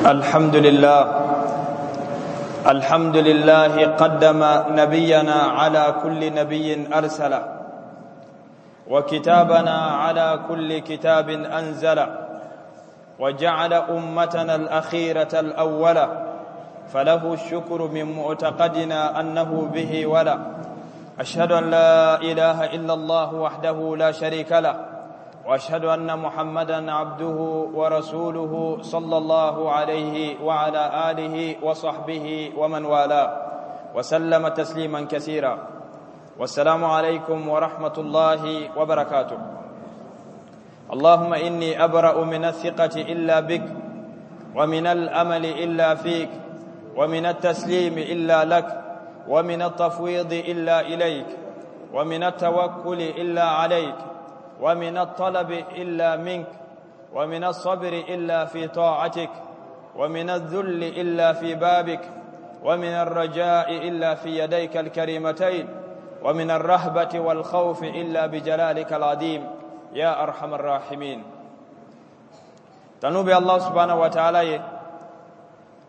الحمد لله الحمد لله قدم نبينا على كل نبي أرسله وكتابنا على كل كتاب أنزله وجعل أمتنا الأخيرة الأولى فله الشكر من معتقدنا أنه به ولا أشهد أن لا إله إلا الله وحده لا شريك له واشهد ان محمدا عبده ورسوله صلى الله عليه وعلى اله وصحبه ومن والاه وسلم تسليما كثيرا والسلام عليكم ورحمه الله وبركاته اللهم اني ابرا من الثقه الا بك ومن الامل الا فيك ومن التسليم الا لك ومن التفويض الا اليك ومن التوكل الا عليك ومن الطلب إلا منك ومن الصبر إلا في طاعتك ومن الذل إلا في بابك ومن الرجاء إلا في يديك الكريمتين ومن الرهبة والخوف إلا بجلالك العظيم يا أرحم الراحمين تنوبي الله سبحانه وتعالى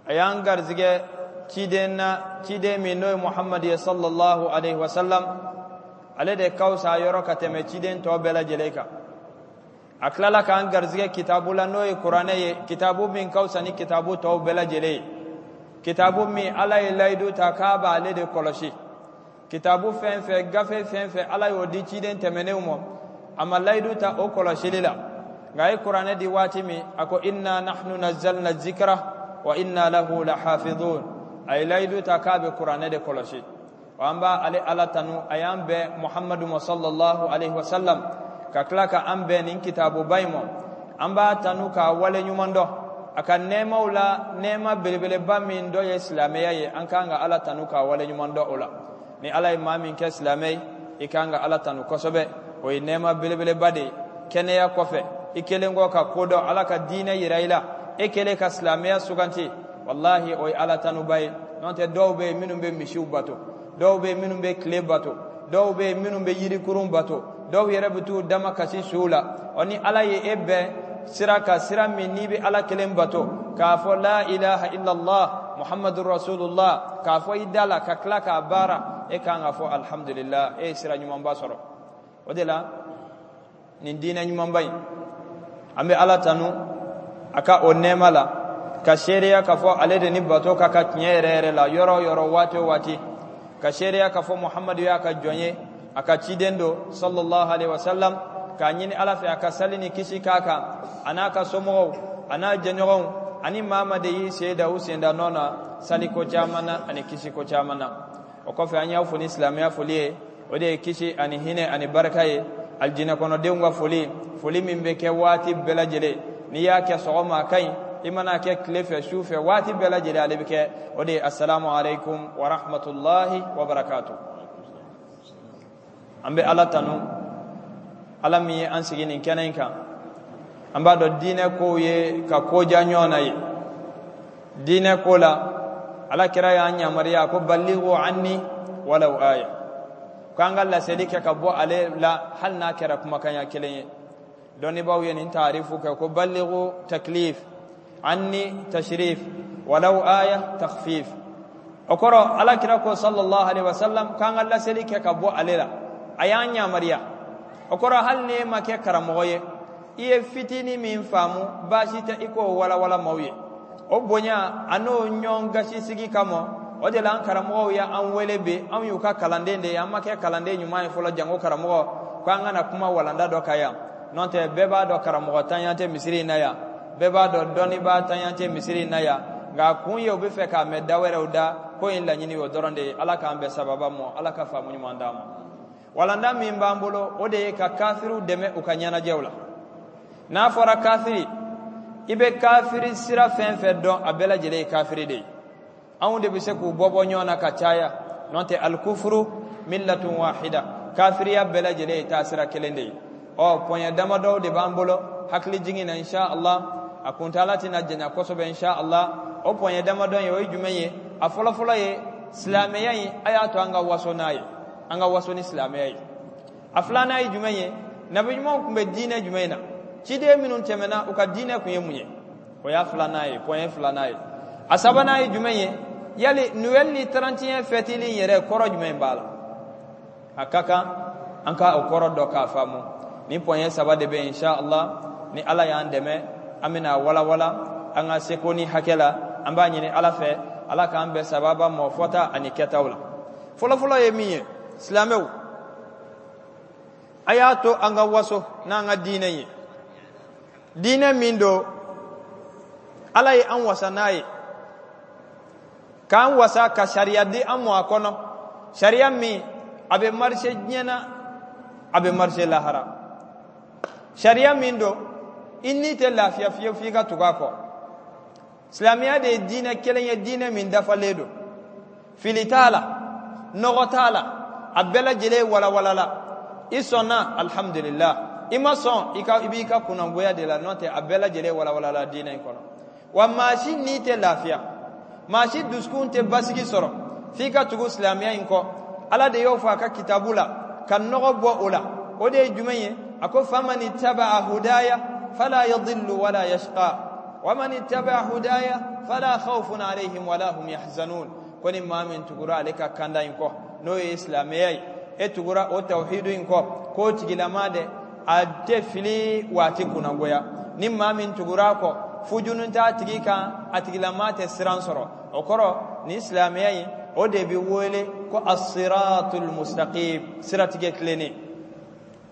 a y'an garizigɛ ciden na ciden min n'o ye muhamadu ye sallallahu alaihi wasallam ale de ka fisa yɔrɔ ka tɛmɛ ciden tɔ bɛɛ lajɛlen kan a tilala k'an garizigɛ kitabu la n'o ye kuranɛ ye kitabu min ka fisa ni kitabu tɔw bɛɛ lajɛlen ye kitabu min ala ye layidu ta k'a b'ale de kɔlɔsi kitabu fɛn fɛn gafe fɛn fɛn ala y'o di ciden tɛmɛnenw ma a ma layidu ta o kɔlɔsili la nka a ye kuranɛ di waati min a ko inna nahnu nazzalna zikra wa inna lahu lahafidhun a ye layidu ta k'a bɛ kuranɛ de kɔlɔsi wa an b'a ale ala tanu a y'an bɛn muhammadu ma sallallahu alaihi wasallam ka tila ka an bɛn nin kitabuba in ma an b'a tanu k'a wale ɲuman dɔn a ka nɛɛmaw la nɛɛma belebeleba min dɔ ye silamɛya ye an kan ka ala tanu k'a wale ɲuman dɔn o la ni ala ye maa min kɛ silamɛ ye i kan ka ala tanu kosɛbɛ o ye nɛɛma belebeleba de ye kɛnɛya kɔfɛ i kɛlen kɔ ka ko dɔn ala ka diinɛ yira i la e kɛlen ka silamɛya suganti walahi o ye ala tanuba ye n'o tɛ dɔw bɛ yen minnu bɛ misiw bato dɔw bɛ yen minnu bɛ tile bato dɔw bɛ yen minnu bɛ yirikurun bato dɔw yɛrɛ bɛ t'u damakasi suw la ɔ ni ala ye e bɛn sira kan sira min n'i bɛ ala kelen bato k'a fɔ la ilaha illallah muhammadu rasulullah k'a fɔ i da la ka tila k'a baara e kan k'a fɔ alhamdulillah e ye sira ɲumanba sɔrɔ o de la nin diinɛ ɲumanba in an bɛ ala tanu a ka o nɛɛma la ka seereya k'a fɔ ale de ni bato ka kan tiɲɛ yɛrɛ yɛrɛ la yɔrɔ o yɔrɔ waati o waati ka seereya k'a fɔ muhamadu y'a ka jɔn ye a ka ciden don sallallahu alaihi wasallam k'a ɲini ala fɛ a ka sali ni kisi k'a kan a n'a ka somɔgɔw a n'a jɛɲɔgɔnw ani maa maa de y'i sen da u senda nɔ na saliko caman na ani kisiko caman na o kɔfɛ an y'aw fo ni silamɛya foli ye o de ye kisi ani hinɛ ani barika ye alijinɛ kɔnɔdenw ka foli foli min bɛ kɛ waati bɛɛ lajɛlen n'i y'a kɛ sɔgɔma a ka ɲi i man'a kɛ tile fɛ su fɛ waati bɛɛ lajɛlen ale bɛ kɛ o de ye asalamu aleykum wa rahmatulahi wa barakatu an bɛ ala tanu ala min ye an sigi nin kɛnɛ in kan an b'a dɔn diinɛ kow ye ka ko diya ɲɔgɔn na ye diinɛ ko la ala kira y'an yamaruya ko ballighu anni walau aya ko an ka laseli kɛ ka bɔ ale la hali n'a kɛra kumakanya kelen ye dɔnnibaaw ye nin taarifu kɛ ko ballighu taklif anni tashrif walau aya takhfif o kɔrɔ ala kira ko sallallahu alaihi wasallam k'an ka laseli kɛ ka bɔ ale la a y'an yamaruya o kɔrɔ hali n'e ma kɛ karamɔgɔ ye i ye fitinin min faamu baasi tɛ i k'o walawala maaw ye o bonya an'o ɲɔgɔn gasi sigi kama o de la an karamɔgɔw y'an wele bi anw y'u ka kalanden de ye an ma kɛ kalanden ɲuman ye fɔlɔ janko karamɔgɔ ko an ka na kuma walanda dɔ kan yan n'o tɛ bɛɛ b'a dɔn karamɔgɔ tanya tɛ misiri in na yan bɛɛ b'a dɔn dɔnnibaa tanya tɛ misiri in na yan nka a kun ye u bɛ fɛ k'a mɛn da wɛrɛw da ko in laɲini o dɔrɔn de ye ala k'an bɛn sababa ma ala ka faamu ɲuman d'an ma walanda min b'an bolo o de ye ka kafiriw dɛmɛ u ka ɲɛnajɛw la n'a fɔra kafiri i bɛ kafiri sira fɛn fɛn dɔn a bɛɛ lajɛlen ye kafiri de ye anw de bɛ se k'u bɔ bɔ ɲɔgɔn na ka caya n'o tɛ alikufuru millatun wahida kafiriya bɛɛ lajɛlen ye taasira kelen de ye ɔ pɔɲɛ damadɔw de b'an bolo hakili jigin na insha Allah a kuntaala tɛna janya kosɛbɛ insha Allah o pɔɲɛ damadɔ ye o ye jumɛn ye a fɔlɔfɔlɔ ye silamɛya in a y'a to an ka waso n'a ye an ka waso ni silamɛya ye a filanan ye jumɛn ye nabi ɲumanw tun bɛ diinɛ jumɛn na ciden minnu tɛmɛna u ka diinɛ tun ye mun ye O y'a filanan ye, point filanan ye. A sabanan ye jumɛn ye? Yali Noël ni 31 fɛtili in yɛrɛ, kɔrɔ jumɛn b'a la? A ka kan an ka o kɔrɔ dɔn k'a faamu. Ni point saba de bɛ, insha Allah, ni Ala y'an dɛmɛ, an bɛna walawala an ka seko ni hakɛ la. An b'a ɲini Ala fɛ, Ala k'an bɛn sababa mɔ fɔta ani kɛtaw la. Fɔlɔfɔlɔ ye min ye, silamɛw, a y'a to an ka waso n'an ka diinɛ ye, diinɛ min don Ala ye an wasa n'a ye, k'an wasa ka sariya di an mɔ a kɔnɔ, sariya min a bɛ marcher diɲɛ na, a bɛ marcher lahara, sariya min don i ni tɛ lafiya fiyewu f'i ka tugu a kɔ. Silamɛya de ye diinɛ kelen ye, diinɛ min dafalen don, fili t'a la, nɔgɔ t'a la, a bɛɛ lajɛlen walawalala. I sɔnna, alhamdulillah, i ma sɔn, i ka i b'i ka kunnangoya de la. N'o tɛ, a bɛɛ lajɛlen walawalala diinɛ in kɔnɔ. Wa maa si ni tɛ lafiya, maa si dusukun tɛ basigi sɔrɔ f'i ka tugu silamɛya in kɔ. Ala de y'o fɔ a ka kitabu la ka nɔgɔ bɔ o la. O de ye jumɛn ye? A ko: faman ittaba'a hudaya fala yadillu wala yashqa wa man ittaba'a hudaya fala khawfun alayhim wala hum yahzanun. Ko ni maa min tugura ale ka kanda in kɔ, n'o ye silamɛya ye, e tugura o tawhidu in kɔ, k'o tigilama dɛ, a tɛ fili waati kunnangoya. Ni maa min tugura a kɔ, fujunu t'a tigi kan, a tigilama tɛ siran sɔrɔ. O kɔrɔ, ni silamɛya in, o de bɛ wele ko as-siratul mustaqim, siratigɛ tilennen.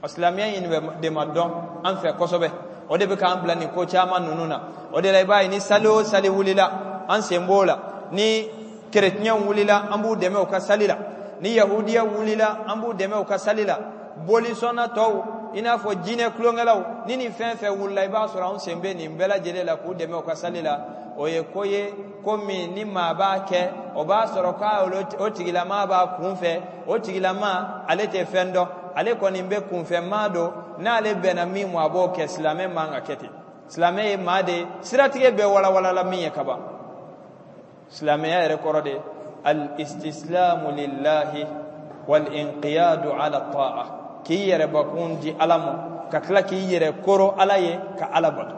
O silamɛya in de ma dɔn an fɛ kosɛbɛ, o de bɛ k'an bila nin ko caman ninnu na. O de la, i b'a ye, ni sali o sali wulila, an sen b'o la. Ni kerecɛnw wulila, an b'u dɛmɛ u ka sali la. Ni yahudiya wulila, an b'u dɛmɛ u ka sali la. Bolisɔnna tɔw, i n'a fɔ jinɛ tulonkɛlaw, ni nin fɛn fɛn wulila, i b'a sɔrɔ anw sen bɛ nin bɛɛ lajɛlen la k'u dɛmɛ u ka sali la. O ye ko ye, ko min ni maa b'a kɛ, o b'a sɔrɔ k'a o tigilama b'a kun fɛ. O tigilama, ale tɛ fɛn dɔn, ale kɔni bɛ kunfɛmaa don. N'ale bɛnna min ma, a b'o kɛ. Silamɛ man ka kɛ ten. Silamɛ ye maa de ye, siratigɛ bɛɛ walawalala min ye kaban. Silamɛya yɛrɛ kɔrɔ de: al-istislamu lillahi wal inqiyadu ala ta'a, k'i yɛrɛ bakun di Ala ma, ka tila k'i yɛrɛ koro Ala ye, ka Ala bato.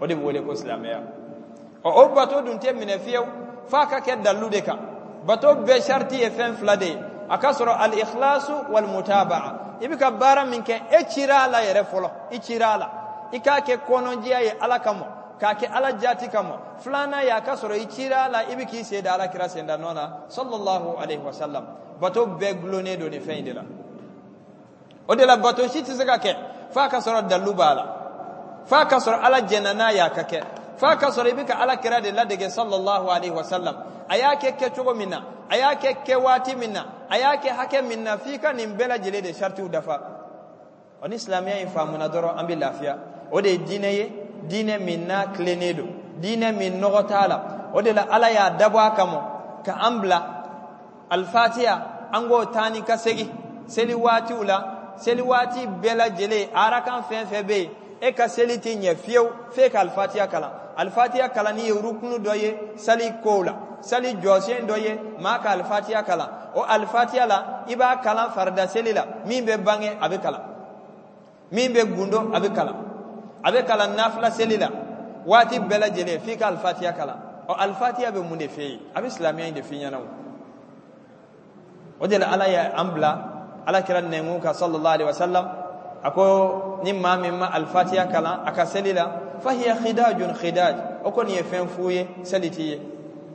O de bɛ wele ko silamɛya. Ɔ, o bato dun tɛ minɛ fiyewu f'a ka kɛ dalilu de kan. Bato bɛɛ sariti ye fɛn fila de ye: a ka sɔrɔ al-ikhlasu wal mutaba'a. I bɛ ka baara min kɛ, e cira a la yɛrɛ fɔlɔ, i cira a la, i k'a kɛ kɔnɔnjɛya ye Ala kama, k'a kɛ Ala jati kama. Filanan ye, a ka sɔrɔ i cira a la, i bɛ k'i sen da Ala kira sen da nɔ na, sallallahu alaihi wa sallam. Bato bɛɛ gulonnen don nin fɛn in de la. O de la, bato si tɛ se ka kɛ f'a ka sɔrɔ dalilu b'a la, f'a ka sɔrɔ Ala jɛnna n'a ye a ka kɛ, f'a ka sɔrɔ i bɛ ka Ala kira de ladege, sallallahu alaihi wa sallam, a y'a kɛ kɛcogo min na, a y'a kɛ kɛ waati min na, a y'a kɛ hakɛ min na. F'i ka nin bɛɛ lajɛlen de saritiw dafa. Ɔ, ni silamɛya in faamuna dɔrɔn, an bɛ lafiya. O de ye diinɛ ye, diinɛ min n'a tilennen don, diinɛ min nɔgɔ t'a la. O de la, Ala y'a dabɔ a kama ka an bila Alifatiya, an k'o taa ni ka segin seli waatiw la. Seli waati bɛɛ lajɛlen, arakan fɛn fɛn bɛ yen, e ka seli tɛ ɲɛ fiyewu f'e ka Alifatiya kalan. Alifatiya kalanni ye rukunu dɔ ye sali kow la, sali jɔsen dɔ ye maa ka Alifatiya kalan. O Alifatiya la, i b'a kalan farida seli la, min bɛ bange a bɛ kalan, min bɛ gundo a bɛ kalan, a bɛ kalan nafila seli la. Waati bɛɛ lajɛlen f'i ka Alifatiya kalan. Ɔ, Alifatiya bɛ mun de f'e ye? A bɛ silamɛya in de f'i ɲɛna. O o de la, Ala ye an bila Ala kira nɛnkun kan, sallallahu alaihi wasallam, a ko ni maa min ma Alifatiya kalan a ka seli la, fahiya khidajun khidaj, o kɔni ye fɛn fu ye, seli t'i ye.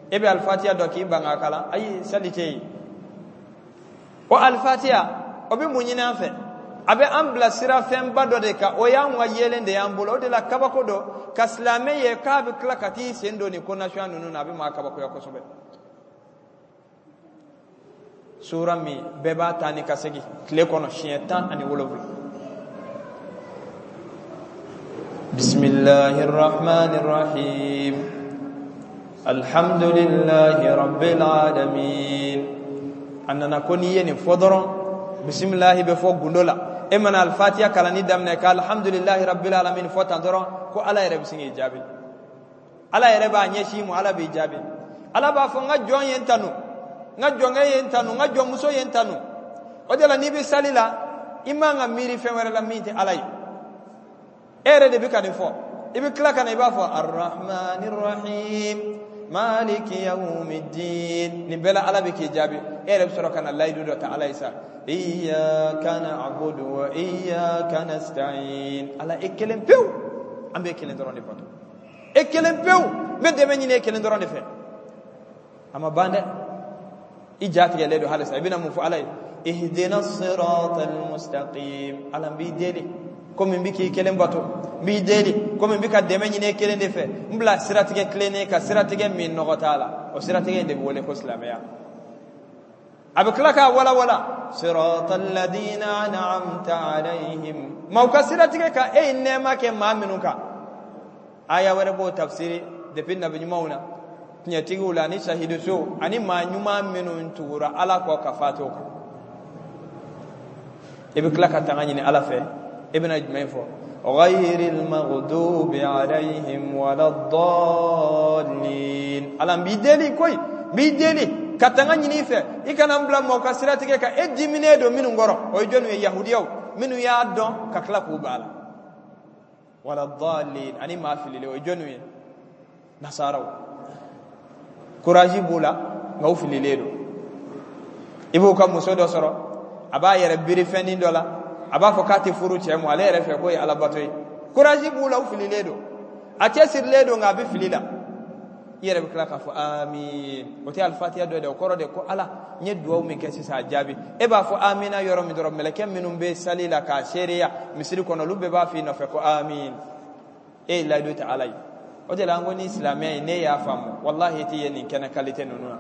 E bɛ Alifatiya dɔn k'i ban k'a kalan, ayi, seli tɛ yen. O Alifatiya, o bɛ mun ɲini an fɛ? A bɛ an bila sira fɛnba dɔ de kan, o y'anw ka yeelen de y'an bolo. O de la, kabako dɔ ka silamɛ ye k'a bɛ tila ka t'i sen don nin ko nasuya ninnu na, a bɛ maa kabakoya kosɛbɛ. Sura min bɛɛ b'a ta ni ka segin tile kɔnɔ siɲɛ 17: bisimilahi rahmani rahim, alhamdulillahi rabbil alamin. A nana ko n'i ye nin fɔ dɔrɔn, bisimilahi bɛ fɔ gundo la, e mana Alifatiya kalanni daminɛ ka alhamdulillahi rabbil alamin fɔ tan dɔrɔn, ko Ala yɛrɛ bɛ sin k'i jaabi. Ala yɛrɛ b'a ɲɛsin ma, Ala b'i jaabi. Ala b'a fɔ: n ka jɔn ye n tanu, n ka jɔnkɛ ye n tanu, n ka jɔnmuso ye n tanu. O de la, n'i bɛ sali la, i man ka miiri fɛn wɛrɛ la min tɛ Ala ye. E yɛrɛ de bɛ ka nin fɔ. I bɛ tila ka na, i b'a fɔ arrahmani rahim maliki yawmiddin. Nin bɛɛ la Ala bɛ k'i jaabi. E yɛrɛ bɛ sɔrɔ ka na layidu dɔ ta Ala ye sa: iyyaka na'budu wa iyyaka nasta'in. Ala, e kelen pewu, an b'e kelen dɔrɔn de bato, e kelen pewu, n bɛ dɛmɛ ɲini e kelen dɔrɔn de fɛ. A ma ban dɛ, i ja tigɛlen don halisa. I bɛna mun fɔ Ala ye? Ihdina sirata almustaqim. Ala, n b'i deli, komi n bɛ k'i kelen bato, n b'i deli, komi n bɛ ka dɛmɛ ɲini e kelen de fɛ, n bila siratigɛ tilennen kan, siratigɛ min nɔgɔ t'a la. O siratigɛ in de bɛ wele ko silamɛya. A bɛ tila k'a walawala: sirata alladhina an'amta alayhim, maaw ka siratigɛ kan, e ye nɛɛma kɛ maa minnu kan. Aya wɛrɛ b'o tafsiri depuis nabi ɲumanw na, tiɲɛtigiw la, ani sahidusow, ani maa ɲuman minnu tugura Ala kɔ ka fatu o kan. I bɛ tila ka tanga ɲini Ala fɛ. I bɛna jumɛn fɔ? Ghayril maghdubi alayhim waladdallin. Ala, n b'i deli koyi, n b'i deli ka tanga ɲini i fɛ, i kana n bila mɔgɔ ka siratigɛ kan, e diminen don minnu kɔrɔ. O ye jɔnniw ye? Yahudiyaw minnu y'a dɔn ka tila k'u ban a la. Waladdallin, ani maa fililen. O ye jɔnniw ye? Nasaraw. Courage b'u la, nka u fililen don. I b'u ka muso dɔ sɔrɔ, a b'a yɛrɛ biri fɛnnin dɔ la, a b'a fɔ k'a tɛ furu cɛ ma, ale yɛrɛ fɛ k'o ye alabato ye. Courage b'u la, u fililen don. A cɛsirilen don, nka a bɛ fili la. I yɛrɛ bɛ tila k'a fɔ amin. O tɛ alifatiya dɔ ye dɛ, o kɔrɔ de ko Ala, n ye duwawu min kɛ sisan, a jaabi. E b'a fɔ amina yɔrɔ min dɔrɔn, mɛlɛkɛ minnu bɛ sali la k'a seereya misiri kɔnɔ, olu bɛɛ b'a f'i nɔfɛ ko amin. E ye layidu ta Ala ye. O de la an ko ni silamɛ ye, ne y'a faamu, walahi, i tɛ ye nin kɛnɛ kalite ninnu na,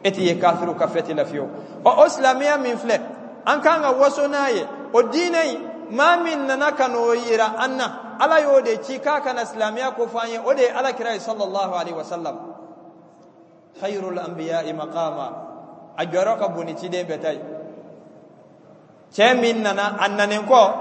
e tɛ ye kafiriw ka fɛti la fiyewu. Ɔ, o silamɛya min filɛ, an kan ka waso n'a ye, o diinɛ in, maa min nana ka n'o yira an na, Ala y'o de ci k'a ka na silamɛya ko fɔ an ye, o de ye Ala kira ye, sallallahu alaihi wasallam, khayrul anbiya'i maqama. A jɔyɔrɔ ka bon ni ciden bɛɛ ta ye. Cɛ min nana a nanen kɔ,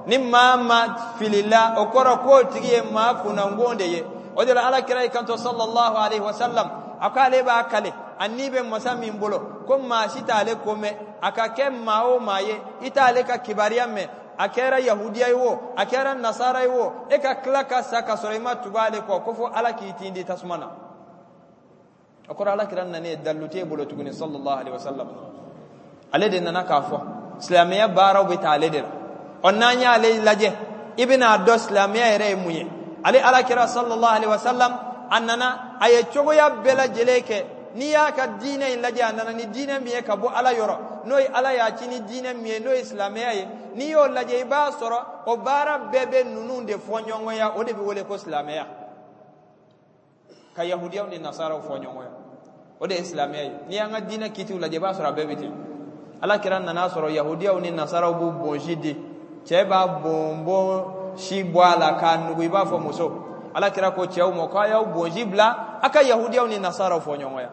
ni maa ma filila, o kɔrɔ k'o tigi ye maa kunnangon de ye. O de la Ala kira y'i kanto, sallallahu alaihi wasallam, a ko ale b'a kale a ni bɛ masa min bolo, ko maa si t'ale ko mɛn, a ka kɛ maa o maa ye, i t'ale ka kibaruya mɛn, a kɛra yahudiya ye o, a kɛra nasara ye o, e ka tila ka sa ka sɔrɔ i ma tugu ale kɔ, ko fo Ala k'i tin di tasuma na. O kɔrɔ, Ala kira nana ye, dalilu t'e bolo tuguni. Sallallahu alaihi wasallam, ale de nana k'a fɔ silamɛya baaraw bɛ taa ale de la. Ɔ, n'an y'ale lajɛ, i bɛna dɔn silamɛya yɛrɛ ye mun ye. Ale Ala kira, sallallahu alaihi wasallam, a nana, a ye cogoya bɛɛ lajɛlen kɛ. N'i y'a ka diinɛ in lajɛ, a nana ni diinɛ min ye ka bɔ Ala yɔrɔ, n'o ye Ala y'a ci ni diinɛ min ye, n'o ye silamɛya ye, n'i y'o lajɛ, i b'a sɔrɔ o baara bɛɛ bɛ ninnu de fɔ ɲɔgɔnya. O de bɛ wele ko silamɛya, ka yahudiyaw ni nasaraw fɔ ɲɔgɔnya, o de ye silamɛya ye. N'i y'an ka diinɛ kitiw lajɛ, i b'a sɔrɔ a bɛɛ bɛ ten. Ala kira nana sɔrɔ yahudiyaw ni nasaraw b'u bonsi di, cɛ b'a bonbon si bɔ a la k'a nugu i b'a fɔ muso. Ala kira ko cɛw ma ko a y'aw bonsi bila, a ka yahudiyaw ni nasaraw fɔ ɲɔgɔnya.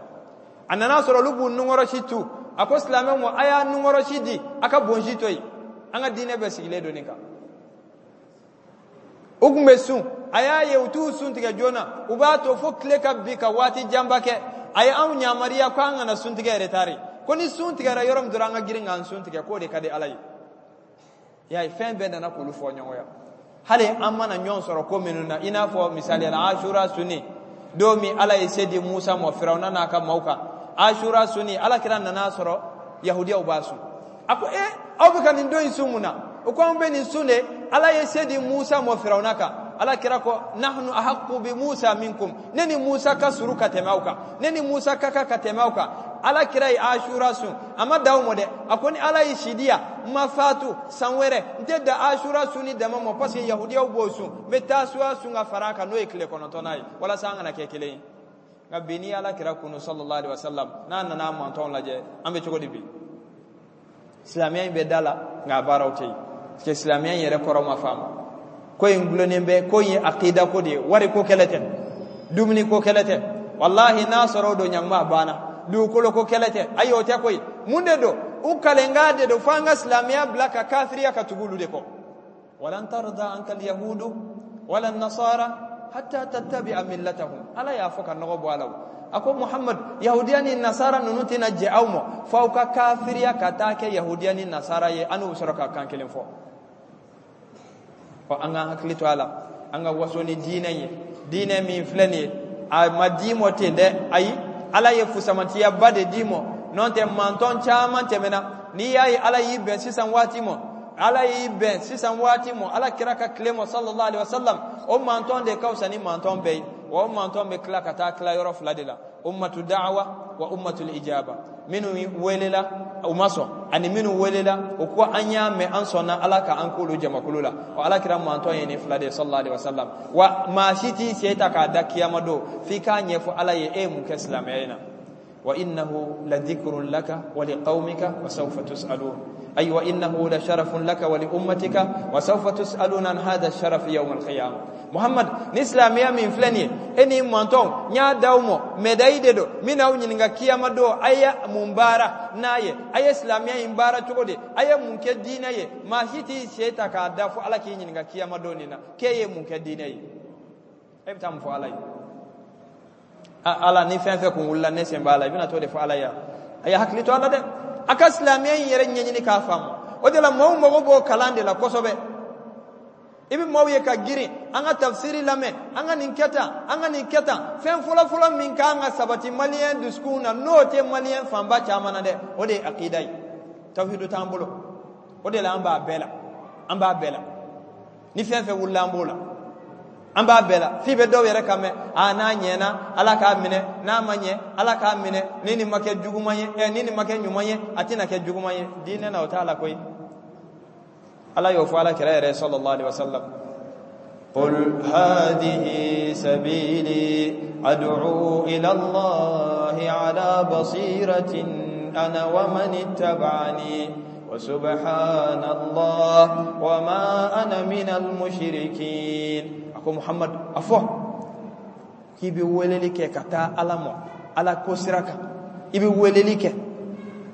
A nana sɔrɔ olu b'u nunkɔrɔsi tu, a ko silamɛw ma a y'a nunkɔrɔsi di, a ka bonsi to yen. An ka diinɛ bɛɛ sigilen don nin kan. U tun bɛ sun, a y'a ye u t'u sun tigɛ joona, u b'a to fo tile ka bin ka waati janba kɛ. A ye anw yamaruya ko an kana sun tigɛ retard, ko ni sun tigɛra yɔrɔ min dɔrɔn, an ka girin k'an sun tigɛ, k'o de ka di Ala ye. Y'a ye, fɛn bɛɛ nana k'olu fɔ ɲɔgɔnya. Hali an mana ɲɔgɔn sɔrɔ ko minnu na, i n'a fɔ misaliya la, Asura sunni don min Ala ye se di Musa ma Firawuna n'a ka maaw kan, Asura sunni, Ala kira nana sɔrɔ yahudiyaw b'a sun. A ko e, aw bɛ ka nin don in sun mun na? O ko an bɛ nin sun de, Ala ye se di Musa ma Firawuna kan. Ala kira ko nahnu ahaqqu bi Musa minkum, ne ni Musa ka suru ka tɛmɛ aw kan, ne ni Musa ka kan ka tɛmɛ aw kan. Ala kira ye Asura sun, a ma dan o ma dɛ, a ko ni Ala ye si di yan, n ma fatu san wɛrɛ, n tɛ dan Asura sunni dama ma, parce que yahudiyaw b'o sun, n bɛ Tasuwa sun ka fara a kan, n'o ye tile 9nan ye, walasa an kana kɛ kelen ye. Nka bi, n'i Ala kira kunu, sallallahu alaihi wasallam, n'a nana a mantɔn lajɛ, an bɛ cogo di bi? Silamɛya in bɛ da la, nka a baaraw tɛ yen, parce que silamɛya in yɛrɛ kɔrɔ ma faamu. Ko in gulonnen bɛ ko in ye akida ko de ye, wari ko kɛlɛ tɛ, dumuni ko kɛlɛ tɛ. Walahi, n'a sɔrɔ o don, ɲanguma a banna. Dugukolo ko kɛlɛ tɛ, ayi, o tɛ koyi. Mun de don? U kalenkan de don fo an ka silamɛya bila ka kafiriya ka tugu olu de kɔ. Walan tarda anka alyahudu wala nasara hatta tattabi'a millatahum. Ala y'a fɔ ka nɔgɔ bɔ a la. A ko Muhammad, yahudiya ni nasara ninnu tɛna jɛ aw ma fo aw ka kafiriya ka taa kɛ yahudiya ni nasara ye, an n'u bɛ sɔrɔ ka kan kelen fɔ. Ɔ, an k'an hakili to a la. An ka waso ni diinɛ ye, diinɛ min filɛ nin ye, a ma d'i mɔ ten dɛ, ayi, Ala ye fusamantiyaba de d'i mɔ. N'o tɛ, mantɔn caman tɛmɛna. N'i y'a ye Ala y'i bɛn sisan waati mɔ, Ala y'i bɛn sisan waati mɔ, Ala kira ka tile mɔ, sallallahu alaihi wasallam, o mantɔn de ka fisa ni mantɔn bɛɛ ye. Wa o mantɔn bɛ tila ka taa tila yɔrɔ fila de la: ummatu da'wa wa ummatul ijaba. Minnu welela u ma sɔn, ani minnu welela u ko an y'a mɛn, an sɔnna, Ala ka an k'olu jamakulu la. O Ala kira mantɔn ye nin fila de ye, sallallahu alaihi wasallam. Wa maa si t'i sen ta k'a da kiyama don f'i k'a ɲɛfɔ Ala ye e ye mun kɛ silamɛya in na. وإنه لذكر لك ولقومك وسوف تسألون، أي وإنه لشرف لك ولأمتك وسوف تسألون عن هذا الشرف يوم القيامة. محمد, ni silamɛya min filɛ nin ye, e ni mantɔn, n y'a d'aw ma, médaille de don min n'aw ɲininka kiyama don a ye mun baara n'a ye, a ye silamɛya in baara cogo di, a ye mun kɛ diinɛ ye. Maa si t'i sen ta k'a da fo Ala k'i ɲininka kiyama don nin na k'e ye mun kɛ diinɛ ye. E bɛ taa mun fɔ Ala ye? Ala, ni fɛn fɛn kun wulila, ne sen b'a la. I bɛna t'o de fɔ Ala ye? A ye hakili to a la dɛ, a ka silamɛya in yɛrɛ ɲɛɲini k'a faamu. O de la maaw mago b'o kalan de la kosɛbɛ. I bɛ maaw ye ka girin an ka tafsiri lamɛn, an ka nin kɛ tan, an ka nin kɛ tan. Fɛn fɔlɔfɔlɔ min kan ka sabati maliyɛn dusukun na, n'o tɛ maliyɛn fanba caman na dɛ, o de ye akida ye. Tawhidu t'an bolo, o de la an b'a bɛɛ la, an b'a bɛɛ la. Ni fɛn fɛn wulila, an b'o la, an b'a bɛɛ la. F'i bɛ dɔw yɛrɛ kan mɛn: a n'a ɲɛna, Ala k'a minɛ, n'a ma ɲɛ, Ala k'a minɛ. Ni nin ma kɛ juguman ye, ɛ, ni nin ma kɛ ɲuman ye, a tɛna kɛ juguman ye. Diinɛ na, o t'a la koyi. Ala y'o fɔ Ala kira yɛrɛ, sallallahu alaihi wasallam: قل هذه سبيلي أدعو إلى الله على بصيرة أنا ومن اتبعني وسبحان الله وما أنا من المشركين. A ko Muhammad, a fɔ k'i bɛ weleli kɛ ka taa Ala ma, Ala ko sira kan. I bɛ weleli kɛ,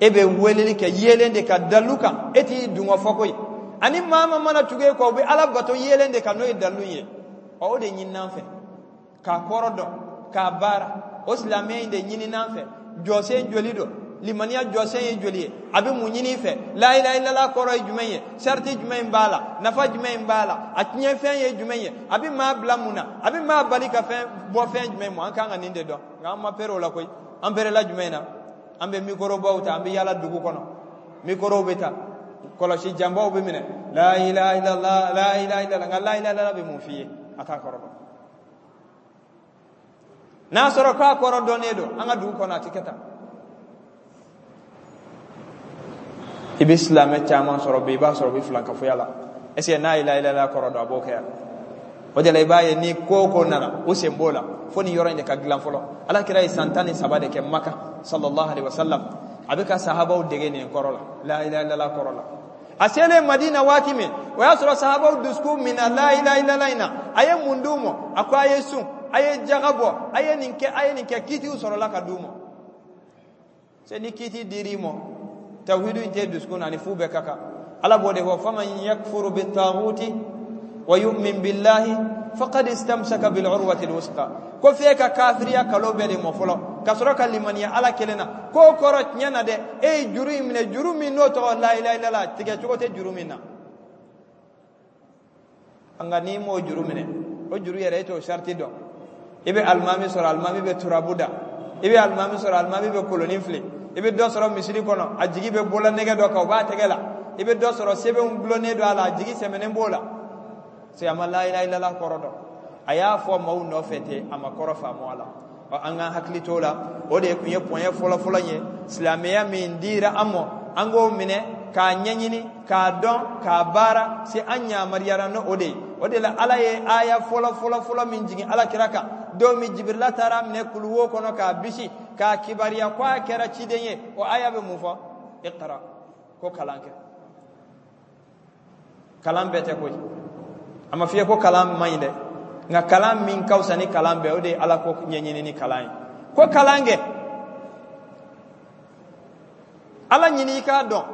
e bɛ weleli kɛ yeelen de ka dalu kan. E t'i dungɔ fɔ koyi. Ani maa ma mana tugu e kɔ, u bɛ Ala bato yeelen de kan, n'o ye dalu ye. Ɔ, o de ɲin'an fɛ, k'a kɔrɔ dɔn, k'a baara. O silamɛya in de ɲinin'an fɛ. Jɔsen joli don? Limaniya jɔsen ye joli ye? A bɛ mun ɲini i fɛ? La ilaha illallah kɔrɔ ye jumɛn ye? Sariti jumɛn b'a la? Nafa jumɛn b'a la? A tiɲɛfɛn ye jumɛn ye? A bɛ maa bila mun na? A bɛ maa bali ka fɛn bɔ fɛn jumɛn ma? An kan ka nin de dɔn, nka an ma pere o la koyi. An perela jumɛn na? An bɛ mikorobaw ta, an bɛ yala dugu kɔnɔ, mikorow bɛ ta, kɔlɔsi janbaw bɛ minɛ, la ilaha illallah, la ilaha illallah. Nka la ilaha illallah bɛ mun f'i ye? A t'a kɔrɔ dɔn. N'a sɔrɔ k'a kɔrɔ dɔnnen don an ka dugu kɔnɔ, a tɛ kɛ tan. I bɛ silamɛ caman sɔrɔ bi, i b'a sɔrɔ u bɛ filankafoya la. Est ce que n'a ye la ilaha illallah kɔrɔ dɔn, a b'o kɛ yan? O de la i b'a ye ni ko o ko nana, u sen b'o la. Fo nin yɔrɔ in de ka dilan fɔlɔ. Ala kira ye san 13 de kɛ Maka, sallallahu alaihi wasallam, a bɛ ka sahabaw dege nin kɔrɔ la, la ilaha illallah kɔrɔ la. A selen Madina waati min, o y'a sɔrɔ sahabaw dusukun min na la ilaha illallah in na. A ye mun d'u ma? A ko a ye sun, a ye jaga bɔ, a ye nin kɛ, a ye nin kɛ. Kiitiw sɔrɔla ka d'u ma. Se ni kiiti dir'i ma, tawhidu in tɛ dusukun na, ani fu bɛɛ ka kan. Ala b'o de fɔ: faman yakfuru bitaghuti wa yu'min billahi faqad istamsaka bil urwati alwusqa. Ko f'e ka kafiriya kalo bɛɛ de mɔ fɔlɔ, ka sɔrɔ ka limaniya Ala kelen na. K'o kɔrɔ tiɲɛ na dɛ, e ye juru in minɛ, juru min n'o tɔgɔ la ilaha illallah, tigɛ cogo tɛ juru min na. Nka n'i m'o juru minɛ, o juru yɛrɛ, e t'o sariti dɔn. I bɛ alimami sɔrɔ, alimami bɛ turabu da. I bɛ alimami sɔrɔ, alimami bɛ kolonin fili. I bɛ dɔ sɔrɔ misiri kɔnɔ, a jigi bɛ bolola nɛgɛ dɔ kan, o b'a tɛgɛ la. I bɛ dɔ sɔrɔ, sɛbɛnw gulonnen don a la, a jigi sɛmɛnen b'o la. Se a ma la ilaha illallah kɔrɔ dɔn. A y'a fɔ maaw nɔfɛ ten, a ma kɔrɔ faamu a la. Ɔ, an k'an hakili t'o la. O de tun ye pɔnyɛ fɔlɔfɔlɔ ye. Silamɛya min dira an ma, an k'o minɛ k'a ɲɛɲini, k'a dɔn, k'a baara. Se an yamaruyara n'o o de ye. O de la Ala ye aya fɔlɔ fɔlɔ fɔlɔ min jigin Ala kira kan, don min Jibirila taara minɛ kuluwo kɔnɔ k'a bisi k'a kibaruya ko a kɛra ciden ye, o aya bɛ mun fɔ? Iqra, ko kalan kɛ. Kalan bɛɛ tɛ koyi. A ma f'i ye ko kalan man ɲi dɛ, nka kalan min ka fisa ni kalan bɛɛ, o de ye Ala ko ɲɛɲini ni kalan ye. Ko kalan kɛ, Ala ɲini i k'a dɔn.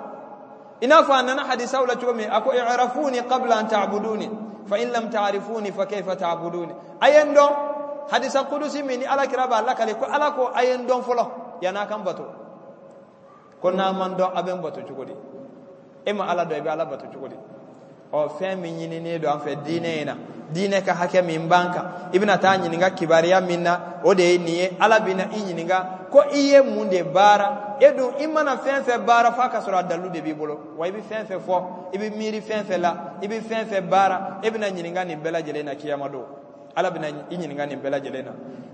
I n'a fɔ a nana hadisaw la cogo min, a ko: i'rafuni qabla an ta'buduni fa in lam ta'rifuni fa kayfa ta'buduni. A ye n dɔn. Hadisa kudusi min ni Ala kira b'a lakale ko Ala ko a ye n dɔn fɔlɔ yan'a kan bato, ko n'a man dɔn, a bɛ n bato cogo di? E ma Ala dɔn, i bɛ Ala bato cogo di? Ɔ, fɛn min ɲininen don an fɛ diinɛ in na, Diinɛ ka hakɛ min b'an kan, i bɛna taa ɲininka kibaruya min na, o de ye nin ye. Ala bɛna i ɲininka ko i ye mun de baara. E dun, i mana fɛn fɛn baara, f'a ka sɔrɔ a dalilu de b'i bolo. Wa i bɛ fɛn fɛn fɔ, i bɛ miiri fɛn fɛn la, i bɛ fɛn fɛn baara, e bɛna ɲininka nin bɛɛ lajɛlen na kiyama don. Ala bɛna i ɲininka nin bɛɛ lajɛlen na.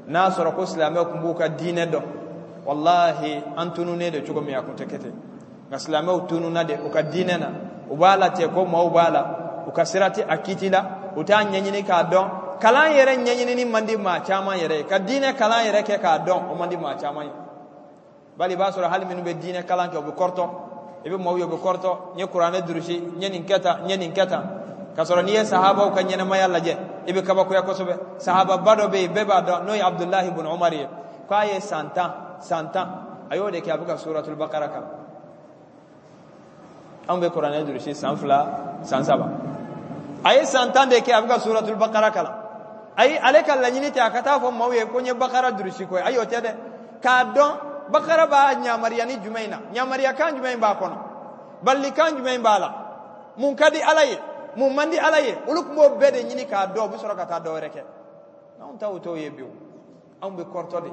N'a sɔrɔ ko silamɛw tun b'u ka diinɛ dɔn, walahi, an tununnen de cogo min, a tun tɛ kɛ ten. Nka silamɛw tununna de u ka diinɛ na. U b'a la ten ko maaw b'a la, u ka sira tɛ a kiti la, u t'a ɲɛɲini k'a dɔn. Kalan yɛrɛ ɲɛɲinini man di maa caman yɛrɛ ye. Ka diinɛ kalan yɛrɛ kɛ k'a dɔn, o man di maa caman ye. Bali i b'a sɔrɔ hali minnu bɛ diinɛ kalan kɛ, u bɛ kɔrɔtɔ. I bɛ maaw ye, u bɛ kɔrɔtɔ: n ye kuranɛ durusi, n ye nin kɛ tan, n ye nin kɛ tan. K'a sɔrɔ n'i ye sahabaw ka ɲɛnamaya lajɛ, i bɛ kabakoya kosɛbɛ. Sahababa dɔ bɛ yen, bɛɛ b'a dɔn, n'o ye Abudulahi bun Umar ye, k'a ye san 10, san 10, a y'o de kɛ a bɛ ka Suratul Bakara kalan. Anw bɛ kuranɛ durusi san 2, san 3. A ye san 10 de kɛ a bɛ ka Suratul Bakara kalan. Ayi, ale ka laɲini tɛ a ka taa fɔ maaw ye ko n ye Bakara durusi koyi. Ayi, o tɛ dɛ. K'a dɔn Bakara b'a ɲamariya ni jumɛn in na, ɲamariya kan jumɛn in b'a kɔnɔ, balilikan jumɛn in b'a la, mun ka di Ala ye, mun man di Ala ye, olu tun b'o bɛɛ de ɲini k'a dɔn, u bɛ sɔrɔ ka taa dɔ wɛrɛ kɛ. Anw ta t'o ye bi. Anw bɛ kɔrɔtɔ de.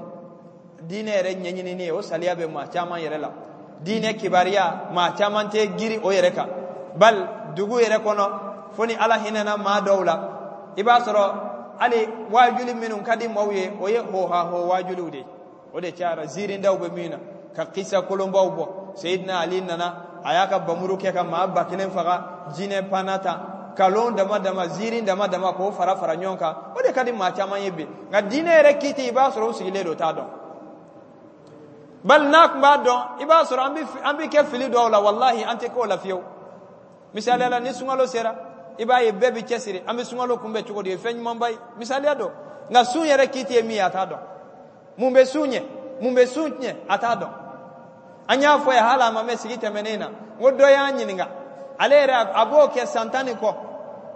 Diinɛ yɛrɛ ɲɛɲinini ye, o saliya bɛ maa caman yɛrɛ la. Diinɛ kibaruya, maa caman tɛ giri o yɛrɛ kan. Bali dugu yɛrɛ kɔnɔ, fo ni Ala hinɛna maa dɔw la, i b'a sɔrɔ hali waajuli minnu ka di maaw ye, o ye hohaho waajuliw de ye. O de cayara, ziirindaw bɛ min na, ka kisa kolonbaw bɔ. Seyidina Ali nana, a y'a ka bamuru kɛ ka maa 1000 faga, jinɛ panna tan, kalon dama dama, ziirin dama dama, k'o fara fara ɲɔgɔn kan. O de ka di maa caman ye bi. Nka diinɛ yɛrɛ kiti, i b'a sɔrɔ u sigilen don, t'a dɔn. Bali n'a tun b'a dɔn, i b'a sɔrɔ an bɛ kɛ fili dɔw la, walahi, an tɛ k'o la fiyewu. Misaliya la, ni sunkalo sera, i b'a ye bɛɛ bɛ cɛsiri, an bɛ sunkalo kunbɛn cogo di? Ye fɛn ɲumanba ye, misaliya don. Nka sun yɛrɛ kiti ye min ye, a t'a dɔn. Mun bɛ sun ɲɛ, mun bɛ sun tiɲɛ, a t'a dɔn. An y'a fɔ ye, hali a ma mɛn sigi tɛmɛnen na, n ko dɔ y'an ɲininka, ale yɛrɛ a b'o kɛ san 10 ni kɔ.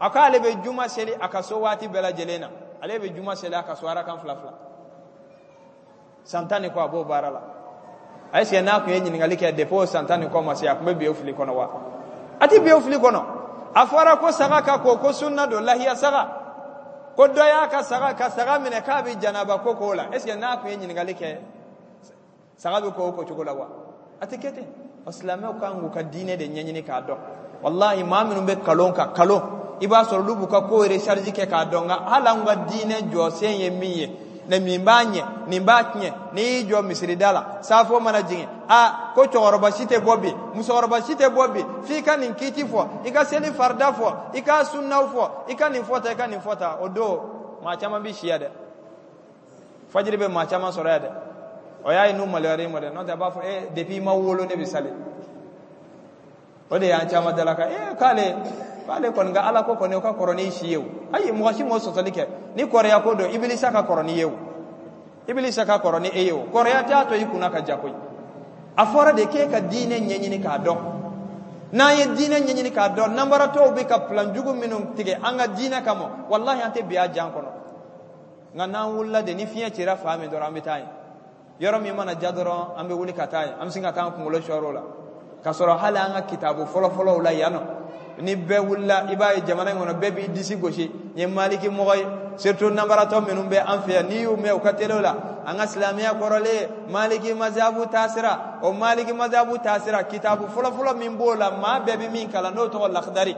A ko ale bɛ juma seli a ka so waati bɛɛ lajɛlen na. Ale bɛ juma seli a ka so arakan fila fila, san 10 ni kɔ a b'o baara la. A est-ce que n'a tun ye ɲininkali kɛ depuis o san 10 ni kɔ ma se, a tun bɛ bi o fili kɔnɔ wa? A tɛ bi o fili kɔnɔ. A fɔra ko saga ka ko ko sunna don, lahiya saga, ko dɔ y'a ka saga ka saga minɛ k'a bɛ janaba ko k'o la. Est ce que n'a tun ye ɲininkali kɛ, saga bɛ ko o ko cogo la wa? A tɛ kɛ ten. Silamɛw kan k'u ka diinɛ de ɲɛɲini k'a dɔn. Walahi, maa minnu bɛ kalon ka kalon, i b'a sɔrɔ olu b'u ka ko recharge kɛ k'a dɔn. Nka hali an ka diinɛ jɔsen ye min ye, ne min b'a ɲɛ, nin b'a tiɲɛ, n'i y'i jɔ misirida la, safo mana jigin, a ko cɛkɔrɔba si tɛ bɔ bi, musokɔrɔba si tɛ bɔ bi, f'i ka nin kiti fɔ, i ka seli farida fɔ, i ka sunnaw fɔ, i ka nin fɔ tan, i ka nin fɔ tan. O don, maa caman bɛ si yan dɛ. Fajiri bɛ maa caman sɔrɔ yan dɛ. O y'a ye n'u maloyara i ma dɛ. N'o tɛ, a b'a fɔ e, depuis i ma wolo, ne bɛ sali. O de y'an caman dalaka ee k'ale kɔni ka Ala ko kɔni, o ka kɔrɔ n'i si ye. O ayi, mɔgɔ si m'o sɔsɔli kɛ. Ni kɔrɔya ko don, Ibilisa ka kɔrɔ n'i ye. O Ibilisa ka kɔrɔ ni e ye. O kɔrɔya t'a to i kunna ka ja koyi. A fɔra de k'e ka diinɛ ɲɛɲini k'a dɔn. N'an ye diinɛ ɲɛɲini k'a dɔn, nanbaratɔw bɛ ka plan jugu minnu tigɛ an ka diinɛ kama, walahi, an tɛ bi a jan kɔnɔ. Nka n'an wulila de, ni fiɲɛ cira fan min dɔrɔn, an bɛ taa yen. Yɔrɔ min mana ja dɔrɔn, an bɛ wuli ka taa yen, an bɛ sin ka taa an kunkolo sɔrɔ o la, k'a sɔrɔ hali an ka kitabu fɔlɔfɔlɔw la yan nɔ, ni bɛɛ wulila, i b'a ye jamana in kɔnɔ, bɛɛ b'i disi gosi n ye maliki mɔgɔ ye. Surtout nanbaratɔ minnu bɛ an fɛ yan, n'i y'u mɛn u ka télé la, an ka silamɛya kɔrɔlen, maliki mazabu taasira. O maliki mazabu taasira, kitabu fɔlɔfɔlɔ min b'o la, maa bɛɛ bɛ min kalan, n'o tɔgɔ Lakidari,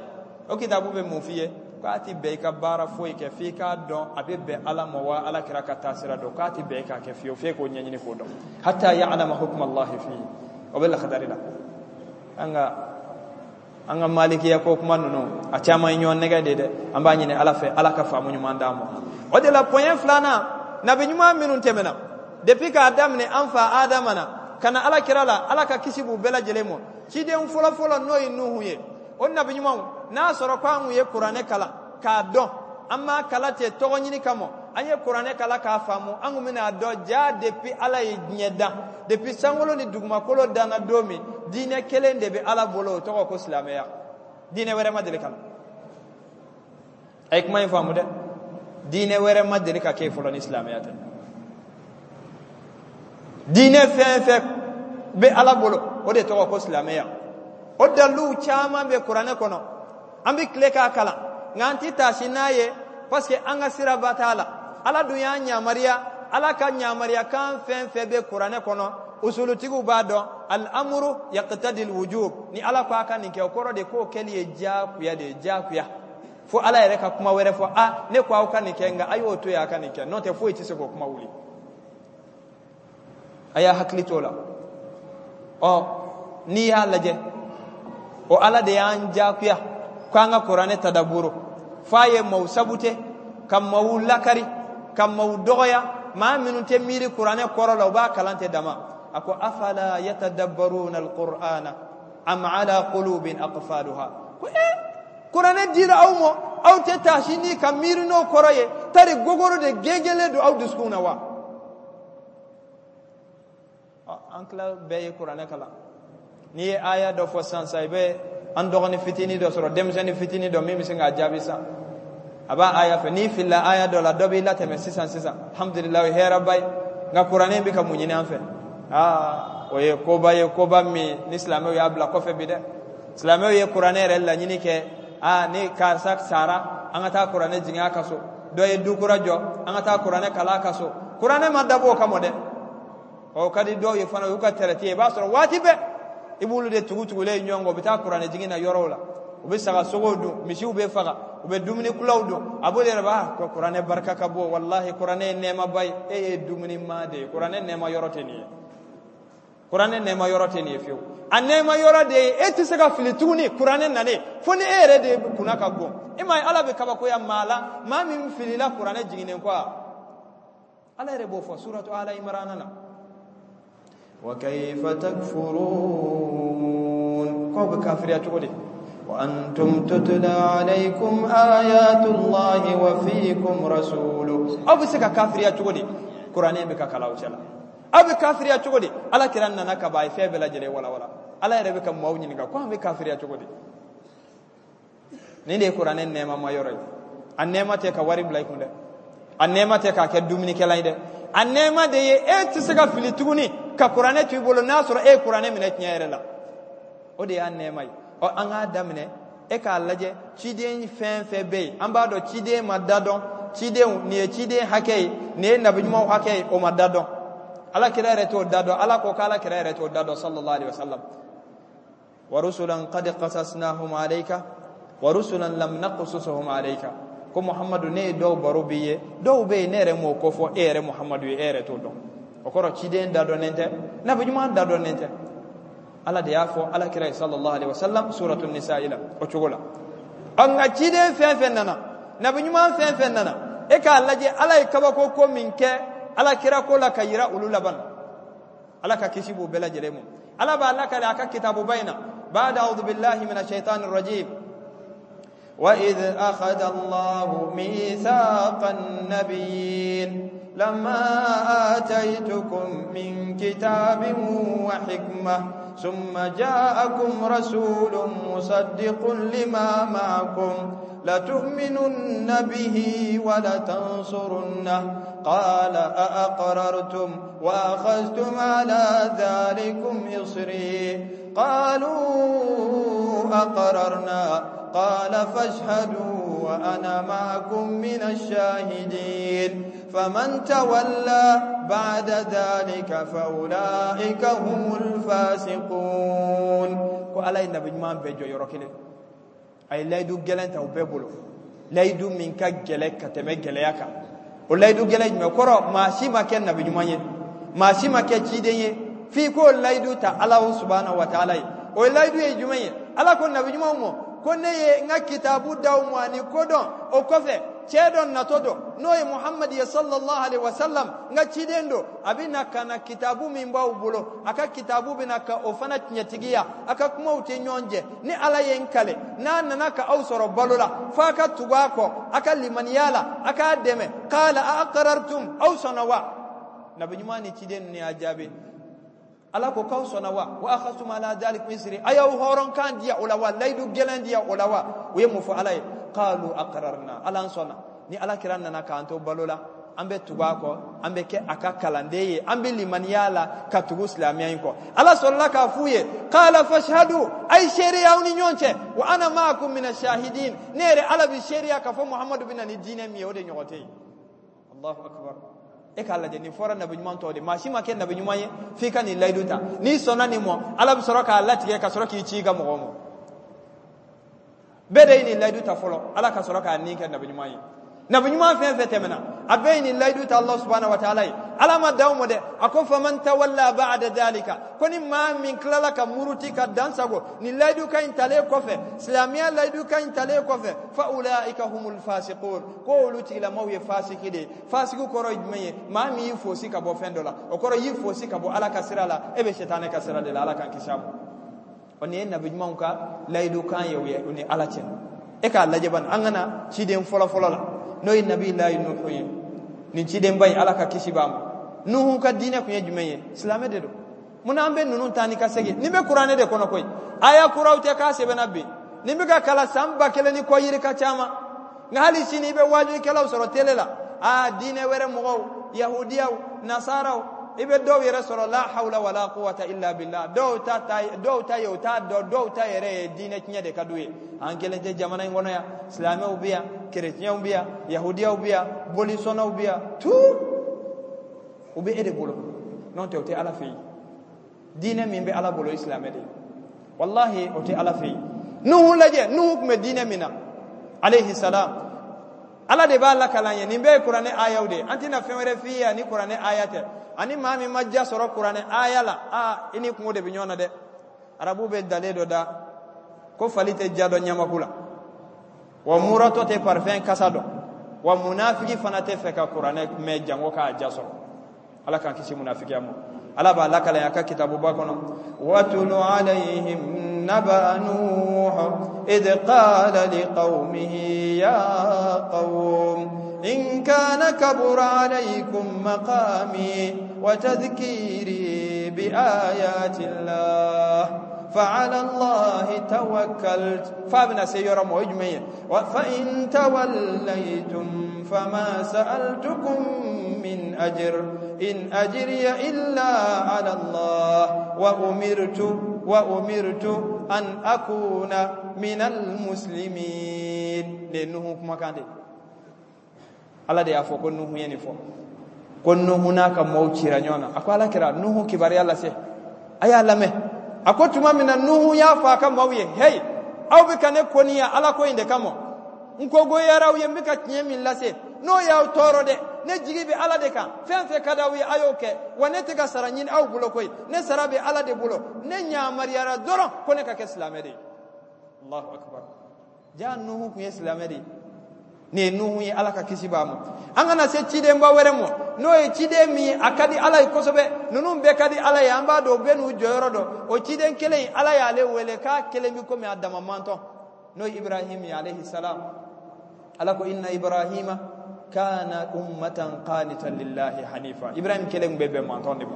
o kitabu bɛ mun f'i ye? K'a ti bɛn i ka baara foyi kɛ f'i k'a dɔn a bɛ bɛn Ala ma wa Ala kira ka taasira dɔn. K'a ti bɛn i k'a kɛ fiyewu f'e k'o ɲɛɲini k'o dɔn, hatta ya'lama hukma Allahi fihi. O bɛ Lakidari la. An ka malikiya ko kuma ninnu, a caman ye ɲɔgɔn nɛgɛ de dɛ. An b'a ɲini Ala fɛ, Ala ka faamu ɲuman d'an ma. O de la, point filanan, nabi ɲuman minnu tɛmɛna depuis k'a daminɛ an fa Adama na ka na Ala kira la, Ala ka kisi b'u bɛɛ lajɛlen ma, ciden fɔlɔfɔlɔ n'o ye Nuhu ye, o nabi ɲumanw, n'a sɔrɔ ko an kun ye kuranɛ kalan k'a dɔn, an m'a kala ten tɔgɔ ɲini kama, an ye kuranɛ kala k'a faamu, an kun bɛna dɔn ja depuis Ala ye diɲɛ dan, depuis sankolo ni dugumakolo danna don min, diinɛ kelen de bɛ Ala bolo, o tɔgɔ ko silamɛya. Diinɛ wɛrɛ ma deli ka na. A ye kuma in faamu dɛ. Diinɛ wɛrɛ ma deli ka kɛ fɔlɔ ni silamɛya tɛ. Diinɛ fɛn fɛn bɛ Ala bolo, o de tɔgɔ ko silamɛya. O daliluw caman bɛ kuranɛ kɔnɔ, an bɛ tile k'a kalan, nka an tɛ taasi n'a ye. Parce que an ka siraba t'a la. Ala dun y'an yamaruya, Ala ka yamaruya kan fɛn fɛn bɛ kuranɛ kɔnɔ, usulutigiw b'a dɔn, al-amru yaqtadi al-wujub. Ni Ala ko a ka nin kɛ, o kɔrɔ de k'o kɛli ye diyagoya de ye, diyagoya. Fo Ala yɛrɛ ka kuma wɛrɛ fɔ, a ne ko aw ka nin kɛ, nka a y'o to yen a ka nin kɛ, n'o tɛ foyi tɛ se k'o kuma wuli. A y'a hakili t'o la. Ɔ n'i y'a lajɛ, o Ala de y'an diyagoya ko an ka kuranɛ tadaburu, f'a ye maaw sabute ka maaw lakari ka maaw dɔgɔya, maa minnu tɛ miiri kuranɛ kɔrɔ la, u b'a kalan tɛ dama. A ko afala yatadabbaruna alqur'ana am ala qulubin aqfaluha. Ko kuranɛ dira aw ma, aw tɛ taasi ni ka miiri n'o kɔrɔ ye, tari gogoro de gengelen don aw dusukun na wa? An tila bɛɛ ye kuranɛ kalan. N'i ye aya dɔ fɔ sisan sisan, i bɛ an dɔgɔnin fitinin dɔ sɔrɔ, denmisɛnnin fitinin dɔ min bɛ se k'a jaabi sisan. A b'a aya fɛ, n'i filila aya dɔ la, dɔ b'i latɛmɛ sisan sisan. Alhamdulilayi, o ye hɛrɛba ye. Nka kuranɛ bɛ ka mun ɲini an fɛ? Aa, o ye koba ye, koba min ni silamɛw y'a bila kɔfɛ bi dɛ. Silamɛw ye kuranɛ yɛrɛ laɲini kɛ, aa ni karisa sara, an ka taa kuranɛ jigin a ka so. Dɔ ye du kura jɔ, an ka taa kuranɛ kalan a ka so. Kuranɛ ma dabɔ o kama dɛ. O ka di dɔw ye fana, o y'u ka tɛrɛti ye. I b'a sɔrɔ waati bɛɛ i b'olu de tugu tugulen ɲɔgɔn kɔ, u bɛ taa kuranɛ jigin na yɔrɔw la, u bɛ saga sogow dun, misiw bɛ faga, u bɛ dumuni kulaw dun. A b'o de yɛrɛ b'a ko kuranɛ barika ka bon, walahi kuranɛ ye nɛɛmaba ye. E ye dumuni maa de ye, kuranɛ nɛɛma yɔrɔ tɛ nin ye, kuranɛ nɛɛma yɔrɔ tɛ nin ye fiyewu. A nɛɛma yɔrɔ de ye e tɛ se ka fili tuguni kuranɛ nalen, fo ni e yɛrɛ de kunna ka bon. E m'a ye Ala bɛ kabakoya maa la, maa min filila kuranɛ jiginnen kɔ a. Ala yɛrɛ b'o fɔ suratu Ala Imrana na. Wa kayfa takfurun, k'aw bɛ kafiriya cogo di? Wa antum tutla alaykum ayatullahi wa fiikum rasuluhu. Aw bɛ se ka kafiriya cogo di? Kuranɛ bɛ ka kalan aw cɛla. Aw bɛ kafiriya cogo di? Ala kira nana ka ban, a ye fɛn bɛɛ lajɛlen walawala. Ala yɛrɛ bɛ ka maaw ɲininka ko an bɛ kafiriya cogo di? Nin de ye kuranɛ nɛɛmama yɔrɔ ye. A nɛɛma tɛ ka wari bila i kun dɛ, a nɛɛma tɛ k'a kɛ dumunikɛlan ye dɛ, a nɛɛma de ye e tɛ se ka fili tuguni ka kuranɛ to i bolo n'a sɔrɔ e ye kuranɛ minɛ tiɲɛ yɛrɛ la. O de y'a nɛɛma ye. Ɔ an k'a daminɛ, e k'a lajɛ ciden fɛn fɛn bɛ yen, an b'a dɔn ciden ma da dɔn, cidenw nin ye ciden hakɛ ye, nin ye nabiɲumanw hakɛ ye, o ma da dɔn. Ala kira yɛrɛ t'o da dɔn, Ala ko k'ala kira yɛrɛ t'o da dɔn sallallahu alaihi wasallam. Wa rusulan qad qasasnahum alayka wa rusulan lam naqsushum alayka. Ko Muhammadu, ne ye dɔw baro b'i ye, dɔw bɛ yen ne yɛrɛ m'o ko fɔ e yɛrɛ Muhammadu ye, e yɛrɛ t'o dɔn. O kɔrɔ ciden da dɔnnen tɛ, nabi ɲuman da dɔnnen tɛ. Ala de y'a fɔ ala kira ye sallallahu alaihi wasallam suratu nisa la o cogo la. Ɔ nka ciden fɛn fɛn nana, nabi ɲuman fɛn fɛn nana, e k'a lajɛ Ala ye kabako ko min kɛ ala kira ko la ka yira olu laban. Ala ka kisi b'u bɛɛ lajɛlen ma. Ala b'a lakale a ka kitabuba in na, ba'da a'udhu billahi minash shaitanir rajim. Wa idh akhadha Allahu mithaqan nabiyyin lamma ataytukum min kitabin wa hikmah thumma ja'akum rasulun musaddiqun lima ma'akum latu'minunna bihi wa latansurunnahu qala a'aqrartum wa akhadhtum ala dhalikum isri qalu aqrarna qala fashhadu wa ana ma'akum minash shahidin faman tawalla ba'da dhalika fa ulaika humul fasiqun. Ko Ala ye nabi ɲuman bɛɛ jɔ yɔrɔ kelen, a ye layidu gɛlɛn ta u bɛɛ bolo, layidu min ka gɛlɛn ka tɛmɛ gɛlɛya kan. O layidu gɛlɛn jumɛn kɔrɔ? Maa si ma kɛ nabi ɲuman ye, maa si ma kɛ ciden ye f'i k'o layidu ta Ala subhanahu wa ta'ala ye. O layidu ye jumɛn ye? Ala ko nabi ɲumanw ma ko ne ye n ka kitabu d'aw ma ani kodɔn, o kɔfɛ cɛ dɔ natɔ don n'o ye Muhammad ye sallallahu alaihi wasallam, n ka ciden don, a bɛ na ka na kitabu min b'aw bolo, a ka kitabu bɛ na ka o fana tiɲɛtigiya, a ka kumaw tɛ ɲɔgɔn jɛ. Ni Ala ye n kale, n'a nana ka aw sɔrɔ balo la, f'a ka tugu a kɔ, a ka limaniya la, a k'a dɛmɛ. Qala a aqrartum, aw sɔnna wa? Nabi ɲuman ni ciden ninnu y'a jaabi. Ala ko k'aw sɔnna wa? Wa akhadhtum ala dhalikum isri, a y'aw hɔrɔnkan diya o la wa? Layidu gɛlɛn diya o la wa? U ye mun fɔ Ala ye? Qalu aqrarna, Ala an sɔnna. Ni Ala kira nana k'an to balo la, An bɛ tugu a kɔ, an bɛ kɛ a ka kalanden ye, an bɛ limaniya la ka tugu silamɛya in kɔ. Ala sɔrɔla k'a f'u ye, qala fashhadu, a ye seereya aw ni ɲɔgɔn cɛ, wa ana ma'akum mina shahidin. Ne yɛrɛ Ala bɛ seereya k'a fɔ Muhamadu bɛ na ni diinɛ min ye, o de ɲɔgɔn tɛ yen. Allahu akbar. E k'a lajɛ, nin fɔra nabi ɲuman tɔw de, maa si ma kɛ nabi ɲuman ye f'i ka nin layidu ta. N'i sɔnna nin ma, Ala bɛ sɔrɔ k'a latigɛ ka sɔrɔ k'i ci i ka mɔgɔw ma. Bɛɛ de ye nin layidu ta fɔlɔ, Ala ka sɔrɔ k'a nin kɛ nabi ɲuman ye. Nabi ɲuman fɛn fɛn tɛmɛna, a bɛɛ ye nin layidu ta Allah subhanahu wa ta'ala ye. Ala ma dan o ma dɛ, a ko faman tawalla ba'da dhalika, ko ni maa min tilala ka muruti ka dan sago nin layidu ka in talen kɔfɛ, silamɛya layidu ka in talen kɔfɛ, fa ulaika humul fasiqun, ko olu tigilamaw ye fasiki de ye. Fasiki kɔrɔ ye jumɛn ye? Maa min y'i fosi ka bɔ fɛn dɔ la, o kɔrɔ y'i fosi ka bɔ Ala ka sira la, e bɛ sitanɛ ka sira de la. Ala k'an kisi a ma. O nin ye nabi ɲumanw ka layidu kan ye u ni Ala cɛ. E k'a lajɛ bani, an ka na ciden fɔlɔ-fɔlɔ la, n'o ye nabi layi Nuhu ye. Nin cidenba in, Ala ka kisi b'a ma. Nuhu ka diinɛ kun ye jumɛn ye? Silamɛ de don. Munna an bɛ ninnu ta ni ka segin? Nin bɛ kuranɛ de kɔnɔ koyi, aya kuraw tɛ k'a sɛbɛnna bi, nin bɛ ka kalan san 1000 ni kɔ yirika caman. Nka hali sini i bɛ waajulikɛlaw sɔrɔ tele la, aa diinɛ wɛrɛ mɔgɔw, yahudiyaw, nasaraw, i bɛ dɔw yɛrɛ sɔrɔ, la hawla wala quwwata illa billah, dɔw ta ta, dɔw ta ye o t'a dɔn, dɔw ta yɛrɛ ye diinɛ tiɲɛ de ka d'u ye. An kelen tɛ jamana in kɔnɔ yan, silamɛw bɛ yan, kerecɛnw bɛ yan, yahudiyaw bɛ yan, bolisɔnnaw bɛ yan, tout o bɛ e de bolo. N'o tɛ, o tɛ Ala fɛ yen. Diinɛ min bɛ Ala bolo, o ye silamɛ de ye. Wallahi, o tɛ Ala fɛ yen. Nuhu lajɛ, Nuhu tun bɛ diinɛ min na alayhi salam, Ala de b'a lakalan ye. Nin bɛɛ ye kuranɛ ayaw de ye. An tɛna fɛn wɛrɛ f'i ye ni kuranɛ aya tɛ. Ani maa min ma ja sɔrɔ kuranɛ aya la, aa i ni kungo de bɛ ɲɔgɔn na dɛ. Arabu bɛ dalen dɔ da ko fali tɛ ja dɔn ɲamaku la, wa muratɔ tɛ parfɛn kasa dɔn, wa munafiki fana tɛ fɛ ka kuranɛ mɛn jango k'a ja sɔrɔ. Ala k'an kisi munafikiya ma. Ala b'a lakale a ka kitabuba kɔnɔ, watulu alayhim naba nuh id qala liqaumihi ya qaum in kana kabura alaykum maqami wa tadhkiri bi ayati llah fa'ala allahi tawakkaltu. Fa bɛna se yɔrɔ ma, o ye jumɛn ye? Fa in tawallaytum fama sa'altukum min ajr in ajriya illa ala Allah wa umirtu an akuna minal muslimin. Ne Nuhu kumakan de, Ala de y'a fɔ ko Nuhu ye nin fɔ, ko Nuhu n'a ka mɔɔw cira ɲɔgɔn na. A ko Ala kira Nuhu kibaruya lase, a y'a lamɛn. A ko tuma min na Nuhu y'a fɔ a ka maaw ye, hey, aw bɛ ka ne koniya Ala ko in de kama, n ko goyara aw ye, n bɛ ka tiɲɛ min lase, n'o y'aw tɔɔrɔ dɛ, ne jigi bɛ Ala de kan, fɛn fɛn ka d'aw ye a y'o kɛ, wa ne tɛ ka sara ɲini aw bolo koyi, ne sara bɛ Ala de bolo, ne ɲamariyara dɔrɔn ko ne ka kɛ silamɛ de ye. Allahu akbar. Ja Nuhu kun ye silamɛ de ye. Nin ye Nuhu ye, Ala ka kisi b'a ma. An kana se cidenba wɛrɛ ma, n'o ye ciden min a ka di Ala ye kosɛbɛ. Ninnu bɛɛ ka di Ala ye, an b'a dɔn, u bɛɛ n'u jɔyɔrɔ dɔn. O ciden kelen in, Ala y'ale wele k'a kelen bɛ komi a dama mantɔn, n'o ye Ibrahim ye alayhi salam. Ala ko inna Ibrahima kana ummatan qanitan lillahi hanifa. Ibrahim kelen bɛ bɛn mantɔn de ma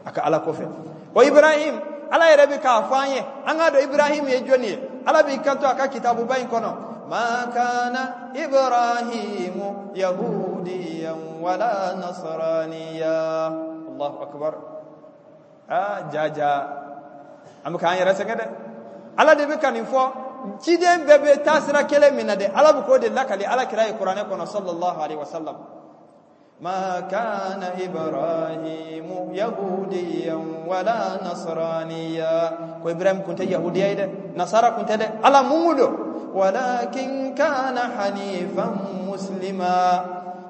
a ka Ala kɔfɛ. O Ibrahim, Ala yɛrɛ bɛ k'a fɔ an ye, an k'a dɔn Ibrahim ye jɔnni ye. Ala b'i kanto a ka kitabuba in kɔnɔ, ma kana Ibrahimu yahudiyan wala nasraniya. Allahu akbar. Aa ja ja, an bɛ k'an yɛrɛ sɛgɛn dɛ. Ala de bɛ ka nin fɔ, ciden bɛɛ bɛ taa sira kelen min na dɛ, Ala bɛ k'o de lakali Ala kira ye kuranɛ kɔnɔ sallallahu alaihi wa sallam. ما كان إبراهيم يهوديا ولا نصرانيا. كو إبراهيم كنت يهوديا ده، نصارى كنت ده، على مولو، ولكن كان حنيفا مسلما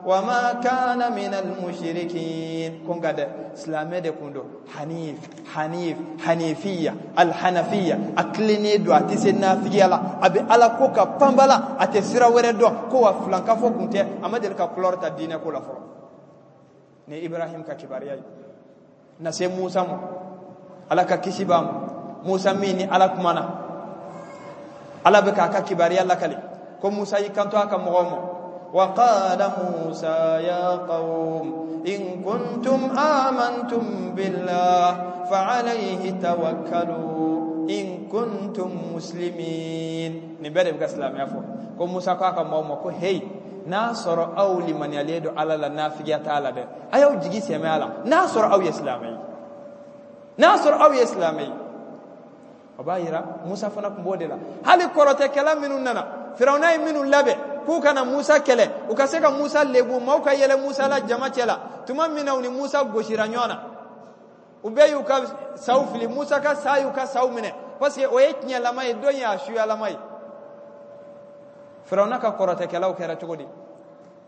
وما كان من المشركين. كون قد سلامة ده كوندو حنيف، حنيف، حنيفية، الحنفية، أكلني دو أتسنا فيلا أبي على كوكا بامبلا أتسرا وردو كوا فلانكا فو كنت أما دلك كلور تدينا كولا فرو. Ni Ibrahim ka kibaruya ye. Na se Musa ma, Ala ka kisi b'a ma. Musa min ni Ala kumana, Ala bɛ k'a ka kibaruya lakali ko Musa y'i kanto a ka mɔgɔw ma, wa qala Musa ya qawm in kuntum amantum billah fa alayhi tawakkalu in kuntum muslimin. Nin bɛɛ de bɛ ka silamɛya fɔ. Ko Musa ko a ka maaw ma ko heyi, n'a sɔrɔ aw limaniyalen don Ala la, nafigiya t'a la dɛ, a y'aw jigi sɛmɛ a la, n'a sɔrɔ aw ye silamɛ ye, n'a sɔrɔ aw ye silamɛ ye. O b'a yira Musa fana tun b'o de la. Hali kɔrɔtɛkɛla minnu nana, Firawuna ye minnu labɛn k'u ka na Musa kɛlɛ, u ka se ka Musa lebu, maaw ka yɛlɛ Musa la jama cɛ la, tuma min na u ni Musa gosira ɲɔgɔn na, u bɛɛ y'u ka saw fili, Musa ka sa y'u ka saw minɛ, parce que o ye tiɲɛlama ye, dɔ in y'a suyalama ye. Firawuna ka kɔrɔtɛkɛlaw kɛra cogo di?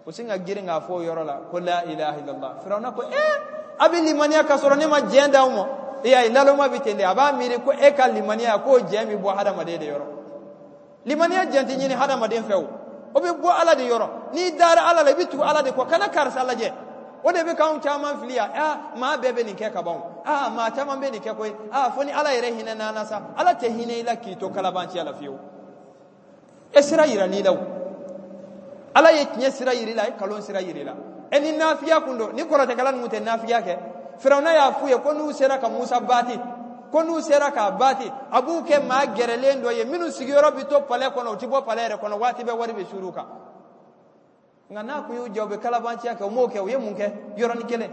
U sin ka girin k'a fɔ o yɔrɔ la ko la ilaha illallah. Firawuna ko ee, a bɛ limaniya ka sɔrɔ ne ma diɲɛ d'aw ma. E y'a ye, naloma bɛ ten de, a b'a miiri ko e ka limaniya k'o diɲɛ bɛ bɔ hadamaden de yɔrɔ. Limaniya diɲɛ tɛ ɲini hadamaden fɛ o, o bɛ bɔ Ala de yɔrɔ. N'i dara Ala la, i bɛ tugu Ala de kɔ, kana karisa lajɛ. O de bɛ k'anw caman fili yan. Aa, maa bɛɛ bɛ nin kɛ ka ban o. Aa, maa caman bɛ nin kɛ koyi. Aa, fo ni Ala yɛrɛ hinɛ n'an na sa. Ala tɛ hinɛ i la k'i to kalabanciya la fiyewu. E sira yiral'i la o. Ala ye tiɲɛ sira yir'i la, a ye kalon sira yir'i la. E ni nafigiya kun don, ni kɔrɔtɛkɛla ninnu tɛ nafigiya kɛ. Firawuna y'a f'u ye ko n'u sera ka Musa baati, ko n'u sera k'a baati, a b'u kɛ maa gɛrɛlen dɔ ye minnu sigiyɔrɔ bɛ to palais kɔnɔ, u tɛ bɔ palais yɛrɛ kɔnɔ, waati bɛɛ wari bɛ suur'u kan. Nka n'a kun y'u jɛ, u bɛ kalabanciya kɛ, u m'o kɛ, u ye mun kɛ? Yɔrɔnin kelen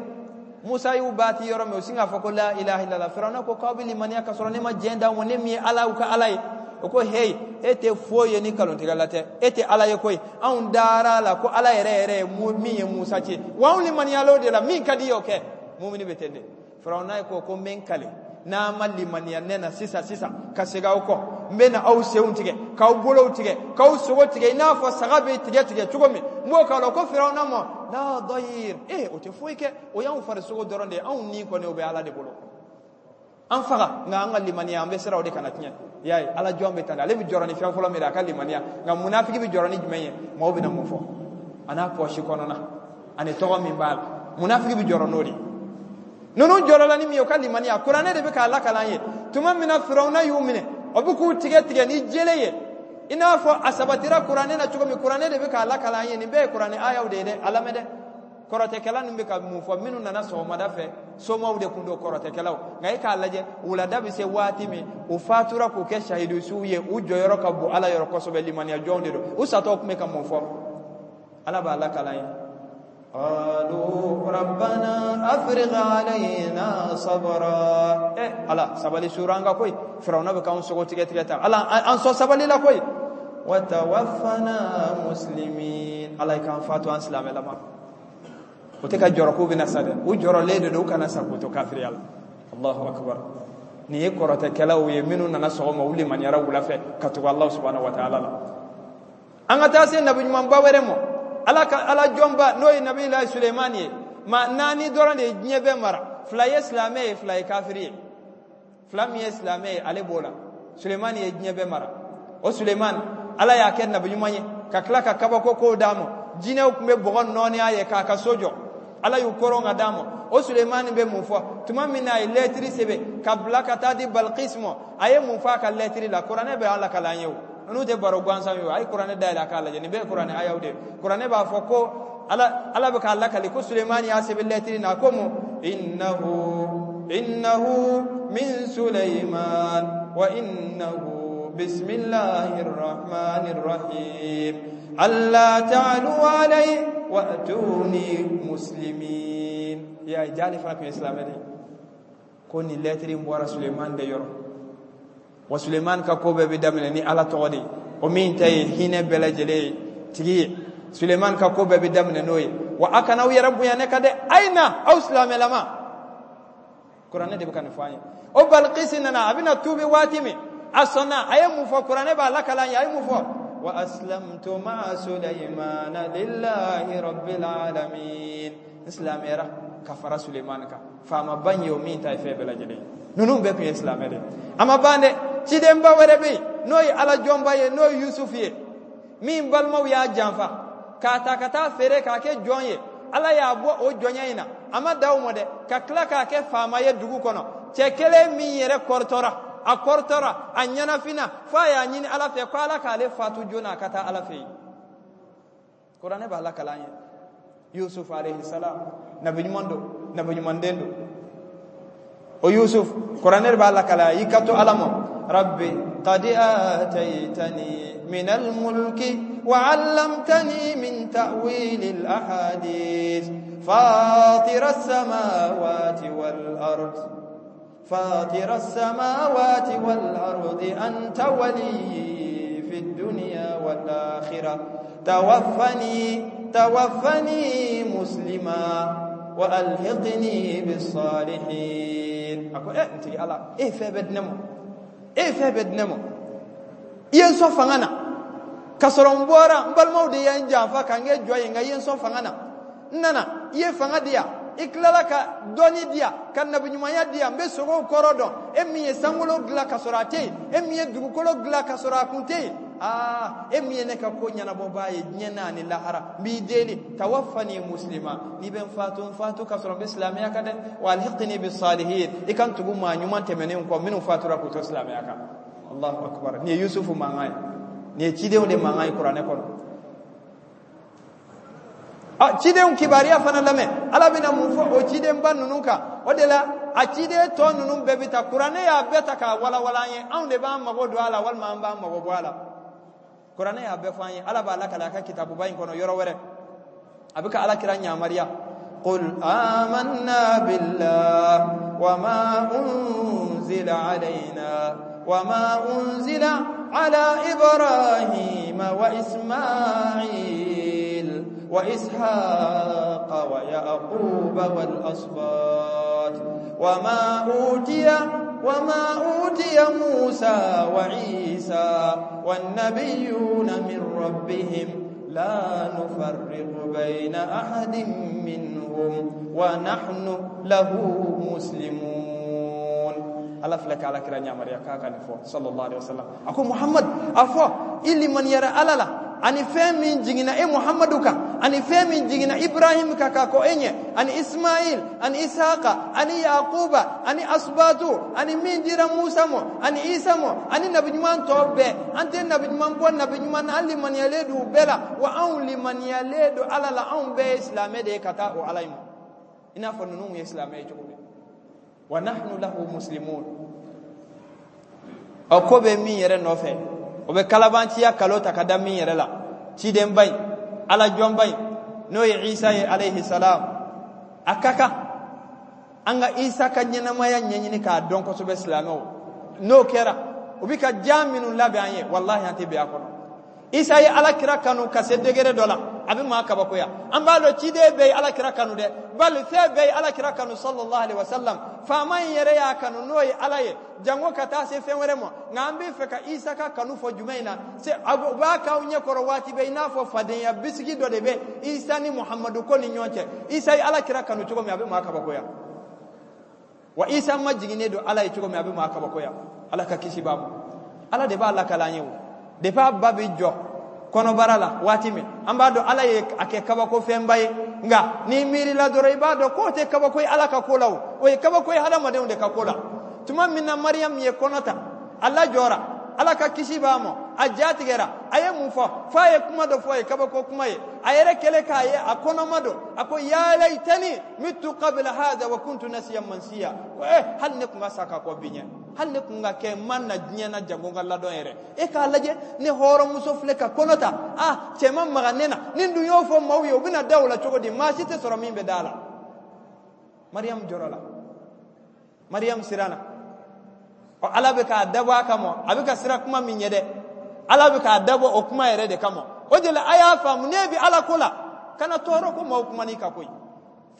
Musa y'u baati yɔrɔ min, u sin k'a fɔ ko la ilaha illallah. Firawuna ko k'aw bɛ limaniya ka sɔrɔ ne ma diɲɛ d'aw ma, ne min ye Ala u ka Ala ye. O ko heyi, e tɛ foyi ye ni nkalontigɛla tɛ, e tɛ Ala ye koyi. Anw dara a la ko Ala yɛrɛ yɛrɛ ye min ye Musa ci, wa anw limaniyala o de la, min ka di ye o kɛ. Mumini bɛ ten de. Firawuna ko ko n bɛ n kale, n'a ma limaniya ne na sisan sisan ka segin aw kɔ, n bɛ na aw senw tigɛ, k'aw bolow tigɛ, k'aw sogo tigɛ i n'a fɔ saga bɛ tigɛ tigɛ cogo min, n b'o k'a la. Ko Firawuna ma la dayir, ee o tɛ foyi kɛ, o y'anw farisogo dɔrɔn de ye, anw ni kɔni o bɛ Ala de bolo, an faga, nka an ka limaniya an bɛ siran o de kana tiɲɛ. I y'a ye, Ala jɔn bɛ tan de, ale bɛ jɔrɔ ni fɛn fɔlɔ min ye a ka limaniya. Nka munafiki bɛ jɔrɔ ni jumɛn ye? Maaw bɛna mun fɔ a n'a pɔsi kɔnɔna ani tɔgɔ min b'a la, munafiki bɛ jɔrɔ n'o de ye. Ninnu jɔrɔla ni min ye, o ka limaniya. Kuranɛ de bɛ k'a lakali an ye. Tuma min na Firawuna y'u minɛ, o bɛ k'u tigɛ tigɛ ni jele ye, i n'a fɔ a sabatira kuranɛ na cogo min, kuranɛ de bɛ k'a lakali an ye. Nin bɛɛ ye kuranɛ ayaw de ye dɛ, a lamɛn dɛ. Kɔrɔtɛkɛla ninnu bɛ ka mun fɔ? Minnu nana sɔgɔmada fɛ, somaw de kun don, kɔrɔtɛkɛlaw. Nka e k'a lajɛ, wulada bɛ se waati min, u fatura k'u kɛ sahidusuw ye, u jɔyɔrɔ ka bon Ala yɔrɔ kosɛbɛ, limaniya jɔnw de don. U satɔ tun bɛ ka mun fɔ? Ala b'a lakali an ye. قالوا ربنا أفرغ علينا صبرا. Eh Ala, sabali suuru an kan koyi. Firawuna bɛ k'anw sogo tigɛ tigɛ tan, Ala an sɔn sabali la koyi. Wa tawaffana muslimin. Ala k'an fatu an silamɛlama. O tɛ ka jɔrɔ k'u bɛna sa dɛ, u jɔrɔlen de don u kana sa k'u to kafiriya la. Allahu akbar. Nin ye kɔrɔtɛkɛlaw ye minnu nana sɔgɔma, u limaniyara wula fɛ ka tugu Allah subhanahu wa ta'ala la. An ka taa se nabi ɲumanba wɛrɛ ma, Ala ka Ala jɔnba, n'o ye Nabilayi Sulemani ye. Maa naani dɔrɔn de ye diɲɛ bɛɛ mara, fila ye silamɛ ye, fila ye kafiri ye. Fila min ye silamɛ ye, ale b'o la. Sulemani ye diɲɛ bɛɛ mara. O Sulemani, Ala y'a kɛ nabi ɲuman ye ka tila ka kabako kow d'a ma. Jinɛw tun bɛ bɔgɔ nɔɔni a ye k'a ka so jɔ, Ala y'u koron ka d'a ma. O Sulemani bɛ mun fɔ tuma min na a ye lɛtiri sɛbɛn ka bila ka taa di Balikisi ma? A ye mun fɔ a ka lɛtiri la? Kuranɛ bɛ Ala kalan ye o, ninnu tɛ baro gansan ye o. A ye kuranɛ dayɛlɛ a k'a lajɛ, nin bɛɛ ye kuranɛ ayaw de ye. Kuranɛ b'a fɔ ko Ala bɛ k'a lakali ko Sulemani y'a sɛbɛn lɛtiri na ko mun? Innahu innahu min Suleiman wa innahu bismillahir rahmanir rahim alla ta'alu alayhi wa atuni muslimin. Ya jali fana kun ye silamɛ de ye. Ko nin lɛtiri in bɔra Suleiman de yɔrɔ, wa Suleiman ka ko bɛɛ bɛ daminɛ ni Ala tɔgɔ de ye, o min ta ye hinɛ bɛɛ lajɛlen ye tigi ye. Suleiman ka ko bɛɛ bɛ daminɛ n'o ye. Wa a kana aw yɛrɛ bonya ne kan dɛ, a ye na aw silamɛlama. Kuranɛ de bɛ ka nin fɔ an ye. O Balikisi nana, a bɛna tuubi waati min, a sɔnna. A ye mun fɔ? Kuranɛ b'a lakali an ye. A ye mun fɔ? Wa aslamtu ma'a Suleimana lillahi rabbil alamin. N silamɛyara ka fara Sulemani kan, faamaba in ye, o min ta ye fɛn bɛɛ lajɛlen ye. Ninnu bɛɛ tun ye silamɛ de ye. A ma ban dɛ, cidenba wɛrɛ bɛ yen n'o ye Ala jɔnba ye, n'o ye Yusufu ye, min balimaw y'a janfa k'a ta ka taa feere k'a kɛ jɔn ye. Ala y'a bɔ o jɔnya in na, a ma da o ma dɛ, ka tila k'a kɛ faama ye dugu kɔnɔ. Cɛ kelen min yɛrɛ kɔrɔtɔra, a kɔrɔtɔra, a ɲɛnafinna, fo a y'a ɲini Ala fɛ ko Ala k'ale fatu joona a ka taa Ala fɛ yen. Kuranɛ b'a lakali an ye. Yusuf alayhi salam, nabi ɲuman don, nabi ɲuman den don. O Yusuf, kuranɛ b'a lakali a y'i kanto Ala ma. Rabbi qad ataytani min al-mulki wa 'allamtani min ta'wil al-ahadith fatir as-samawati wal ard fatir as-samawati wal ardi anta waliyyi fi ad-dunya wal akhirah tawaffani muslima wa alhiqni bis salihin. A ko e n tigi Ala, e fɛn bɛɛ di ne ma, e ye fɛn bɛɛ di ne ma, i ye n sɔn fanga na ka sɔrɔ n bɔra n balimaw de ye n janfa ka n kɛ jɔn ye, nka i ye n sɔn fanga na, n nana i ye fanga di yan, i tilala ka dɔnni di yan, ka nabiɲumanya di yan, n bɛ sogow kɔrɔ dɔn, e min ye sankolo dilan ka sɔrɔ a tɛ yen, e min ye dugukolo dilan ka sɔrɔ a kun tɛ yen, aa e min ye ne ka ko ɲɛnabɔbaa ye diɲɛ na ani lahara, n b'i deli tawaffani muslima, n'i bɛ n fatu, n fatu ka sɔrɔ n bɛ silamɛya kan dɛ, wa alhiqni bis salihin, i ka n tugu maa ɲuman tɛmɛnenw kɔ minnu fatura k'u to silamɛya kan. Allahu akbar. Nin ye Yusufu mankan ye, nin ye cidenw de mankan ye kuranɛ kɔnɔ. A cidenw kibaruya fana lamɛn, Ala bɛna mun fɔ o cidenba ninnu kan. O de la a ciden tɔ ninnu bɛɛ bɛ ta, kuranɛ y'a bɛɛ ta k'a walawala an ye, anw de b'an mago don a la walima an b'an mago bɔ a la. Kuranɛ y'a bɛɛ fɔ an ye, Ala b'a lakale a ka kitabuba in kɔnɔ yɔrɔ wɛrɛ, a bɛ ka Ala kira ɲamariya, qul amanna billah wa ma unzila alayna wa ma unzila ala ibrahima wa ismail wa ishaqa wa yaquba wal asbat wa ma utiya Musa wa Isa wan nabiyyuna min rabbihim la nufarriqu bayna ahadin minhum wa nahnu lahu muslimun. Ala filɛ ka Ala kira ɲamariya k'a ka nin fɔ sallallahu alaihi wasallam. A ko Muhammad, a fɔ i limaniyara Ala la ani fɛn min jiginna e Muhammadu kan, ani fɛn min jiginna Ibrahim kan k'a kɔ e ɲɛ, ani Ismail ani Ishaqa ani Yaquba ani Asbatu ani min dira Musa ma ani Isa ma ani nabiɲuman tɔ bɛɛ, an tɛ nabiɲuman bɔ nabiɲuman na, an limaniyalen don u bɛɛ la, wa anw limaniyalen don Ala la, anw bɛɛ ye silamɛ de ye ka taa o Ala in ma, i n'a fɔ ninnu ye silamɛ ye cogo min. Wa nahnu lahu muslimun. Ɔ ko bɛ min yɛrɛ nɔfɛ, o bɛ kalabanciya kalo ta ka da min yɛrɛ la, cidenba in, Ala jɔnba in, n'o ye Isa ye alayhi salam. A ka kan an ka Isa ka ɲɛnamaya ɲɛɲini k'a dɔn kosɛbɛ silamɛw. N'o kɛra, u bɛ ka ja minnu labɛn an ye, walahi an tɛ bɛn a kɔnɔ. Isa ye Ala kira kanu ka se degré dɔ la, a bɛ maa kabakoya. An b'a dɔn ciden bɛɛ ye Ala kira kanu dɛ, bali fɛn bɛɛ ye Ala kira kanu sallallahu alaihi wasallam. Faama in yɛrɛ y'a kanu n'o ye Ala ye, jango ka taa se fɛn wɛrɛ ma. Nka an bɛ fɛ ka Isa ka kanu fɔ jumɛn in na, se u b'a k'aw ɲɛ kɔrɔ waati bɛɛ, i n'a fɔ fadenya bisigi dɔ de bɛ Isa ni Muhammadu ko ni ɲɔgɔn cɛ. Isa ye Ala kira kanu cogo min, a bɛ maa kabakoya. Wa Isa ma jiginnen don Ala ye cogo min, a bɛ maa kabakoya. Ala ka kisi b'a ma. Ala de b'a lakala an ye o. Depuis a ba bɛ jɔ kɔnɔbara la waati min, an b'a dɔn Ala ye a kɛ kabako fɛnba ye, nka n'i miirila dɔrɔn i b'a dɔn k'o tɛ kabako ye Ala ka ko la o, o ye kabako ye hadamadenw de ka ko la. Tuma min na Mariam ye kɔnɔ ta, a lajɔra, Ala ka kisi b'a ma, a ja tigɛra, a ye mun fɔ? F'a ye kuma dɔ fɔ a ye, kabako kuma ye. A yɛrɛ kɛlen k'a ye a kɔnɔma don, a ko ya laytani mittu qabla hadha wa kuntu nasiyan mansiya. Ko hali ne tun ka sa ka kɔ bi ɲɛ, hali ne tun ka kɛ n ma na diɲɛ na jango n ka ladɔn yɛrɛ. E k'a lajɛ, ne hɔrɔnmuso filɛ ka kɔnɔ ta, a cɛ ma maga ne na, ni n dun y'o fɔ maaw ye, u bɛna da o la cogo di? Maa si tɛ sɔrɔ min bɛ da a la. Mariam jɔrɔ la, Mariam siranna. Ɔ Ala bɛ k'a dabɔ a kama, a bɛ ka siran kuma min ɲɛ dɛ, Ala bɛ k'a dabɔ o kuma yɛrɛ de kama. O de la a y'a faamu, n'e bɛ Ala ko la, kana tɔɔrɔ ko maaw kuma n'i ka koyi.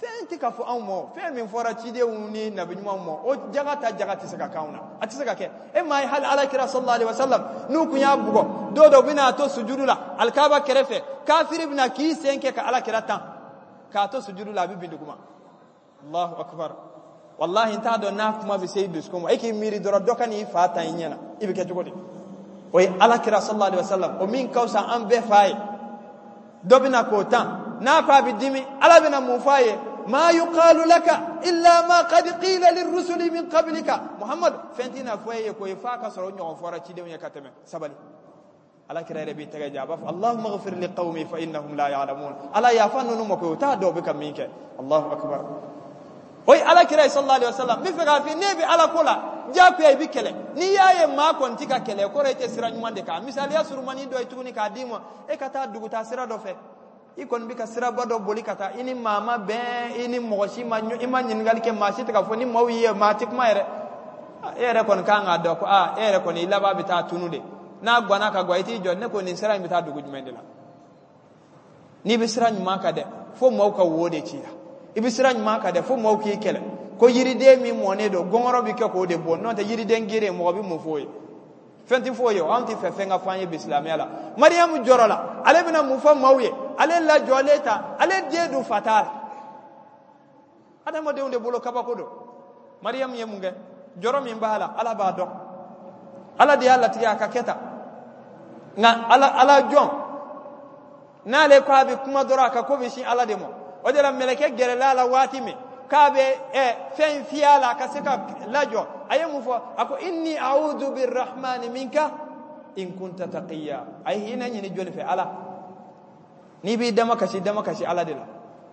Fɛn tɛ ka fɔ anw ma, fɛn min fɔra cidenw ni nabiɲumanw ma, o jaga ta jaga tɛ se ka k'anw na, a tɛ se ka kɛ. E m'a ye hali Ala kira sallallahu alaihi wasallam n'u kun y'a bugɔ, don dɔ u bɛna a to sujudu la alikaba kɛrɛfɛ, kafiri bɛna k'i sen kɛ ka Ala kira tan, k'a to sujudu la a bɛ bin duguma. Allahu akbar. Wallahi n t'a dɔn n'a kuma bɛ se i dusukun ma, e k'i miiri dɔrɔn dɔ ka n'i fa tan i ɲɛ na, i bɛ kɛ cogo di? O ye Ala kira sallallahu alaihi wasallam, o min ka fisa an bɛɛ fa ye, dɔ bɛna k'o tan, n'a ko a bɛ dimi, Ala bɛna mun fɔ a ye? Ma yuqalu laka illa ma qad qila lirrusuli min qablika. Muhammad, fɛn tɛna fɔ e ye ko ye f'a ka sɔrɔ o ɲɔgɔn fɔra cidenw ye ka tɛmɛ. Sabali. Ala kira yɛrɛ b'i tɛgɛ jan, a b'a fɔ Allahumma ighfir li qawmi fa innahum la ya'lamun. Ala yafa ninnu ma koyi, u t'a dɔn u bɛ ka min kɛ. Allahu akbar. O ye Ala kira ye sallallahu alaihi wasallam. N bɛ fɛ k'a f'i ye, n'e bɛ Ala ko la, diyagoya i bɛ kɛlɛ. N'i y'a ye maa kɔni tɛ ka kɛlɛ, o kɔrɔ e tɛ sira ɲuman de kan. Misaliya surumani dɔ ye tuguni k'a d'i ma, e ka taa dugutaa sira dɔ fɛ, i kɔni bɛ ka siraba dɔ boli ka taa, i ni maa ma bɛn, i ni mɔgɔ si ma, i ma ɲininkali kɛ, maa si tɛ ka fɔ, ni maaw y'i ye, maa tɛ kuma yɛrɛ. E yɛrɛ kɔni kan k'a dɔn ko aa, e yɛrɛ kɔni i laban bɛ taa tunu de. N'a ganna ka gan, i t'i jɔ, ne ko nin sira in bɛ taa dugu jumɛn de la? N'i bɛ sira ɲuman kan dɛ, fo maaw ka wo de ci la. I bɛ sira ɲuman kan dɛ, fo maaw k'i kɛlɛ. Ko yiriden min mɔnen don, gɔngɔrɔ bɛ kɛ k'o de bɔ. N'o tɛ yiriden geren, mɔgɔ bɛ mun f'o ye? Fɛn tɛ f'o ye. Anw tɛ fɛ fɛn ka fɔ an ye bi silamɛya la. Mariyamu jɔrɔ la, ale bɛna mun fɔ maaw ye? Ale lajɔlen ta, ale den dun fa t'a la. Adamadenw de bolo kabako don. Mariyamu ye mun kɛ? Jɔrɔ min b'a la, Ala b'a dɔn. Ala de y'a latigɛ a ka kɛ tan. Nka Ala jɔn n'ale ko a bɛ kuma dɔrɔn, a ka ko bɛ sin Ala de ma. O de la mɛlɛkɛ gɛrɛla a la waati min k'a bɛ fɛn fiyɛ a la a ka se ka lajɔ, a ye mun fɔ? A ko inni a'udhu birrahmani minka in kunta taqiya. A ye hinɛ ɲini jɔni fɛ? Ala. N'i b'i dama kasi, dama kasi Ala de la.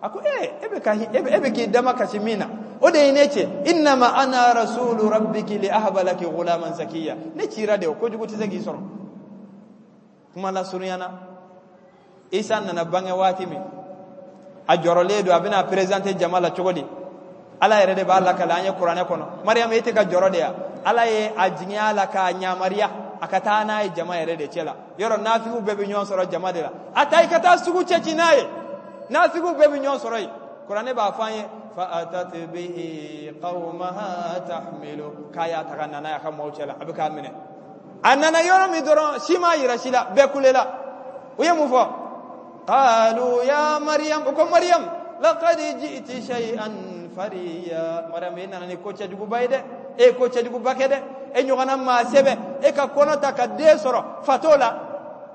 A ko e bɛ ka e bɛ k'i dama kasi min na, o de ye ne cɛ. Innama ana rasulu rabbiki li ahaba laki ghulaman zakiya. Ne cira de, o kojugu tɛ se k'i sɔrɔ. Kuma lasurunya na, Isa nana bange waati min, a jɔrɔlen don, a bɛna présenter jama la cogo di? Ala yɛrɛ de b'a lakale an ye kuranɛ kɔnɔ. Mariyamu, e tɛ ka jɔrɔ de ya? Ala ye a jigin a la k'a ɲamariya a ka taa n'a ye jama yɛrɛ de cɛ la. Yɔrɔ nafigiw bɛɛ bɛ ɲɔgɔn sɔrɔ jama de la. A taa i ka taa sugu cɛci n'a ye, nafigiw bɛɛ bɛ ɲɔgɔn sɔrɔ yen. Kuranɛ b'a fɔ an ye fa atat bihi qaumaha tahmilu, k'a y'a ta ka na n'a ye a ka maaw cɛ la, a bɛ k'a minɛ. A nana yɔrɔ min dɔrɔn, si m'a yira si la, bɛɛ kulela. U ye mun fɔ? Qalu ya Maryam, u ko Maryam, laqad ji'ti shay'an fariya. Maryam, e nana ni ko cɛjuguba ye dɛ, e ye ko cɛjuguba kɛ dɛ, e ɲɔgɔnna maa sɛbɛ, e ka kɔnɔ ta ka den sɔrɔ fatɔ la,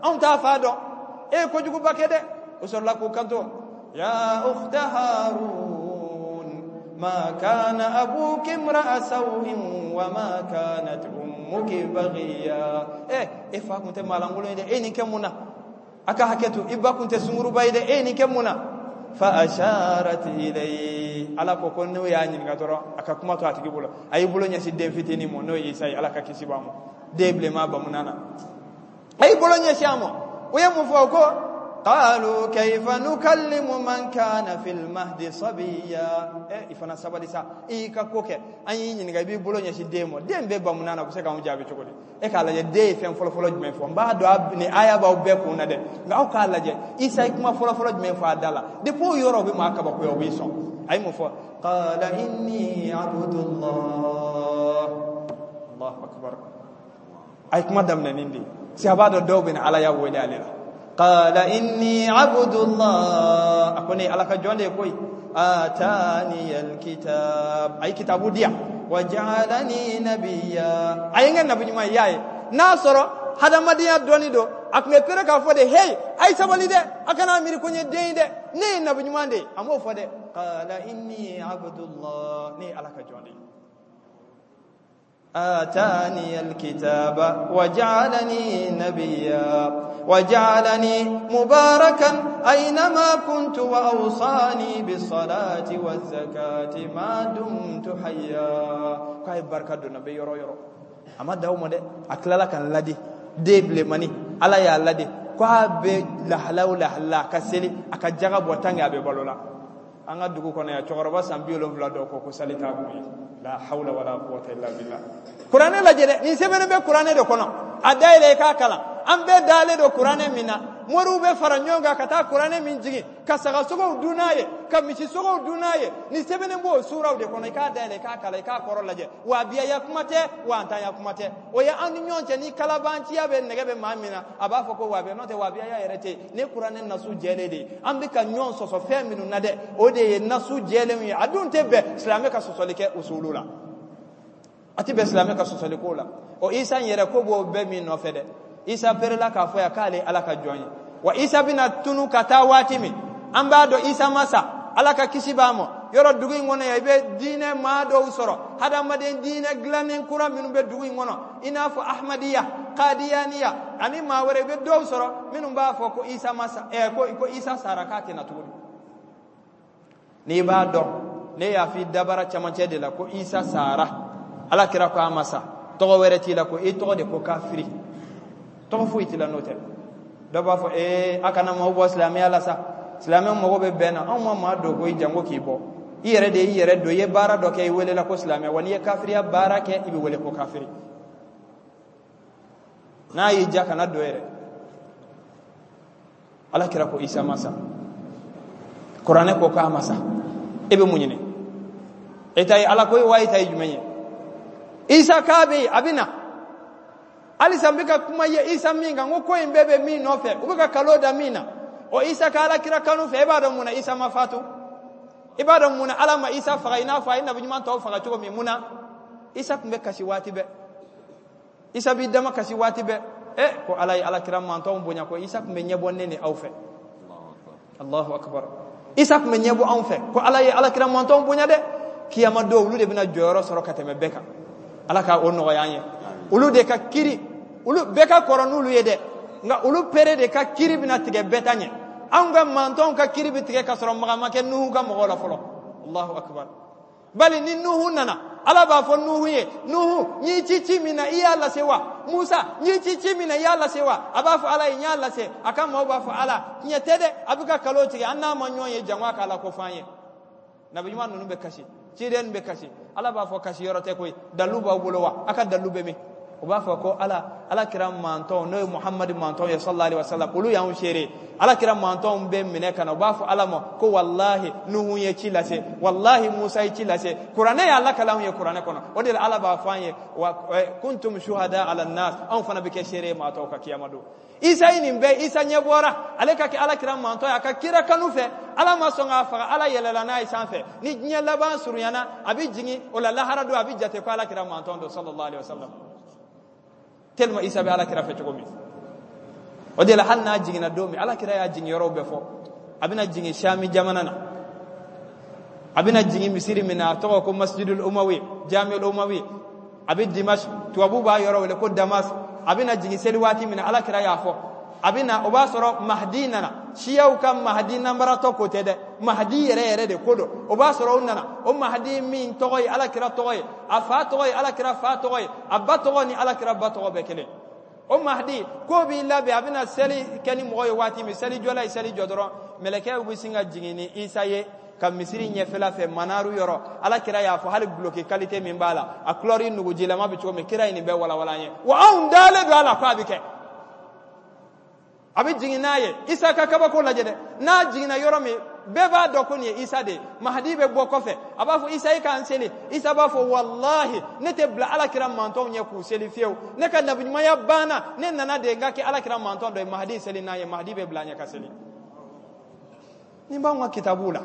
anw t'a fa dɔn, e ye kojuguba kɛ dɛ. O sɔrɔla k'u kanto, ya ukhta Harun, ma kana abuki imra'a sawin wa ma kanat ummuki baghiya. E fa kun tɛ maalankolon ye dɛ, e nin kɛ mun na? A ka hakɛ to, i ba kun tɛ sunguruba ye dɛ, e nin kɛ mun na? Fa asharat ilayhi. Ala ko ko n'o y'a ɲininka dɔrɔn, a ka kuma to a tigi bolo. A y'i bolo ɲɛsin den fitinin ma, n'o ye Isa ye, Ala ka kisi b'a ma, den bilenman bamunan na, a y'i bolo ɲɛsin a ma. U ye mun fɔ? Ko qalu kayfa nukallimu man kana fil mahdi sabiya. I fana sabali sa, i y'i ka ko kɛ, an y'i ɲininka, i b'i bolo ɲɛsin den ma, den bɛ bamunan na, u bɛ se k'anw jaabi cogo di? E k'a lajɛ, den ye fɛn fɔlɔfɔlɔ jumɛn fɔ? N b'a dɔn nin aya b'aw bɛɛ kun na dɛ, nka aw k'a lajɛ, Isa ye kuma fɔlɔfɔlɔ jumɛn fɔ a da la? Depuis o yɔrɔ, o bɛ maa kabakoya, o b'i sɔn. A ye mun fɔ? Qala inni abdullah. Allahu akbar. A ye kuma daminɛ nin de ye, si a b'a dɔn dɔw bɛ na Ala y'a wele ale la. Qala inni abdullah, a ko ne Ala ka jɔn de ye koyi. Atani alkitab, a ye kitabu di yan. Wa ja'alani nabiyya, a ye n kɛ nabi ɲuman ye. Y'a ye n'a sɔrɔ hadamadenya dɔnni don, a tun bɛ pere k'a fɔ de, hey, a ye sabali dɛ, a kana miiri ko n ye den ye dɛ, ne ye nabi ɲuman de ye. A m'o fɔ dɛ. Qala inni abdullah, ne ye Ala ka jɔn de ye. آتاني الكتاب وجعلني نبيا وجعلني مباركا أينما كنت وأوصاني بالصلاة والزكاة ما دمت حيا. K'a ye barika don na bɛ yɔrɔ yɔrɔ. A ma da o ma dɛ, a tilala ka n ladi. Den bilenmani, Ala y'a ladi k'a bɛ lahala o lahala, a ka seli, a ka jaga bɔ tant que a bɛ balo la. An ka dugu kɔnɔ yan, cɛkɔrɔba san 70 dɔw ko ko sali t'a kun ye. La hawla wala quwwata illa billah. Kuranɛ lajɛ dɛ, nin sɛbɛnnen bɛ kuranɛ de kɔnɔ, a dayɛlɛ i k'a kalan. An bɛɛ dalen don kuranɛ min na, moriw bɛ fara ɲɔgɔn kan ka taa kuranɛ min jigin, ka sagasogow dun n'a ye, ka misisogow dun n'a ye, nin sɛbɛnnen b'o suraw de kɔnɔ. I k'a dayɛlɛ, i k'a kalan, i k'a kɔrɔ lajɛ. Wahabiyaya kuma tɛ, wantanya kuma tɛ, o ye an ni ɲɔgɔn cɛ. Ni kalabanciya bɛ nɛgɛ bɛ maa min na, a b'a fɔ ko wahabiya. N'o tɛ, wahabiyaya yɛrɛ tɛ yen. Ne kuranɛ nasu jɛlen de ye. An bɛ ka ɲɔgɔn sɔsɔ fɛn minnu na dɛ, o de ye nasu jɛlenw ye. A dun tɛ bɛn silamɛ ka sɔsɔli kɛ usulu la, a tɛ bɛn silamɛ ka sɔsɔli ko la. O Isa in yɛrɛ ko b'o bɛɛ min nɔfɛ dɛ. Isa perela k'a fɔ yan k'ale Ala ka jɔn ye. Wa Isa bɛna tunu ka taa waati min, an b'a dɔn Isa ma sa, Ala ka kisi b'a ma. Yɔrɔ dugu in kɔnɔ yan, i bɛ diinɛ maa dɔw sɔrɔ, hadamaden diinɛ dilannen kura minnu bɛ dugu in kɔnɔ, i n'a fɔ Ahmadiyya, Kadiyaniya ani maa wɛrɛ. I bɛ dɔw sɔrɔ minnu b'a fɔ ko Isa ma sa, ko Isa sara, k'a tɛ na tuguni. N'i b'a dɔn Ne y'a f'i dabara camancɛ de la ko Isa sara. Ala kira ko a ma sa. Tɔgɔ wɛrɛ t'i la ko i tɔgɔ de ko kafiri. Tɔgɔ foyi t'i la n'o tɛ. Dɔ b'a fɔ ee a kana maaw bɔ silamɛya la sa. Silamɛ mago bɛ bɛn na. Anw ma maa don koyi jango k'i bɔ. I yɛrɛ de y'i yɛrɛ don. I ye baara dɔ kɛ i welela ko silamɛ. Wa n'i ye kafiriya baara kɛ i bɛ wele ko kafiri. N'a y'i diya kana don yɛrɛ. Ala kira ko Isa ma sa. Kuranɛ ko k'a ma sa. E bɛ mun ɲini? E ta ye Ala ko ye wa e ta ye jumɛn ye? Isa k'a bɛ yen, a bɛ na. Halisa n bɛ ka kuma ye Isa min kan, n ko ko in bɛɛ bɛ min nɔfɛ, u bɛ ka kalo da min na. O Isa ka Ala kira kanu fɛ, e b'a dɔn mun na Isa ma fatu? I b'a dɔn mun na Ala ma Isa faga i n'a fɔ a ye nabi ɲuman tɔw faga cogo min? Mun na? Isa tun bɛ kasi waati bɛɛ. Isa b'i dama kasi waati bɛɛ. Ko Ala ye Ala kira mantɔnw bonya ko Isa tun bɛ ɲɛbɔ ne ni aw fɛ. Allahu akbar. Isa tun bɛ ɲɛbɔ anw fɛ ko Ala ye Ala kira mantɔnw bonya dɛ. Kiyama don olu de bɛna jɔyɔrɔ sɔrɔ ka tɛmɛ bɛɛ kan. Ala ka o nɔgɔya an ye. Olu de ka kiri, olu bɛɛ ka kɔrɔ n'olu ye dɛ, nka olu pere de ka kiri bɛna tigɛ bɛɛ ta ɲɛ. Anw ka mantɔnw ka kiri bɛ tigɛ ka sɔrɔ maga ma kɛ Nuhu ka mɔgɔw la fɔlɔ. Allahu akbar. Bali ni Nuhu nana, Ala b'a fɔ Nuhu ye, Nuhu, n y'i ci ci min na i y'a lase wa? Musa, n y'i ci ci min na i y'a lase wa? A b'a fɔ Ala ye, n y'a lase. A ka maaw b'a fɔ Ala, tiɲɛ tɛ dɛ, a bɛ ka kalo tigɛ, an n'a ma ɲɔgɔn ye jango a k'a la ko f'an ye. Nabi ɲuman ninnu bɛ kasi, ciden bɛ kasi. Ala b'a fɔ kasi yɔrɔ tɛ koyi, dalu b'aw bolo wa? A ka dalu bɛ min? U b'a fɔ ko Ala, Ala kira mantɔn n'o ye Muhamadu mantɔn ye sallallahu alaihi wasallam, olu y'anw seere. Ala kira mantɔnw bɛ minɛ ka na, u b'a fɔ Ala ma ko walahi Nuhu ye ci lase, walahi Musa ye ci lase. Kuranɛ y'a lakale anw ye kuranɛ kɔnɔ. O de la Ala b'a fɔ an ye wa kuntum shuhada ala nas, anw fana bɛ kɛ seere ye maa tɔw ka kiyama don. Isa ye nin bɛɛ, Isa ɲɛ bɔra ale ka kɛ Ala kira mantɔn ye, a ka kira kanu fɛ, Ala ma sɔn k'a faga, Ala yɛlɛla n'a ye sanfɛ. Ni diɲɛ laban surunyana, a bɛ jigin o la lahara don, a bɛ jate ko Ala kira mantɔn don sallallahu alaihi wasallam. Tellement Isa bɛ Ala kira fɛ cogo min. O de la hali n'a jiginna don min, Ala kira y'a jigin yɔrɔw bɛɛ fɔ. A bɛna jigin Shami jamana na. A bɛna jigin misiri min na, a tɔgɔ ko Masjidul Umawi, Jamiul Umawi. A bɛ Dimash, tubabu b'a yɔrɔ wele ko Damas. A bɛna jigin seli waati min na, Ala kira y'a fɔ. A bɛna, o b'a sɔrɔ Mahdi nana. Siyaw ka Mahdi nanbaratɔ ko tɛ dɛ, Mahdi yɛrɛ yɛrɛ de ko don. O b'a sɔrɔ o nana. O Mahdi min tɔgɔ ye Ala kira tɔgɔ ye, a fa tɔgɔ ye Ala kira fa tɔgɔ ye, a ba tɔgɔ ni Ala kira ba tɔgɔ bɛɛ kelen. O Mahdi ko b'i labɛn, a bɛna seli kɛ ni mɔgɔ ye waati min, seli jɔla ye seli jɔ dɔrɔn, mɛlɛkɛw bɛ sin ka jigin ni Isa ye ka misiri ɲɛfɛla fɛ manaru yɔrɔ. Ala kira y'a fɔ hali guloki kalite min b'a la, a kulɔri nugujilama bɛ cogo min, kira ye nin bɛɛ walawala an ye. Wa anw dalen don a la ko a bɛ kɛ. A bɛ jigin n'a ye. Isa ka kabako lajɛ dɛ. N'a jiginna yɔrɔ min, bɛɛ b'a dɔn ko nin ye Isa de ye. Mahdi bɛ bɔ kɔfɛ, a b'a fɔ Isa i k'an seli. Isa b'a fɔ walahi ne tɛ bila Ala kira mantɔnw ɲɛ k'u seli fiyewu. Ne ka nabiɲumanya banna, ne nana de n ka kɛ Ala kira mantɔn dɔ ye. Mahdi seli n'a ye, Mahdi bɛ bila a ɲɛ ka seli. Nin b'anw ka kitabuw la.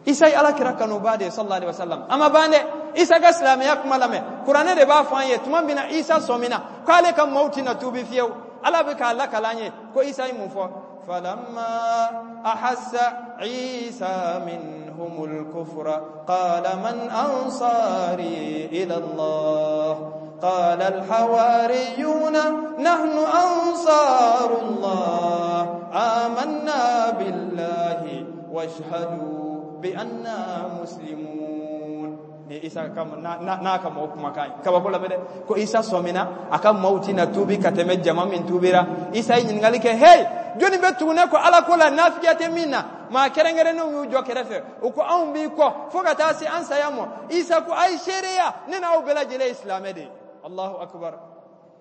Isa ye Ala kira kanuba de ye sallallahu alaihi wasallam. A ma ban dɛ. Isa ka silamɛya kuma lamɛn. Kuranɛ de b'a fɔ an ye tuma min na Isa sɔmina k'ale ka maaw tɛna tuubi fiyewu. Ala bɛ k'a lakale an ye ko Isa ye mun fɔ? Falamma ahassa Isa minhumul kufra qala man ansari ila Allah qala al-hawariyuna nahnu ansarullah amanna billahi washhadu bi anna muslimun. Ni Isa ka n'a ka mɔgɔw kumakan ye. Kabako lamɛn dɛ. Ko Isa sɔmina a ka maaw tɛna tuubi ka tɛmɛ jama min tuubira. Isa ye ɲininkali kɛ, hey, jɔnni bɛ tugu ne kɔ Ala ko la nafigiya tɛ min na? Maa kɛrɛnkɛrɛnnenw y'u jɔ kɛrɛfɛ. U ko anw b'i kɔ fo ka taa se an saya ma. Isa ko a ye seereya, ne n'aw bɛɛ lajɛlen ye silamɛ de ye. Allahu akbar.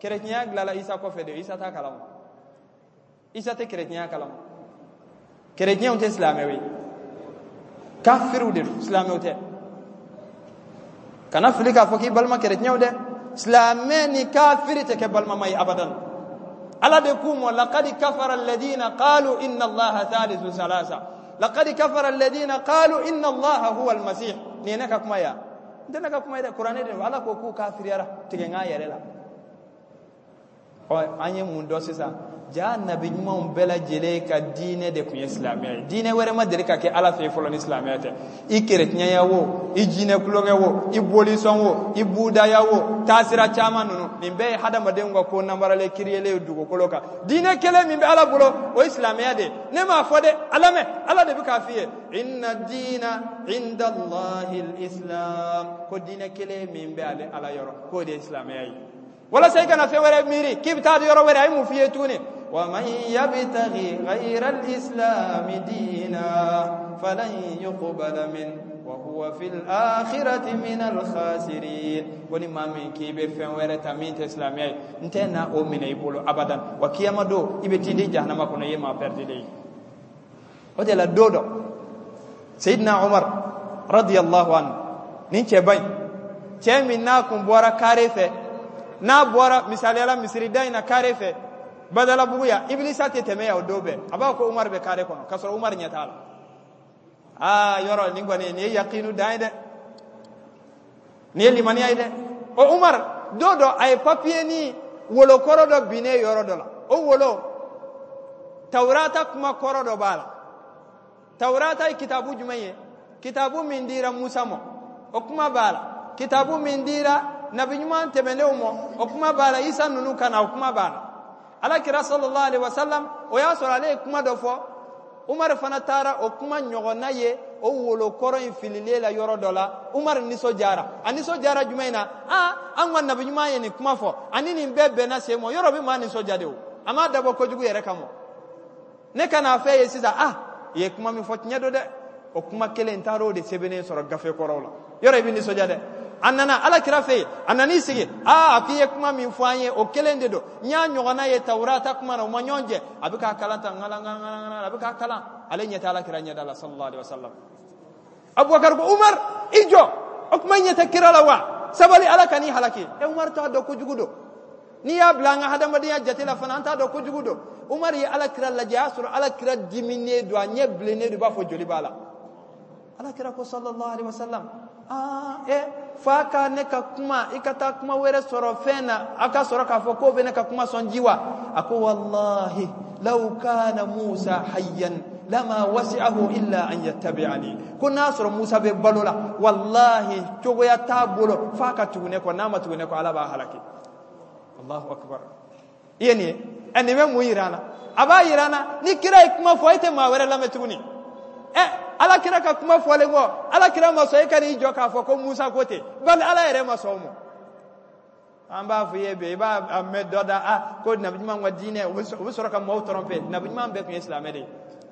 Kerecɛnya dilanna Isa kɔfɛ de, Isa t'a kalama. Isa tɛ kerecɛnya kalama. Kerecɛnw tɛ silamɛw ye. Kafiriw de don, silamɛw tɛ. Kana fili k'a fɔ k'i balima kerecɛnw dɛ. Silamɛ ni kafiri tɛ kɛ balimama ye abadan. Ala de k'u ma laqad kafara alladhina qalu inna Allaha thalithu thalatha. Laqad kafara alladhina qalu inna Allaha huwa al-masih. Nin ye ne ka kuma ye wa? N tɛ ne ka kuma ye dɛ, kuranɛ de don. Ala ko k'u kafiriyara tigɛ n k'a yɛrɛ la. Ɔ, an ye mun dɔn sisan? Jaa nabi ɲumanw bɛɛ lajɛlen ka diinɛ de tun ye silamɛya ye. Diinɛ wɛrɛ ma deli ka kɛ Ala fɛ yen fɔlɔ ni silamɛya tɛ. I kerecɛnya wo, i jinɛ tulonkɛ wo, i bolisɔn wo, i budaya wo, taasira caman ninnu, nin bɛɛ ye hadamadenw ka ko nanbaralen kiriyelen ye dugukolo kan. Diinɛ kelen min bɛ Ala bolo, o ye silamɛya de ye. Ne m'a fɔ dɛ, a lamɛn, Ala de bɛ k'a f'i ye. Inna diina inda Allahi al-islam. Ko diinɛ kelen min bɛ ale Ala yɔrɔ, k'o de ye silamɛya ye. Walasa i kana fɛn wɛrɛ miiri k'i bɛ taa yɔrɔ wɛrɛ, a ye mun f'i ye tuguni? Wa man yabtaghi ghayra al-islami diina falan yuqbala min wa huwa fil akhirati min al-khasirin. Ko ni maa min k'i bɛ fɛn wɛrɛ ta min tɛ silamɛya ye, n tɛ na o minɛ i bolo abadan, wa kiyama don i bɛ t'i di jahanama kɔnɔ, i ye maa pɛrɛdilen ye. O de la don dɔ, Seyidina Umar radiyallahu anhu, nin cɛba in, cɛ min n'a kun bɔra kare fɛ, n'a bɔra misaliyala misirida in na kare fɛ Badalabugu yan, Ibilisa tɛ tɛmɛ yan o don bɛɛ, a b'a fɔ ko Umar bɛ kare kɔnɔ, k'a sɔrɔ Umar ɲɛ t'a la. Aa, yɔrɔ nin kɔni, nin ye yakinu dan ye dɛ, nin ye limaniya ye dɛ. O Umar, don dɔ a ye papiye ni wolokɔrɔ dɔ binnen yɔrɔ dɔ la. O wolo, Tawurata kuma kɔrɔ dɔ b'a la. Tawurata ye kitabu jumɛn ye? Kitabu min dira Musa ma, o kuma b'a la. Kitabu min dira nabi ɲuman tɛmɛnenw ma, o kuma b'a la. Isa ninnu ka na, o kuma b'a la. Ala kira sallallahu alaihi wasallam, o y'a sɔrɔ ale ye kuma dɔ fɔ. Umar fana taara o kuma ɲɔgɔnna ye o wolokɔrɔ in fililen la yɔrɔ dɔ la. Umar nisɔndiyara. A nisɔndiyara jumɛn na? Aa, an ka nabi ɲuman ye nin kuma fɔ, ani nin bɛɛ bɛnna sen ma. Yɔrɔ bɛ maa nisɔndiya de o, a m'a dabɔ kojugu yɛrɛ kama. Ne ka n'a fɛ ye sisan, ah, i ye kuma min fɔ tiɲɛ don dɛ, o kuma kelen n taara o de sɛbɛnnen sɔrɔ gafe kɔrɔw la. Yɔrɔ i bɛ nisɔndiya dɛ. A nana ala kira fɛ yen, a nan'i sigi, aa, a k'i ye kuma min fɔ an ye, o kelen de don, n y'a ɲɔgɔnna ye Tawurata kuma na, o ma ɲɔgɔn jɛ. A bɛ k'a kalan tan, ŋala ŋala ŋala, a bɛ k'a kalan, ale ɲɛ tɛ ala kira ɲɛda la sallallahu alaihi wasallam. Abubakar ko, Umar, i jɔ, o kuma ɲɛ tɛ kira la wa? Sabali, ala kan'i halaki. E Umar t'a dɔn kojugu don. N'i y'a bila an ka hadamadenya jate la fana, an t'a dɔn kojugu don. Umar ye ala kira lajɛ, a y'a sɔrɔ ala kira diminen don, a ɲɛ bilennen don, i b'a fɔ joli b'a la. Ala kira ko sallallahu alaihi wasallam, aa, e fa ka ne ka kuma, i ka taa kuma wɛrɛ sɔrɔ fɛn na, a ka sɔrɔ k'a fɔ k'o bɛ ne ka kuma sɔn ji wa? A ko wallahi law kana Musa hayyan lama wasi'ahu illa an yattabi'ani. Ko n'a sɔrɔ Musa bɛ balo la, wallahi cogoya t'a bolo f'a ka tugu ne kɔ, n'a ma tugu ne kɔ, Ala b'a halaki. Allahu akbar. I ye nin ye, ɛ, nin bɛ mun yira an na? A b'a yira an na ni kira ye kuma fɔ, e tɛ maa wɛrɛ lamɛn tuguni. Ɛ, ala kira ka kuma fɔlen kɔ, ala kira ma sɔn e ka n'i jɔ k'a fɔ ko Musa ko ten, bali ala yɛrɛ ma sɔn o ma. An b'a fɔ i ye bi, i b'a mɛn dɔ da, a ko nabi ɲuman ka diinɛ, u bɛ sɔrɔ ka maaw tromper. Nabi ɲuman bɛɛ tun ye silamɛ de ye.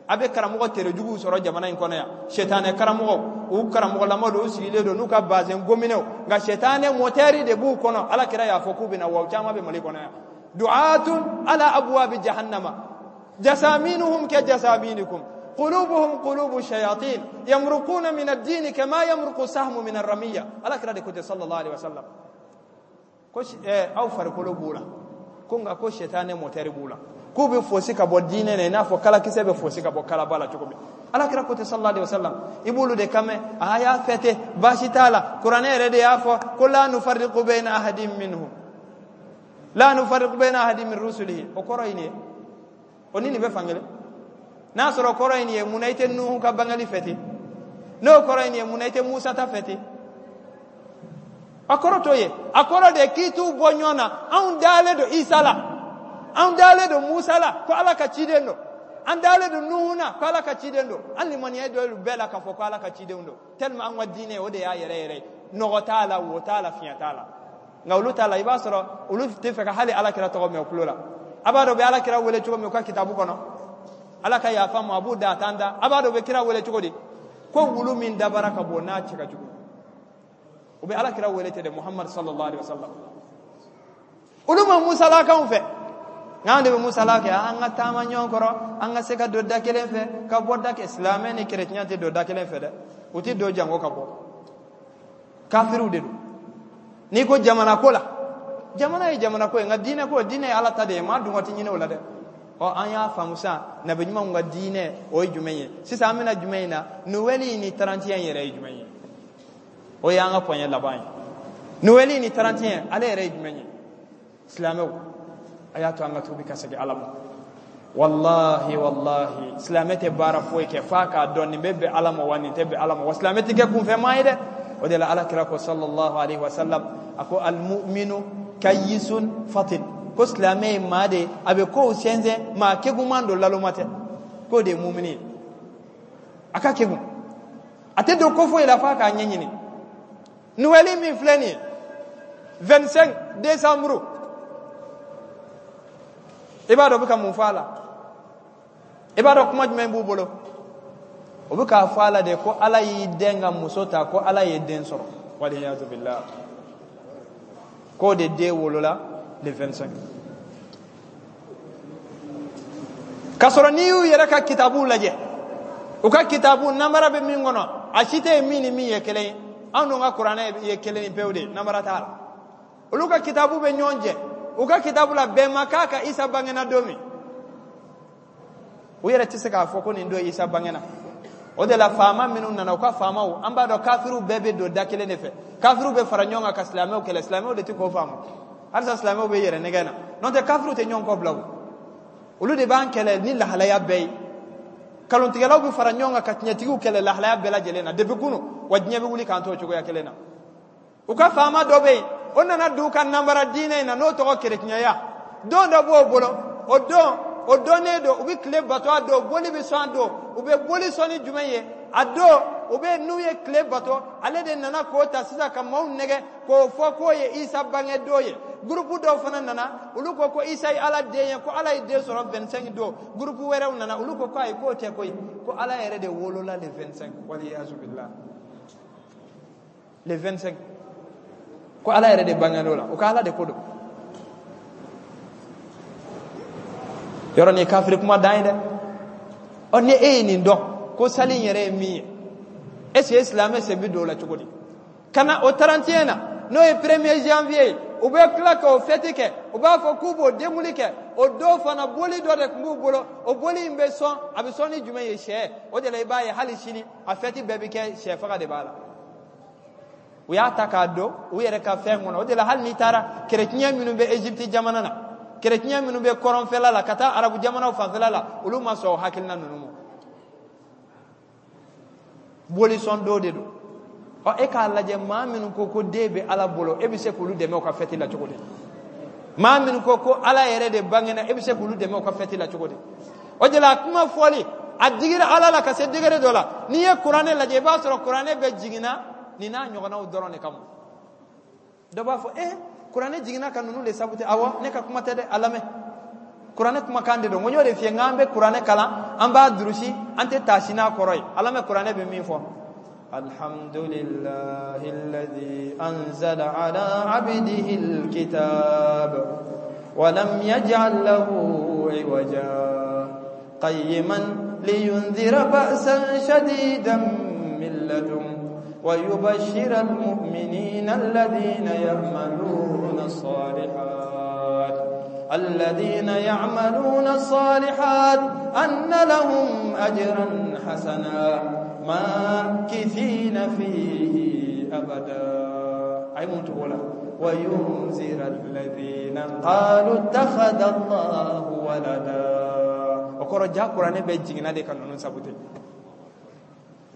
A bɛ karamɔgɔ terejuguw sɔrɔ jamana in kɔnɔ yan, sɛtanɛ karamɔgɔw, u karamɔgɔlama don, u sigilen don n'u ka bazɛn gominɛw, nka sɛtanɛ mɔtɛri de b'u kɔnɔ. Ala kira y'a fɔ k'u bɛna, wa u caman bɛ Mali kɔnɔ yan. Du'atun ala abwabi jahannama jasaminuhum ka jasaminikum qulubuhum qulubu shayatin yamruquna min ad-din kama yamruqu sahmu min ar-ramiyya. Ala kira de ko ten sallallahu alaihi wasallam, ko aw farikolo b'u la, ko nka ko sɛtanɛ mɔtɛri b'u la, k'u bɛ fosi ka bɔ diinɛ na i n'a fɔ kalakisɛ bɛ fosi ka bɔ kalaba la cogo min. Ala kira ko ten sallallahu alaihi wasallam. I b'olu de kan mɛn, a y'a fɛ ten, baasi t'a la, kuranɛ yɛrɛ de y'a fɔ ko la nufarriqu bayna ahadin minhum, la nufarriqu bayna ahadin min rusulihi. O kɔrɔ ye nin ye, o ni nin bɛ fankelen. N'a sɔrɔ kɔrɔ ye nin ye, mun na i tɛ Nuhu ka bangeli fɛ ten? N'o kɔrɔ ye nin ye, mun na i tɛ Musa ta fɛ ten? A kɔrɔ t'o ye. A kɔrɔ de k'i t'u bɔ ɲɔgɔn na. Anw dalen don Isa la, anw dalen don Musa la ko Ala ka ciden don, an dalen don Nuhu na ko Ala ka ciden don, an limaniya don bɛɛ la k'a fɔ ko Ala ka cidenw don. Tellement an ka diinɛ, o de y'a yɛrɛ yɛrɛ ye, nɔgɔ t'a la, wo t'a la, fiɲɛ t'a la. Nka olu t'a la, i b'a sɔrɔ olu tɛ fɛ ka hali Ala kira tɔgɔ mɛn u tulo la. A b'a dɔn u bɛ Ala kira wele cogo min u ka kitabu kɔnɔ, Ala ka yafa ma, a b'u da a t'an da. A b'a dɔn u bɛ kira wele cogo di? Ko wulu min dabara ka bon n'a cɛ ka jugu. U bɛ Ala kira wele ten de, Muhammad sallallahu alaihi wasallam. Olu ma musalakanw fɛ, nka an de bɛ musala kɛ. An ka taama ɲɔgɔn kɔrɔ, an ka se ka don da kelen fɛ ka bɔ da kelen. Silamɛ ni kerecɛn tɛ don da kelen fɛ dɛ, u tɛ don jango ka bɔ. Kafiriw de don. N'i ko jamana ko la, jamana ye jamana ko ye, nka diinɛ ko, diinɛ ye Ala ta de ye, maa dungɔ tɛ ɲini o la dɛ. Ɔ, an y'a faamu sisan, nabi ɲumanw ka diinɛ o ye jumɛn ye? Sisan an bɛna jumɛn in na? Noɛli ni 31 yɛrɛ ye jumɛn ye? O y'an ka point laban ye. Noɛli ni 31, ale yɛrɛ ye jumɛn ye? Silamɛw, a y'a to an ka tuubi ka segin Ala ma. Wallahi, wallahi, silamɛ tɛ baara foyi kɛ f'a k'a dɔn nin bɛ bɛn Ala ma wa nin tɛ bɛn Ala ma. Wa silamɛ tɛ kɛ kunfɛmaa ye dɛ. O de la Ala kira ko sallallahu alaihi wa sallam, a ko almu'minu kayisun fatin, ko silamɛ ye maa de ye, a bɛ kow sɛnsɛn, maa kegunman don, laloma tɛ. K'o de ye mumini ye, a ka kegun, a tɛ don ko foyi la f'a k'a ɲɛɲini. Noël min filɛ nin ye 25 décembre, i b'a dɔn u bɛ ka mun fɔ a la? I b'a dɔn kuma jumɛn b'u bolo? O bɛ k'a fɔ a la de ko Ala y'i den ka muso ta, ko Ala ye den sɔrɔ, waliyazu billah, k'o de den wolola le 25. K'a sɔrɔ n'i y'u yɛrɛ ka kitabuw lajɛ, u ka kitabu namara bɛ min kɔnɔ, a si tɛ yen min ni min ye kelen ye. Anw dun ka kuranɛ ye kelen ni pewu de ye, namara t'a la. Olu ka kitabu bɛ ɲɔgɔn jɛ. U ka kitabu la, bɛn ma k'a kan Isa bangena don min. U yɛrɛ tɛ se k'a fɔ ko nin don Isa bangena. O de la faama minnu nana, u ka faamaw, an b'a dɔn kafiriw bɛɛ bɛ don da kelen de fɛ. Kafiriw bɛ fara ɲɔgɔn kan ka silamɛw kɛlɛ. Silamɛw de tɛ k'o faamu. Halisa silamɛw bɛ yɛrɛ nɛgɛn na, n'o tɛ kafiriw tɛ ɲɔgɔn kɔ bila. O olu de b'an kɛlɛ ni lahalaya bɛɛ ye. Kalontigɛlaw bɛ fara ɲɔgɔn kan ka tiɲɛtigiw kɛlɛ lahalaya bɛɛ lajɛlen na depuis kunu, wa diɲɛ bɛ wuli k'an to o cogoya kelen na. U ka faama dɔ bɛ yen, o nana don u ka nanbara diinɛ in na, n'o tɔgɔ kerecɛnya. Don dɔ b'o bolo, o don o dɔnnen don, u bɛ tile bato a don, boli bɛ sɔn a don. U bɛ boli sɔn ni jumɛn ye a don? U bɛ n'u ye tile bato, ale de nana k'o ta sisan ka maaw nɛgɛ k'o fɔ k'o ye Isa bange don ye. Gurupu dɔw fana nana, olu ko ko Isa ye Ala den ye, ko Ala ye den sɔrɔ 25 don. Gurupu wɛrɛw nana, olu ko ko ayi, k'o tɛ koyi, ko Ala yɛrɛ de wolola le 25, waliyazu billah, le 25, ko Ala yɛrɛ de bangena o la. O ka Ala de ko don. Yɔrɔ nin ye kafiri kuma dan ye dɛ. Ɔ, ni e ye nin dɔn ko sali in yɛrɛ ye min ye, est ce que silamɛ sen bɛ don o la cogo di? Ka na o 31 na, n'o ye 1er janvier ye, u bɛ tila k'o fɛti kɛ, u b'a fɔ k'u b'o denkunli kɛ. O don fana, boli dɔ de tun b'u bolo. O boli in bɛ sɔn, a bɛ sɔn ni jumɛn ye? Sɛ. O de la i b'a ye hali sini a fɛti bɛɛ bɛ kɛ, sɛ faga de b'a la. U y'a ta k'a don u yɛrɛ ka fɛn kɔnɔ. O de la hali n'i taara kerecɛn minnu bɛ Egypte jamana na, kerecɛn minnu bɛ kɔrɔnfɛla la ka taa arabu jamanaw fanfɛla la, olu ma sɔn o hakilina ninnu ma. Bolisɔn don de don. Ɔ, e k'a lajɛ, maa minnu ko ko den bɛ Ala bolo, e bɛ se k'olu dɛmɛ u ka fɛti la cogo di? Maa minnu ko ko Ala yɛrɛ de bangena, e bɛ se k'olu dɛmɛ u ka fɛti la cogo di? O de la a kuma fɔli a digira Ala la ka se degré dɔ la. N'i ye kuranɛ lajɛ, i b'a sɔrɔ kuranɛ bɛ jiginna nin n'a ɲɔgɔnnaw dɔrɔn de kama. Dɔ b'a fɔ kuranɛ jiginna ka ninnu de sabu tɛ. Awɔ, ne ka kuma tɛ dɛ, a lamɛn, kuranɛ kumakan de don. N ko n y'o de f'i ye, n k'an bɛ kuranɛ kalan, an b'a durusi, an tɛ taasi n'a kɔrɔ ye. A lamɛn, kuranɛ bɛ min fɔ: alhamdulillahi alladhi anzala ala abdihi alkitab wa lam yaj'al lahu iwaja qayyiman liyundhira ba'san shadidan min ladun ويبشر المؤمنين الذين يعملون الصالحات الذين يعملون الصالحات أن لهم أجرا حسنا ماكثين فيه أبدا. أي منتقولة وينذر الذين قالوا اتخذ الله ولدا. وقرأ جاء قرآن بيجينا دي كانوا نسابوتي.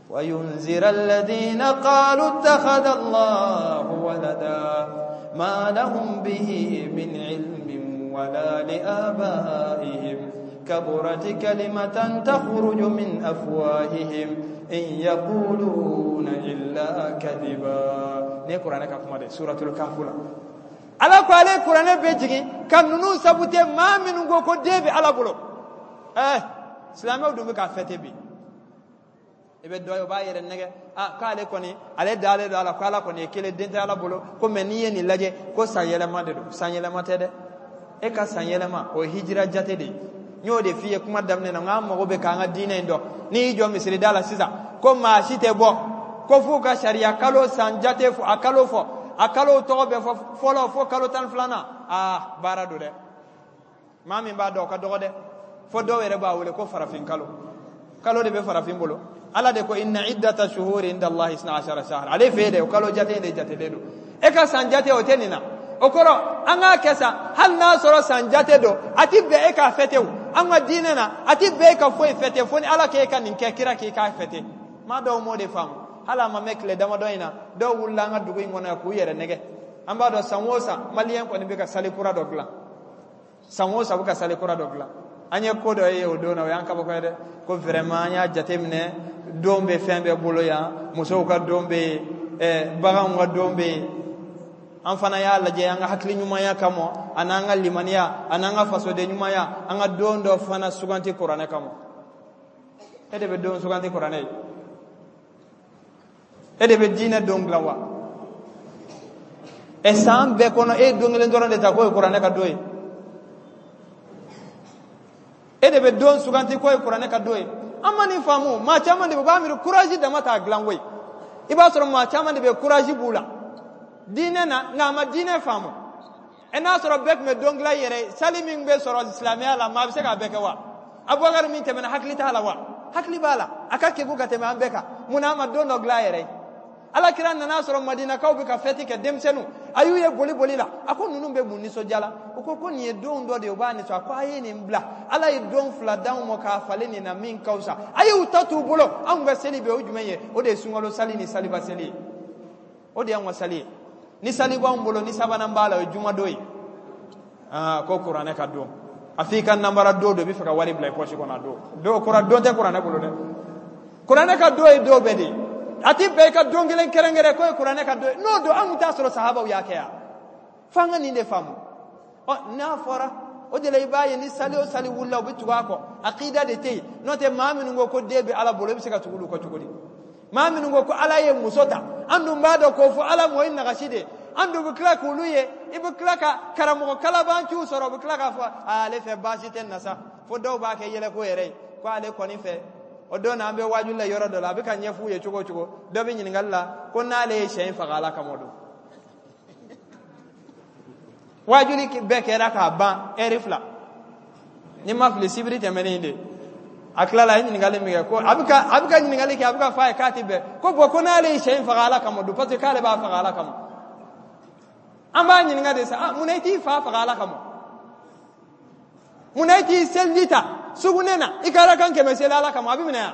وينذر الذين قالوا اتخذ الله ولدا ما لهم به من علم ولا لآبائهم كبرت كلمة تخرج من أفواههم إن يقولون إلا كذبا. Ne kuranɛ ka kuma de, suratul kahf la. Ala ko ale kuranɛ bɛ jigin ka ninnu sabute, maa minnu ko ko den bɛ Ala bolo. Silamɛw dun bɛ k'a fɛte bi. I bɛ dɔ ye, o b'a yɛrɛ nɛgɛ, a k'ale kɔni, ale dalen don a la ko Ala kɔni ye kelen, den tɛ Ala bolo, ko mɛ n'i ye nin lajɛ ko san yɛlɛma de don. San yɛlɛma tɛ dɛ. E ka san yɛlɛma o ye hijira jate de ye. N y'o de f'i ye kuma daminɛ na, n k'an mago bɛ k'an ka diinɛ in dɔn. N'i y'i jɔ misiri da la sisan ko maa si tɛ bɔ ko f'u ka sariya kalo san jate fɔ, a kalo fɔ, a kalo tɔgɔ bɛ fɔ fɔlɔ fo kalo 12nan, aa baara don dɛ. Maa min b'a dɔn o ka dɔgɔ dɛ. Fo dɔw yɛrɛ b'a wele ko farafin kalo. Kalo de bɛ farafin bolo. Ala de ko inna iddata shuhuri inda Allahi isna ashara shahra. Ale fɛ yen dɛ, o kalo jate in de jatelen don. E ka san jate o tɛ nin na. O kɔrɔ an k'a kɛ sa, hali n'a sɔrɔ san jate don, a ti bɛn e k'a fɛtɛ o. An ka diinɛ na, a ti bɛn e ka foyi fɛte fo ni Ala k'e ka nin kɛ, kira k'i k'a fɛte. Maa dɔw m'o de faamu. Hali a ma mɛn tile damadɔ in na, dɔw wulila an ka dugu in kɔnɔ yan k'u yɛrɛ nɛgɛ. An b'a dɔn san o san maliyɛn kɔni bɛ ka sali kura dɔ dilan. San o san bɛ ka sali kura dɔ dilan. An ye ko dɔ ye o don na, o y'an kabako ye dɛ. Ko vraiment an y'a jateminɛ, don bɛ fɛn bɛɛ bolo yan, musow ka don bɛ yen, baganw ka don bɛ yen. An fana y'a lajɛ an ka hakili ɲumanya kama, an'an ka limaniya, an'an ka fasoden ɲumanya, an ka don dɔ fana suganti kuranɛ kama. E de bɛ don suganti kuranɛ ye? E de bɛ diinɛ don dilan wa? Ɛ san bɛɛ kɔnɔ e ye don kelen dɔrɔn de ta k'o ye kuranɛ ka don ye. E de bɛ don suganti k'o ye kuranɛ ka don ye. An ma nin faamu. Maa caman de bɛ, u b'a miiri courage dama t'a dilan koyi. I b'a sɔrɔ maa caman de bɛ courage b'u la diinɛ na, nka a ma diinɛ faamu. Ɛ n'a sɔrɔ bɛɛ tun bɛ don dilan i yɛrɛ ye, sali min bɛ sɔrɔ silamɛya la, maa bɛ se k'a bɛɛ kɛ wa? Abubakar min tɛmɛna, hakili t'a la wa? Hakili b'a la, a ka kegun ka tɛmɛ an bɛɛ kan. Mun na a ma don dɔ dilan a yɛrɛ ye? Ala kira nana sɔrɔ madinakaw bɛ ka fɛti kɛ, denmisɛnninw a y'u ye boli boli la. A ko ninnu bɛ mun nisɔndiya la? U ko ko nin ye don dɔ de ye, u b'a nisɔn. A ko a ye nin bila, Ala ye don fila d'anw ma k'a falen nin na min ka fisa. A y'u ta t'u bolo. Anw ka seli bɛ o jumɛn ye? O de ye sunkalo sali ni saliba seli ye. O de y'anw ka sali ye. Ni sali b'anw bolo, ni sabanan b'a la, o ye jumadon ye. Aa, ko kuranɛ ka don, a f'i ka nanbara don don, i bɛ fɛ ka wari bila i pɔsi kɔnɔ. A don don kura don tɛ kuranɛ bolo dɛ. Kuranɛ ka don ye don bɛɛ de ye. A ti bɛn i ka don kelen kɛrɛnkɛrɛn k'o ye kuranɛ ka don ye. N'o don, an tun t'a sɔrɔ sahabaw y'a kɛ yan. F'an ka nin de faamu. Ɔ n'a fɔra o de la, i b'a ye ni sali o sali wulila, u bɛ tugu a kɔ. Akida de tɛ yen. N'o tɛ, maa minnu ko ko den bɛ Ala bolo, i bɛ se ka tugu olu kɔ cogo di? Maa minnu ko ko Ala ye muso ta, an dun b'a dɔn k'o fɔ Ala mɔ ye nagasi de ye. An dun bɛ tila k'olu ye, i bɛ tila ka karamɔgɔ kalabanciw sɔrɔ, u bɛ tila k'a fɔ ale fɛ baasi tɛ na sa. Fo dɔw b'a kɛ yɛlɛko yɛrɛ ye ko ale kɔni fɛ. O don na, an bɛ waajuli la yɔrɔ dɔ la, a bɛ ka ɲɛf'u ye cogo o cogo, dɔ bɛ ɲininkali la ko n'ale ye sɛ in faga Ala kama don. Waajuli bɛɛ kɛra k'a ban ɛri fila, ni ma fili, sibiri tɛmɛnen de. A tilala, a ye ɲininkali min kɛ, ko a bɛ ka ɲininkali kɛ, a bɛ ka fɔ a ye k'a ti bɛn, ko bɔn, ko n'ale ye sɛ in faga Ala kama don, parce que k'ale b'a faga Ala kama. An b'a ɲininka de sa, munna i t'i fa faga Ala kama? Munna i t'i seliji ta sugunɛ na, i ka arakan 100 seli Ala kama? A bɛ minɛ yan.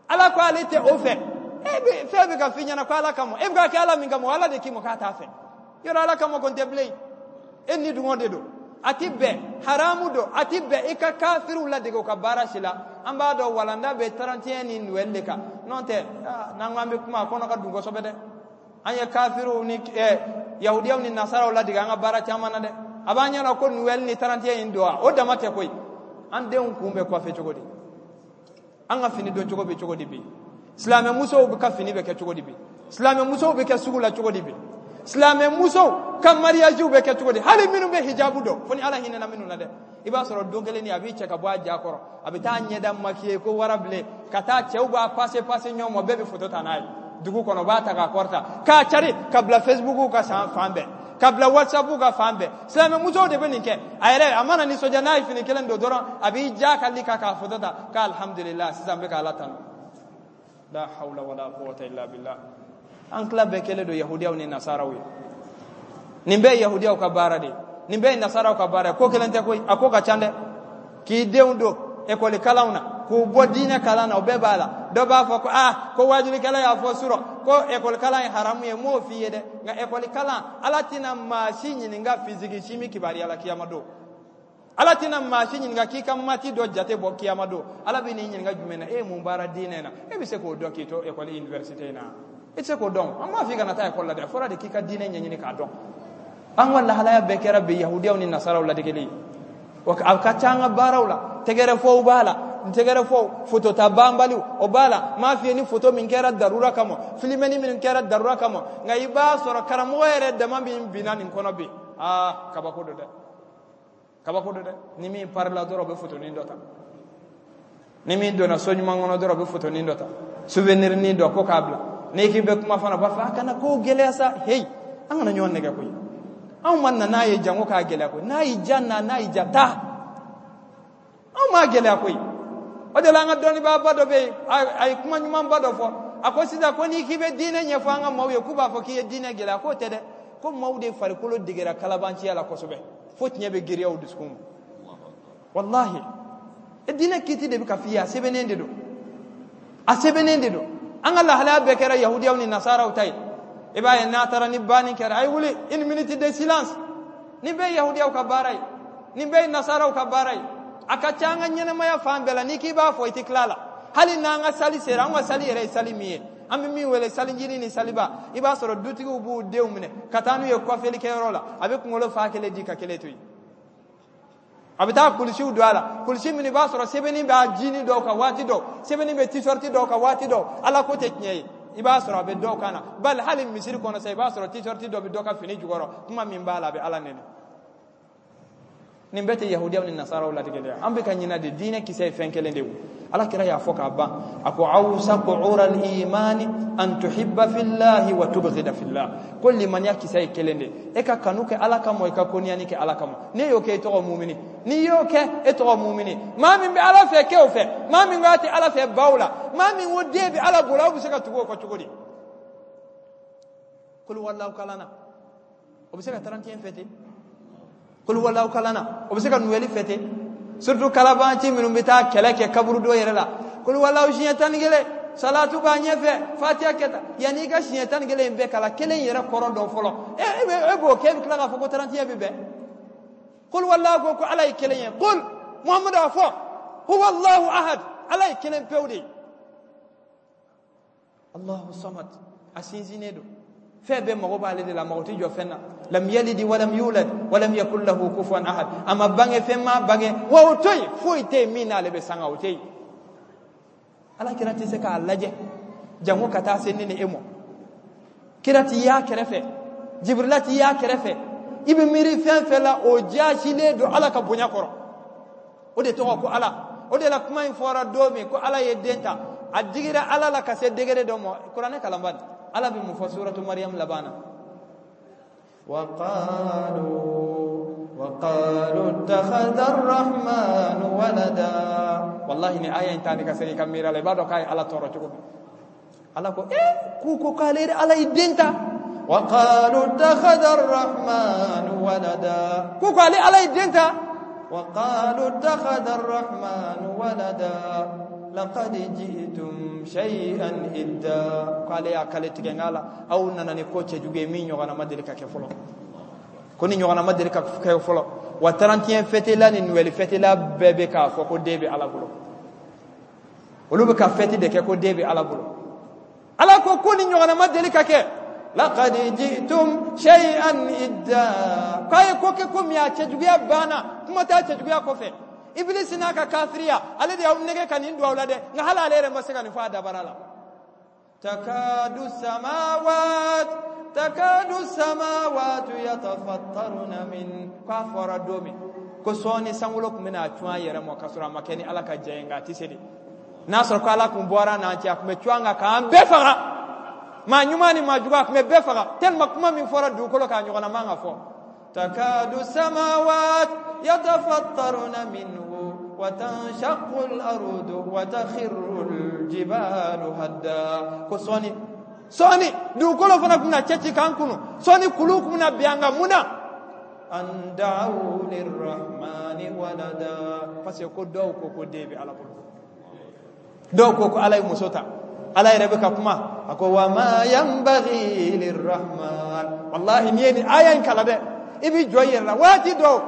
Ala ko ale tɛ o fɛ. E bɛ fɛn bɛ ka f'i ɲɛna ko Ala kama, e bɛ ka kɛ Ala min kama, Ala de k'i ma k'a t'a fɛ. Yɔrɔ Ala kama ko n tɛ bilen, e ni dungɔ de don. A ti bɛn, haramu don. A ti bɛn i ka kafiriw ladege u ka baara si la. An b'a dɔn walanda bɛ 31 ni Noël de kan. N'o tɛ, n'an ko an bɛ kuma, a kɔnɔ ka dun kosɛbɛ dɛ. An ye kafiriw ni yahudiyaw ni nasaraw ladege an ka baara caman na dɛ. A b'an ɲɛna ko Noël ni 31 in don wa? O dama tɛ koyi. An denw kun bɛ coiffer cogo di? An ka fini don cogo bɛ cogo di bi? Silamɛmusow bɛ ka fini bɛ kɛ cogo di bi? Silamɛmusow bɛ kɛ sugu la cogo di bi? Silamɛmusow ka mariagew bɛ kɛ cogo di? Hali minnu bɛ hijabu dɔn, fo ni Ala hinɛna minnu na dɛ, i b'a sɔrɔ don kelen ni a b'i cɛ ka bɔ a ja kɔrɔ, a bɛ taa ɲɛda maquiller ko warabilen, ka taa cɛw b'a passe passe ɲɔgɔn ma, bɛɛ bɛ photo ta n'a ye dugu kɔnɔ, u b'a ta k'a kɔrɔta k'a cari ka bila Facebook ka san fan bɛɛ, ka bila WhatsApp ka fan bɛɛ. Silamɛmusow de bɛ nin kɛ. A yɛrɛ a mana nisɔndiya n'a ye fini kelen don dɔrɔn, a b'i ja ka li kan k'a photo ta k'alhamdulillah, sisan n bɛ ka Ala tanu. La hawla wala quwwata illa billah. An tila bɛɛ kɛlen don yahudiyaw ni nasaraw ye. Nin bɛɛ ye yahudiyaw ka baara de ye, nin bɛɛ ye nasaraw ka baara ye. Ko kelen tɛ koyi, a ko ka ca dɛ. K'i denw don ekɔli kalanw na, k'u bɔ diinɛ kalan na, o bɛɛ b'a la. Dɔ b'a fɔ ko aa, ko waajulikɛla y'a fɔ surɔ ko ekɔli kalan ye haramu ye. N m'o f'i ye dɛ, nka ekɔli kalan, Ala tɛna maa si ɲininka physique chimie kibaruya la kiyama don. Ala tɛna maa si ɲininka k'i ka maths dɔ jate bɔ kiyama don. Ala bɛ n'i ɲininka jumɛn na? E ye mun baara diinɛ na? E bɛ se k'o dɔn k'i to ekɔli université in na? I tɛ se k'o dɔn. An m'a fɔ i kana taa ekɔli la dɛ, a fɔra de k'i ka diinɛ ɲɛɲini k'a dɔn. An ka lahalaya bɛɛ kɛra bi yahudiyaw ni nasaraw ladegeli ye. A ka ca an ka baaraw la, tɛgɛrɛfɔw b'a la, tɛgɛrɛfɔw, fotota banbaliw o b'a la. N m'a f'i ye ni foto min kɛra darura kama, filimɛni min kɛra darura kama, nka i b'a sɔrɔ karamɔgɔ yɛrɛ dama min binna nin kɔnɔ bi, aa, kabako don dɛ, kabako don dɛ. Ni min parila dɔrɔn, u bɛ fotonin dɔ ta. Ni min donna so ɲuman kɔnɔ dɔrɔn, u bɛ fotonin dɔ ta, souvenir nin dɔ ko k'a bila. N'i k'i bɛ kuma fana, u b'a fɔ a kana kow gɛlɛya sa. Heyi, an kana ɲɔgɔn nɛgɛ koyi. Anw ma na n'a ye jango k'a gɛlɛya koyi. N'a y'i ja na, n'a y'i ja taa, anw m'a gɛlɛya koyi. O de la, an ka dɔnnibaaba dɔ bɛ yen, a ye kuma ɲumanba dɔ fɔ. A ko sisan ko n'i k'i bɛ diinɛ ɲɛfɔ an ka maaw ye, k'u b'a fɔ k'i ye diinɛ gɛlɛya. K'o tɛ dɛ, ko maaw de farikolo degera kalabanciya la kosɛbɛ, fo tiɲɛ bɛ girinya u dusukun ma. Wallahi, e diinɛ kiti de bɛ ka f'i ye, a sɛbɛnnen de don, a sɛbɛnnen de don. An ka lahalaya bɛɛ kɛra yahudiyaw ni nasaraw ta ye. I b'a ye n'a taara ni banni kɛra, a ye wuli, une minute de silence. Nin bɛɛ ye yahudiyaw ka baara ye, nin bɛɛ ye nasaraw ka baara ye. A ka ca an ka ɲɛnamaya fan bɛɛ la, n'i k'i b'a fɔ i tɛ tila la. Hali n'an ka sali sera, an ka sali yɛrɛ ye sali min ye, an bɛ min wele salijinin ni saliba, i b'a sɔrɔ dutigiw b'u denw minɛ ka taa n'u ye kɔfɛlikɛyɔrɔ la. A bɛ kunkolo fa kelen di ka kelen to yen, a bɛ taa kulusiw don a la, kulusi min i b'a sɔrɔ sɛbɛnni b'a jini dɔw kan waati dɔw, sɛbɛnni bɛ t-shirt dɔw kan waati dɔw. Ala ko tɛ tiɲɛ ye, i b'a sɔrɔ a bɛ dɔw kan na. Bali hali misiri kɔnɔ sa, i b'a sɔrɔ t-shirt dɔ bɛ dɔ ka fini jukɔrɔ, kuma min b'a la, a bɛ Ala nɛni. Nin bɛɛ tɛ yahudiyaw ni nasaraw latigɛ dɛ. An bɛ ka ɲinɛ de, diinɛ kisɛ ye fɛn kelen de ye. Ala kira y'a fɔ k'a ban, a ko awsaqu ural imani an tuhibba fillahi wa tubghida fillah. Ko limaniya kisɛ ye kelen de, e ka kanu kɛ Ala kama, i ka koniyani kɛ Ala kama. N'e y'o kɛ, e tɔgɔ mumini. N'i y'o kɛ, e tɔgɔ mumini. Maa min bɛ Ala fɛ, kɛ o fɛ. Maa min ko a tɛ Ala fɛ, baw la. Maa min ko den bɛ Ala bolo, aw bɛ se ka tugu o kɔ cogo di? Kulu walaw kalan na, o bɛ se ka 31 fêter. Kulu walaw kalan na, o bɛ se ka Noël fêter. Surtout kalabanci minnu bɛ taa kɛlɛ kɛ kaburudo yɛrɛ la. Kulu walaw siɲɛ 11, salatu b'a ɲɛfɛ, fatiya kɛta. Yanni i ka siɲɛ 11 in bɛɛ kalan, kelen yɛrɛ kɔrɔ dɔn fɔlɔ. E b'o kɛ, e bɛ tila k'a fɔ ko 31 bɛ bɛn. Kulu walaw ko Ala ye kelen ye. Kul Muhamadu a fɔ, huwa Allahu ahad, Ala ye kelen pewu de ye. Allahu samad, a sinsinnen don, fɛn bɛɛ mago b'ale de la, mago tɛ jɔ fɛn na. Lam yalidi walam yulad walam yakul lahu kufuwan ahad. A ma bange, fɛn ma bange, wa o to yen, foyi tɛ yen min n'ale bɛ sanga, o tɛ yen. Ala kira tɛ se k'a lajɛ jango ka taa se ne ni e mɔ. Kira t'i y'a kɛrɛfɛ, Jibrila t'i y'a kɛrɛfɛ. I bɛ miiri fɛn fɛn la, o jaasilen don Ala ka bonya kɔrɔ. O de tɔgɔ ko Ala. O de la kuma in fɔra don min ko Ala ye den ta, a digira Ala la ka se degré dɔ ma. Kuranɛ kalanba nin, Ala bɛ mun fɔ suratu Mariam laban na? وقالوا اتخذ الرحمن ولدا. Wallahi, ni aya in ta ni ka segin ka miiri a la, i b'a dɔn k'a ye Ala tɔɔrɔ cogo min. Ala ko k'u ko k'ale Ala ye den ta. وقالوا اتخذ الرحمن ولدا. K'u ko ale Ala ye den ta. وقالوا اتخذ الرحمن ولدا لقد جئتم شيئا إدا. K'ale y'a kale tigɛ n la, aw nana ni ko cɛjugu ye min ɲɔgɔnna ma deli ka kɛ fɔlɔ, ko ni ɲɔgɔnna ma deli ka kɛ fɔlɔ. Wa 31 fêtela ni Noël fêtela bɛɛ bɛ k'a fɔ ko den bɛ Ala bolo. Olu bɛ ka fête de kɛ ko den bɛ Ala bolo. Ala ko ko ni ɲɔgɔnna ma deli ka kɛ. لقد جئتم شيئا إدا. K'a ye ko kɛ ko min a cɛjuguya banna, kuma t'a cɛjuguya kɔfɛ. Ibilisi n'a ka kafiriya, ale de y'aw nɛgɛ ka nin don aw la dɛ, nka hali ale yɛrɛ ma se ka nin fɔ a dabara la. تكاد السماوات يتفطرن من. K'a fɔra don min ko sɔɔni sankolo tun bɛna cun a yɛrɛ ma, ka sɔrɔ a ma kɛ ni Ala ka jɛ ye, nka a tɛ se de. N'a sɔrɔ ko Ala kun bɔra n'an cɛ, a tun bɛ cun an kan k'an bɛɛ faga, maa ɲuman ni maa jugu, a tun bɛ bɛɛ faga, tellement kuma min fɔra dugukolo k'a ɲɔgɔnna man ka fɔ. تكاد السماوات يتفطرن منه وتنشق الأرض وتخر الجبال هدا. Ko sɔɔni sɔɔni dugukolo fana tun bɛna cɛci k'an kunu, sɔɔni kulu tun bɛna bin an kan. Mun na? أن دعوا للرحمن ولدا. Parce que ko dɔw ko ko den bɛ Ala bolo, dɔw ko ko Ala ye muso ta. Ala yɛrɛ bɛ ka kuma, a ko وما ينبغي للرحمن. Wallahi, n'i ye nin aya in kalan dɛ, i b'i jɔ i yɛrɛ la waati dɔw.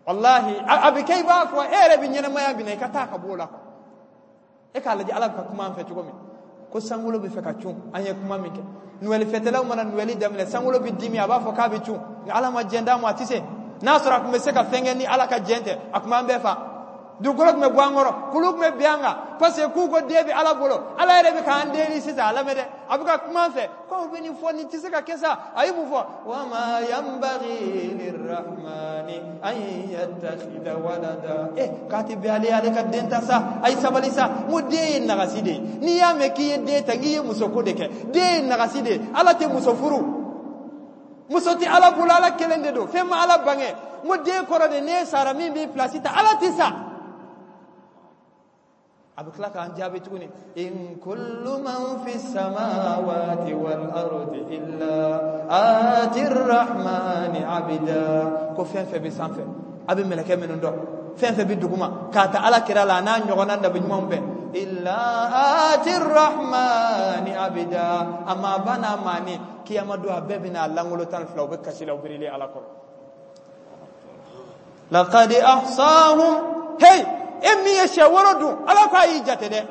Wallahi, a bɛ kɛ i b'a fɔ e yɛrɛ bɛ ɲɛnamaya min na, i ka taa ka b'o la quoi. E k'a lajɛ Ala bɛ ka kuma an fɛ cogo min, ko sankolo bɛ fɛ ka cun. An ye kuma min kɛ, Noël fêtelaw mana Noël daminɛ, sankolo bɛ dimi, a b'a fɔ k'a bɛ cun, nka Ala ma jɛn d'a ma, a tɛ se. N'a sɔrɔ a tun bɛ se ka fɛn kɛ ni Ala ka jɛn tɛ, a tun b'an bɛɛ fa, dugukolo tun bɛ bɔ an kɔrɔ, kulu tun bɛ bin an kan. Parce que k'u ko den bɛ Ala bolo. Ala yɛrɛ bɛ k'an deli sisan, a lamɛn dɛ, a bɛ ka kuma an fɛ k'aw bɛ nin fɔ, nin tɛ se ka kɛ sa. A ye mun fɔ? وما ينبغي للرحمن أن يتخذ ولدا. K'a tɛ bɛn ale ale ka den ta sa. A ye sabali sa. N ko den ye nagasi de ye. N'i y'a mɛn k'i ye den ta, k'i ye musoko de kɛ. Den ye nagasi de ye. Ala tɛ muso furu, muso tɛ Ala bolo, Ala kelen de don, fɛn ma Ala bange. N ko den kɔrɔ de, n'e sara, min b'i place ta. Ala tɛ sa. A bɛ tila k'an jaabi tuguni: إن كل من في السماوات والأرض إلا آتي الرحمن عبدا. Ko fɛn fɛn bɛ sanfɛ A bɛ mɛlɛkɛ minnu dɔn, fɛn fɛn bɛ duguma, k'a ta Ala kira la, a n'a ɲɔgɔnna nabi ɲumanw bɛɛ, illa ati rahmani abida. A maaba n'a maani, kiyama don a bɛɛ bɛna a langolo 12, u bɛ kasi la, u birilen Ala kɔrɔ. Laqad ahsahum. Hey, e min ye sɛ woro dun, Ala ko a y'i jate dɛ.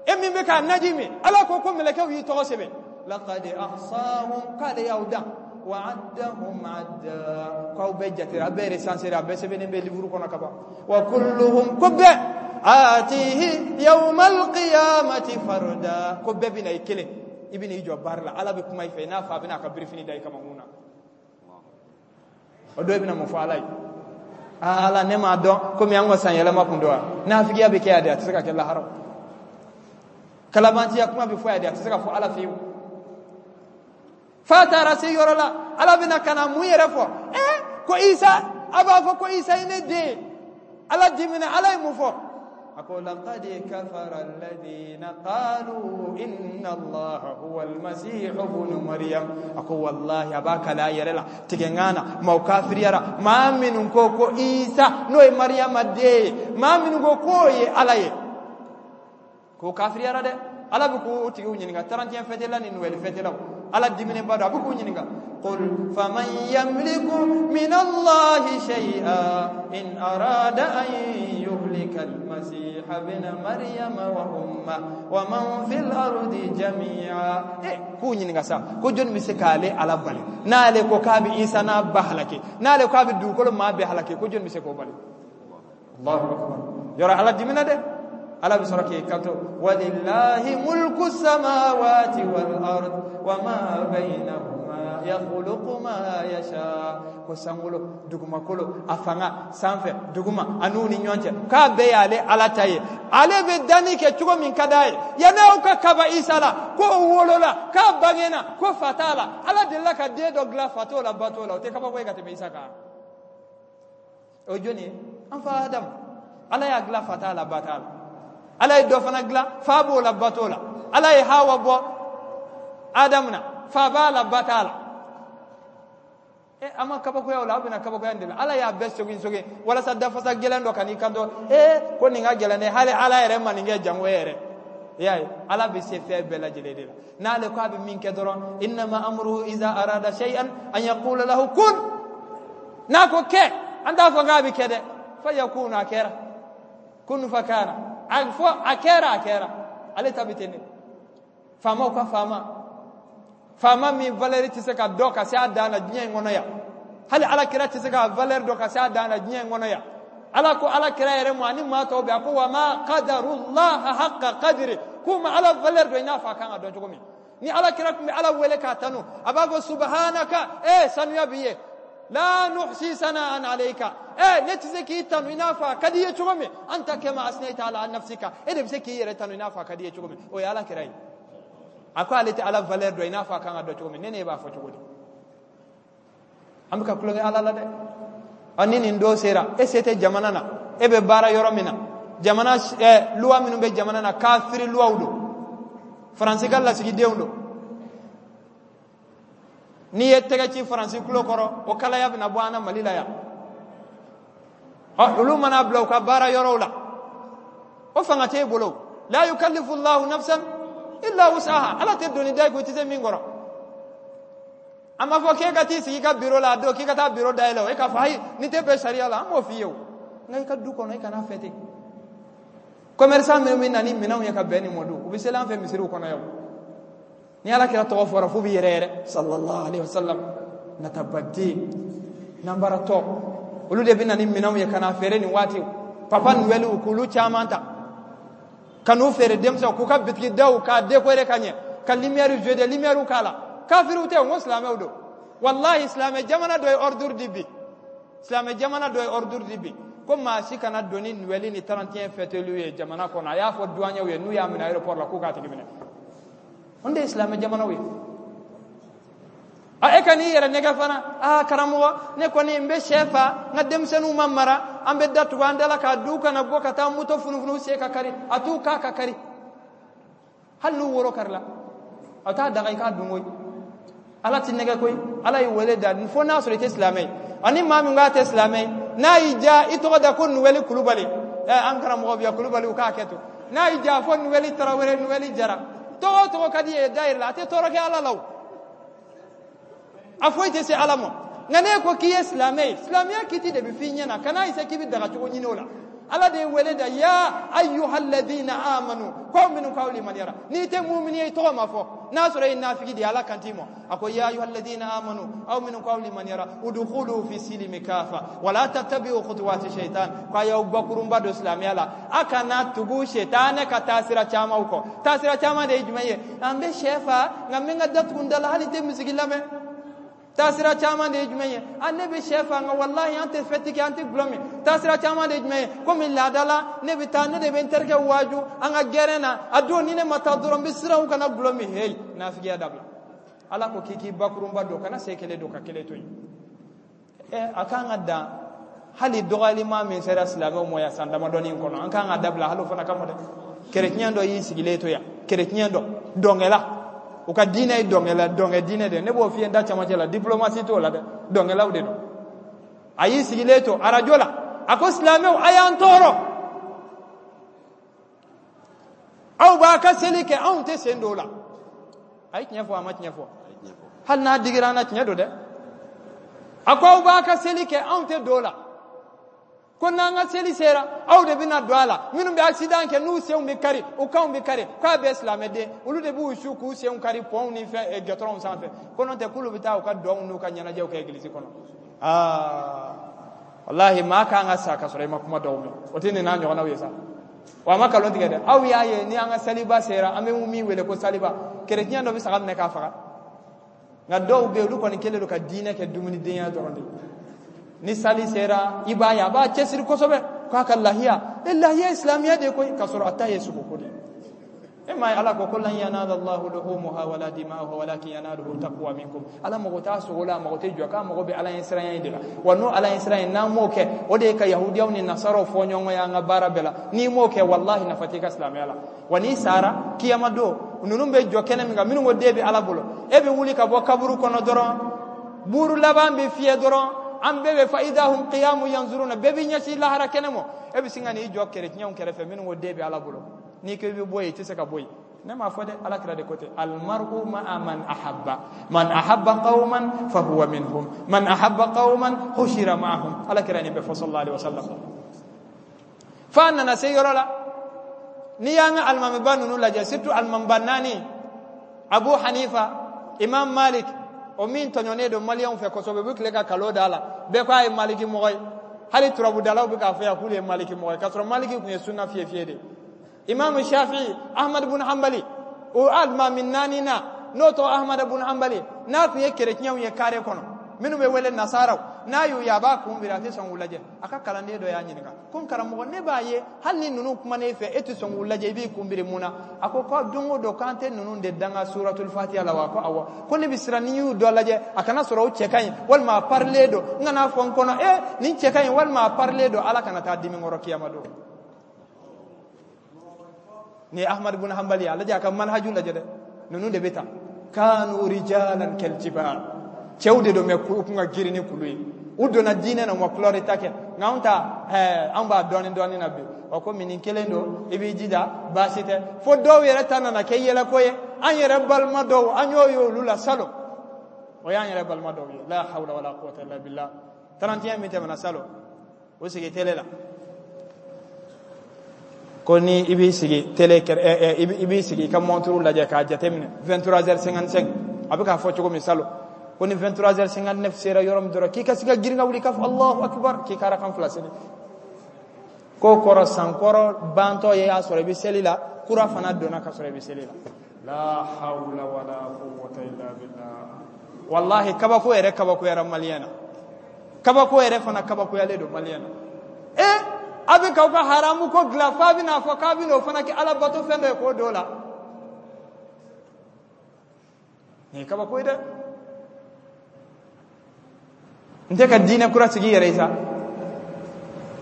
E min bɛ k'a naji min, Ala ko ko mɛlɛkɛw y'i tɔgɔ sɛbɛn. Laqad ahsahum, k'ale y'aw dan. Wa addahum adda, k'aw bɛɛ jatera, a bɛɛ recensera, a bɛɛ sɛbɛnnen bɛ livre kɔnɔ ka ban. Wa kulluhum, ko bɛɛ, atihi yawmal qiyamati farda, ko bɛɛ bɛna i kelen, i bɛna i jɔ baara la, Ala bɛ kuma i fɛ i n'a fɔ a bɛna a ka birifini da i kamankun na. O dɔ bɛna mun fɔ Ala ye? Aa Ala, ne m'a dɔn komi an ka san yɛlɛma kun don wa. Nafigiya bɛ kɛ yan de, a tɛ se ka kɛ lahara. Kalabantiya kuma bɛ fɔ yan de, a tɛ se ka fɔ Ala fiyewu. F'a taara se yɔrɔ la, Ala bɛna ka na mun yɛrɛ fɔ? Ko Isa, a b'a fɔ ko Isa ye ne den ye. Ala dimina, Ala ye mun fɔ? A ko laqad kafara alladhina qalu inna Allaha huwa al-masih ibn Maryam. A ko wallahi, a b'a kale a yɛrɛ la tigɛnkan na, maaw kafiriyara, maa minnu ko ko Isa n'o ye Mariyama den ye, maa minnu ko k'o ye Ala ye, k'o kafiriyara dɛ. Ala bɛ k'o tigiw ɲininka, 31 fɛtela ni Noël fɛtelaw, Ala diminenba don, a bɛ k'u ɲininka. Qul faman yamliku min Allahi shay'a in arada an yuhlika al-masiha ibn Maryama wa umma wa man fil ardi jami'a. K'u ɲininka sa, ko jɔnni bɛ se k'ale Ala bali n'ale ko k'a bɛ Isa n'a ba halaki, n'ale k'a bɛ dugukolo maa bɛɛ halaki, ko jɔnni bɛ se k'o bali? Allahu akbar. Yɔrɔ Ala dimina dɛ. Ala bɛ sɔrɔ k'i kanto walillahi mulku samawati wal ard wa ma bainahuma yakhluqu ma yasha. Ko sankolo, dugumakolo, a fanga sanfɛ, duguma, a n'u ni ɲɔgɔn cɛ, k'a bɛɛ y'ale Ala ta ye. Ale bɛ danni kɛ cogo min ka d'a ye. Yanni aw ka kaba Isa la, k'o wolola, k'a bangena, ko fa t'a la. Ala delila ka den dɔ dilan fa t'o la, ba t'o la, o tɛ kabako ye ka tɛmɛ Isa kan. O ye jɔnni ye? An fa Adamu. Ala y'a dilan fa t'a la, ba t'a la. Ala ye dɔ fana dilan fa b'o la, ba t'o la. Ala ye Hawa bɔ Adamu na, fa b'a la, ba t'a la. An ma kabakoya o la, aw bɛna kabakoya nin de la. Ala y'a bɛɛ sogin sogin walasa dafasa gɛlɛn dɔ ka n'i kanto, ko nin ka gɛlɛn dɛ, hali Ala yɛrɛ ma nin kɛ jango e yɛrɛ. I y'a ye, Ala bɛ se fɛn bɛɛ lajɛlen de la. N'ale ko a bɛ min kɛ dɔrɔn, innama amruhu iza arada shay'an an yaqula lahu kun. N'a ko kɛ, an t'a fɔ k'a bɛ kɛ dɛ. Fa yakunu, a kɛra. Kun fa kana. A fɔ a kɛra, a kɛra. Ale ta bɛ ten de. Faamaw ka faama. Faama min valeur tɛ se ka dɔn ka se a dan na diɲɛ in kɔnɔ yan. Hali Ala kira tɛ se ka valeur dɔn ka se a dan na diɲɛ in kɔnɔ yan. Ala ko Ala kira yɛrɛ ma ani maa tɔw bɛɛ, a ko wa ma qadarullaha haqqa qadri, k'u ma Ala valeur dɔn i n'a fɔ a kan ka dɔn cogo min. Ni Ala kira tun bɛ Ala wele k'a tanu, a b'a fɔ subhanaka, sanuya b'i ye. La nuhsi sana'an alayka, ne tɛ se k'i tanu i n'a fɔ a ka di i ye cogo min. Anta kama asnayta ala nafsika, e de bɛ se k'i yɛrɛ tanu i n'a fɔ a ka di i ye cogo min. O ye Ala kira ye. A ko ale tɛ Ala valeur dɔn i n'a fɔ a kan ka dɔn cogo min. Ne ne b'a fɔ cogo di? An bɛ ka tulonkɛ Ala la dɛ. Ni nin don sera, e se tɛ jamana na, e bɛ baara yɔrɔ min na, jamana, loi minnu bɛ jamana na, kafiri luwaw don, Faransi ka lasigidenw don. N'i ye tɛgɛ ci Faransi tulo kɔrɔ, o kalaya bɛna bɔ an na Mali la yan. Olu mana bila u ka baara yɔrɔw la, o fanga t'e bolo. La yukallifu Allahu nafsan illa wusaha. Ala tɛ doni da i kun i tɛ se min kɔrɔ. A ma fɔ k'e ka t'i sigi i ka biro la a don k'i ka taa biro dayɛlɛ o, e k'a fɔ ayi nin tɛ bɛn sariya la, an b'o f'i ye o. Nka i ka du kɔnɔ, i kana fɛ ten. Commerçant minnu bɛ na ni minɛnw ye ka bɛn nin mɔ don, u bɛ seli an fɛ misiriw kɔnɔ yan. Ni Ala kira tɔgɔ fɔra f'u bɛ yɛrɛ yɛrɛ, sallallahu alaihi wasallam, natabaden nanbaratɔ, olu de bɛ na ni minɛnw ye ka na feere nin waati. Papa Noël k'olu caman ta ka n'u feere denmisɛnw, k'u ka bitigi daw k'a décorer ka ɲɛ, ka lumière jeu de lumière k'a la. Kafiriw tɛ, n ko silamɛw don. Wallahi, silamɛ jamana dɔ ye ordre di bi, silamɛ jamana dɔ ye ordre di bi ko maa si kana don ni Noël ni 31 fêteliw ye jamana kɔnɔ. A y'a fɔ douaniers ye, n'u y'a minɛ aéroport la, k'u k'a tigi minɛ. Olu de ye silamɛ jamanaw ye. E ka n'i yɛrɛ nɛgɛ fana, karamɔgɔ, ne kɔni n bɛ sɛ fa, n ka denmisɛnninw ma mara, an bɛ datugu an da la k'a du kana bɔ ka taa moto funufunu sen ka kari, a t'u k'a ka kari. Hali n'u woro karila, a t'a daga i k'a dun koyi. Ala t'i nɛgɛ koyi. Ala y'i wele da fo n'a sɔrɔ i tɛ silamɛ ye. Ani maa min k'a tɛ silamɛ ye, N'a y'i diya i tɔgɔ da ko Nuwɛli Kulubali, ɛ an karamɔgɔ bɛ yan Kulubali, u k'a kɛ to. N'a y'i diya fɔ Nuwɛli Tarawele, Nuwɛli Jara, tɔgɔ o tɔgɔ ka di ye da yɛrɛ la, a tɛ tɔɔrɔ kɛ Ala la o, a foyi tɛ se Ala ma. Nka n'e ko k'i ye silamɛ ye, silamɛya kiti de bɛ f'i ɲɛna, kana essayer k'i bɛ daga cogo ɲini o la. Ala de ye wele da, ya ayyuhalladhina amanu, ko minnu k'aw limaniyara. N'i tɛ mumini ye, i tɔgɔ ma fɔ. N'a sɔrɔ e ye nafigi de ye, Ala kan t'i ma. A ko ya ayyuhalladhina amanu, aw minnu k'aw limaniyara, udkhulu fi silimi kafa wala tattabi'u khutuwati shaitan, k'a y'aw bakurunba don silamɛya la, a kana tugu shetane ka taasira camanw kɔ. Taasira caman de ye jumɛn ye? An bɛ sɛ fa, nka n bɛ n ka da tugu n da la, hali n tɛ misigi lamɛn. Taasira caman de ye jumɛn ye? An ne bɛ sɛ fa, nka walahi an tɛ fɛti kɛ, an tɛ gulɔ min. Taasira caman de ye jumɛn ye? Komi laada la, ne bɛ taa, ne de bɛ n terikɛ waaju an ka gɛrɛn na, a don ni ne ma taa dɔrɔn n bɛ siran u kana gulɔ min. Heyi, nafigiya dabila. Ala ko k'i k'i bakurunba don, kana sen kelen don ka kelen to yen. Ɛ a kan ka dan hali dɔgɔyalima min sera silamɛw ma yan san damadɔni in kɔnɔ, an kan ka dabila hali o fana kama dɛ. Kereciyɛn dɔ y'i sigilen to yan, kereciyɛn dɔ dɔnkɛla, u ka diinɛ ye dɔnkɛla, dɔnkɛ diinɛ de, ne b'o f'i ye n da camancɛ la, diplomasi t'o la dɛ, dɔnkɛlaw de don. A y'i sigilen to arajo la, a ko silamɛw a y'an tɔɔrɔ, aw b'a ka seli kɛ, anw tɛ sen don o la. A ye tiɲɛ fɔ, a ma tiɲɛ fɔ? Hali n'a digira an na, tiɲɛ don dɛ. A ko aw b'a ka seli kɛ, anw tɛ don o la, ko n'an ka seli sera aw de bɛna don a la. Minnu bɛ accident kɛ n'u senw bɛ kari, u kanw bɛ kari, k'a bɛɛ silamɛden, olu de b'u su k'u senw kari pɔnw ni fɛn gɛtɔrɔnw sanfɛ, ko n'o tɛ k'olu bɛ taa u ka dɔnw n'u ka ɲɛnajɛw kɛ egilizi kɔnɔ. Aa walahi, maa kan ka sa ka sɔrɔ i ma kuma dɔw mɛn, o tɛ nin n'a ɲɔgɔnnaw ye sa. Wa a ma kalon tigɛ dɛ. Aw y'a ye ni an ka saliba sera, an bɛ min wele ko saliba, kereciyɛn dɔ bɛ saga minɛ k'a faga. Nka dɔw bɛ yen, olu kɔni kɛlen don ka diinɛ kɛ dumunidenya dɔrɔn de ye. Ni sali sera, i b'a ye a b'a cɛsiri kosɛbɛ k'a ka lahiya, e lahiya ye silamɛya de ye koyi, k'a sɔrɔ a ta ye sogoko de ye. E m'a ye Ala ko ko lan yanala Allahu luhumuha wala dima'uha walakin yanaluhu taqwa minkum. Ala mago t'a sogo la, a mago tɛ jɔ, k'a mago bɛ Ala ɲɛsiranya de la. Wa n'o Ala ɲɛsiranya, n'an m'o kɛ, o de ye ka yahudiyaw ni nasaraw fɔ ɲɔgɔn ye an ka baara bɛɛ la. N'i m'o kɛ, walahi nafa t'i ka silamɛya la. Wa n'i sara kiyama don, ninnu bɛ jɔ kɛnɛ min kan, minnu ko den bɛ Ala bolo, e bɛ wuli ka bɔ kaburu kɔnɔ dɔrɔn, buru laban bɛ fiyɛ dɔrɔn, an bɛɛ bɛ fa idahum qiyamu yanzuruna, bɛɛ bɛ ɲɛsin lahara kɛnɛ ma. E bɛ sin ka n'i jɔ kereciyɛnw kɛrɛfɛ minnu ko den bɛ Ala bolo. N'i ko i bɛ bɔ yen, i tɛ se ka bɔ yen. Ne m'a fɔ dɛ, Ala kira de ko ten, almaru ma'a man ahabba, man ahabba qauman fa huwa minhum, man ahabba qauman hushira ma'ahum. Ala kira nin bɛɛ fɔ sallallahu alaihi wasallam. F'a nana se yɔrɔ la, n'i y'an ka alimamiba ninnu lajɛ, surtout alimamiba naani, Abu Hanifa, Imam Malik, o min tɔɲɔnen don maliyɛnw fɛ kosɛbɛ, u bɛ tile ka kalo da la, bɛɛ ko a ye maliki mɔgɔ ye, hali turabudalaw bɛ k'a fɔ yan k'olu ye maliki mɔgɔ ye, k'a sɔrɔ maliki tun ye sunna fiye fiye de ye. Imam Shafi, Ahmad bun Hanbali, o alimami naani na, n'o tɔgɔ Ahmad bun Hanbali, n'a tun ye kereciyɛnw ye kare kɔnɔ, minnu bɛ wele nasaraw, n'a y'u ye a b'a kun biri, a tɛ sɔn k'u lajɛ. A ka kalanden dɔ y'a ɲininka ko n karamɔgɔ, ne b'a ye hali ni ninnu kuma ne fɛ, e tɛ sɔn k'u lajɛ, i b'i kun biri mun na? A ko ko don o don k'an tɛ ninnu de danga suratul fatiha la wa? Ko awɔ. Ko ne bɛ siran ni y'u dɔ lajɛ a kana sɔrɔ o cɛ ka ɲi walima a parilen don, n kana fɔ n kɔnɔ e nin cɛ ka ɲi walima a parilen don, Ala kana taa dimi kɔrɔ kiyama don. Ni Ahmad ibn Hanbali, a lajɛ a ka manhaju lajɛ dɛ, ninnu de bɛ ta kanu rijalan kal jibal, cɛw de don mɛ u kun ka girin ni kulu ye, u donna diinɛ na, u ma kulɔri ta kɛ. Nka anw ta, anw b'a dɔɔni dɔɔni na bi, wa komi nin kelen don, i b'i jija, baasi tɛ. Fo dɔw yɛrɛ ta nana kɛ yɛlɛko ye, an yɛrɛ balima dɔw, an y'o ye olu la salon, o y'an yɛrɛ balima dɔw ye. La hawla wala quwwata illa billah. 31 min tɛmɛna salon, o sigi tele la ko ni i b'i sigi tele kɛrɛ, i b'i sigi i ka montre lajɛ k'a jateminɛ 23h55, a bɛ k'a fɔ cogo min salon, ko ni 23h59 sera yɔrɔ min dɔrɔn, k'i ka se ka girin ka wuli k'a fɔ Allahu akbar, k'i ka arakan fila seli. K'o kɔrɔ san kɔrɔ bantɔ ye y'a sɔrɔ i bɛ seli la, kura fana donna ka sɔrɔ i bɛ seli la. La hawla wala quwwata illa billah. Wallahi kabako yɛrɛ kabakoyara maliyɛn na, kabako yɛrɛ fana kabakoyalen don maliyɛn na. E a bɛ k'aw ka haramu ko dilan f'a bɛna fɔ k'a bɛna o fana kɛ ala bato fɛn dɔ ye k'o don o la. Nin ye kabako ye dɛ. N tɛ ka diinɛ kura sigi i yɛrɛ ye sa,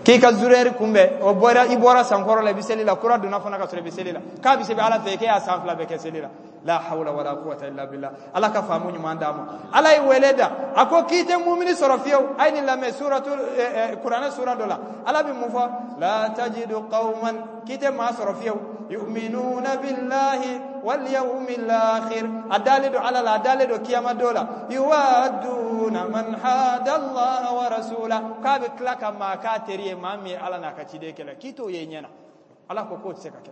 k'i ka zurɛri kunbɛn, o bɔra i bɔra sankɔrɔ la, i bɛ seli la, kura donna fana ka sɔrɔ i bɛ seli la, k'a bɛ sɛbɛn ala fɛ k'e y'a san fila bɛɛ kɛ seli la. La hawla wala quwwata illa billah. Ala ka faamu ɲuman d'a ma. Ala ye wele da, a ko k'i tɛ mumini sɔrɔ fiyewu. A ye nin lamɛn, suratu kuranɛ sura dɔ la, Ala bɛ mun fɔ? La tajidu qauman, k'i tɛ maa sɔrɔ fiyewu, yu'minuna billahi wal yawmil akhir, a dalen don Ala la, a dalen don kiyama don la, yuwadduna man hada Allah wa rasula, k'a bɛ tila ka maa k'a teri ye, maa min ye Ala n'a ka ciden kɛlɛ, k'i t'o ye ɲɛ na. Ala ko k'o tɛ se ka kɛ.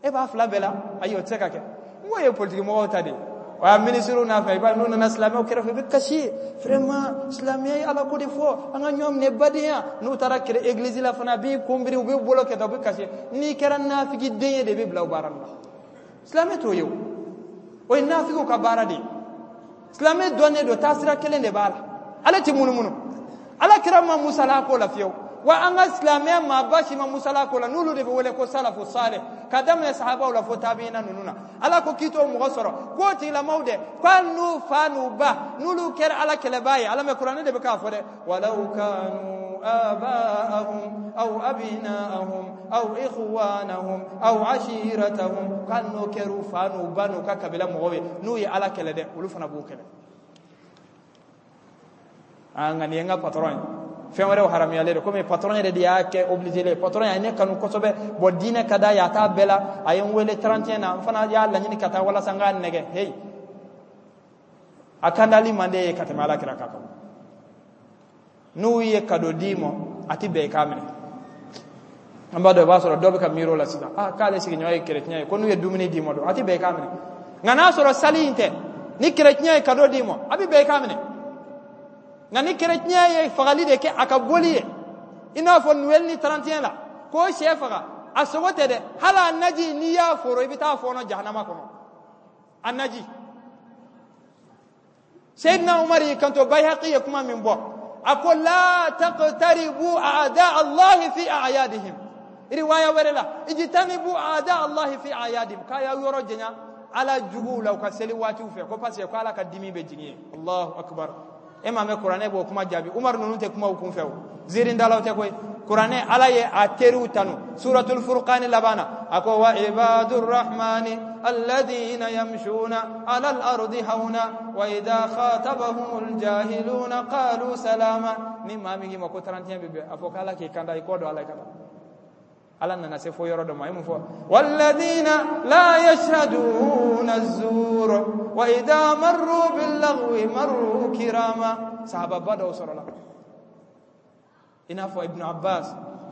E b'a fila bɛɛ la, ayi, o tɛ se ka kɛ. N ko ye politiki mɔgɔw ta de ye, o y'a minisiriw n'a fɛ, i b'a ye n'u nana silamɛw kɛrɛfɛ, i bɛ kasi, vraiment, silamɛya ye Ala ko de fɔ, an ka ɲɔgɔn minɛ badenya. N'u taara kɛrɛ église la fana, a b'i kunbiri, u b'i bolo kɛ tan, u bɛ kasi. N'i kɛra nafigi den ye de, i bɛ bila o baara nin na. Silamɛ t'o ye, o o ye nafigiw ka baara de ye. Silamɛ dɔnnen don, taasira kelen de b'a la, ale tɛ munumunu. Ala kira ma musala ko la fiyewu, wa an ka silamɛya maaba si ma musala ko la, n'olu de bɛ wele ko salafu salih, ka daminɛ sahabaw la fo tabiina ninnu na. Ala ko k'i t'o mɔgɔ sɔrɔ, k'o tigilamaw dɛ, k'ali n'u fa n'u ba n'olu kɛra Ala kɛlɛbaa ye. Ala mɛ, kuranɛ de bɛ k'a fɔ dɛ. Walaw kanu abaahum aw abinaahum aw ikhwanahum aw ashiratahum, k'ali n'o kɛr'u fa n'u ba n'u ka kabila mɔgɔw ye, n'u ye Ala kɛlɛ dɛ, olu fana b'u kɛlɛ. Ah, nka nin ye n ka patron ye, fɛn wɛrɛw haramuyalen don, komi patron yɛrɛ de y'a kɛ obligé le. Patron ye ne kanu kosɛbɛ, bon, diinɛ ka d'a ye, a t'a bɛɛ la, a ye n wele 31 na, n fana y'a laɲini ka taa walasa n k'a nɛgɛ. Hey, a kandali man d'e ye ka tɛmɛ Ala kira kan. N'u ye cadeau d'i ma, a ti bɛn i k'a minɛ. An b'a dɔn, i b'a sɔrɔ dɔ bɛ ka miiri o la sisan, ah, k'ale sigiɲɔgɔn ye chrétien ye, ko n'u ye dumuni d'i ma don, a ti bɛn i k'a minɛ. Nka n'a sɔrɔ sali in tɛ, ni chrétien ye cadeau d'i ma, a bɛ bɛn i k'a minɛ. Nka ni chrétien ye fagali de kɛ a ka boli ye, i n'a fɔ Noël ni 31 la, k'o sɛ faga, a sogo tɛ dɛ, hali a naji, n'i y'a foro, i bɛ taa fɔɔnɔ jahanama kɔnɔ, a naji. Seydina Umar y'i kanto, Bayhaqi ye kuma min bɔ, a ko la taqtaribu a'da Allahi fi a'yadihim. Riwaya wɛrɛ la, ijtanibu a'da Allahi fi a'yadihim, k'a y'aw yɔrɔ janya Ala juguw la u ka seli waatiw fɛ, ko parce que ko Ala ka dimi bɛ jigin yen. Allahu akbar. E m'a mɛn, kuranɛ b'o kuma jaabi. Umar ninnu tɛ kuma u kun fɛ, o ziirindalaw tɛ koyi. Kuranɛ, Ala ye a teriw tanu suratul furqani laban na, a ko wa ibadur rahmani alladhina yamshuna ala al-ardi hauna wa idha khatabahumul jahiluna qalu salama. Ni maa min k'i ma ko 31 bɛ bɛn, a fɔ k'Ala k'i kanda, i kɔ don Ala ka taa. Ala nana se fo yɔrɔ dɔ ma, a ye mun fɔ? Walladhina la yashhaduna az-zur wa idha marru bil-laghwi marru kirama. Sahababa dɔw sɔrɔla, i n'a fɔ Ibnu Abbas,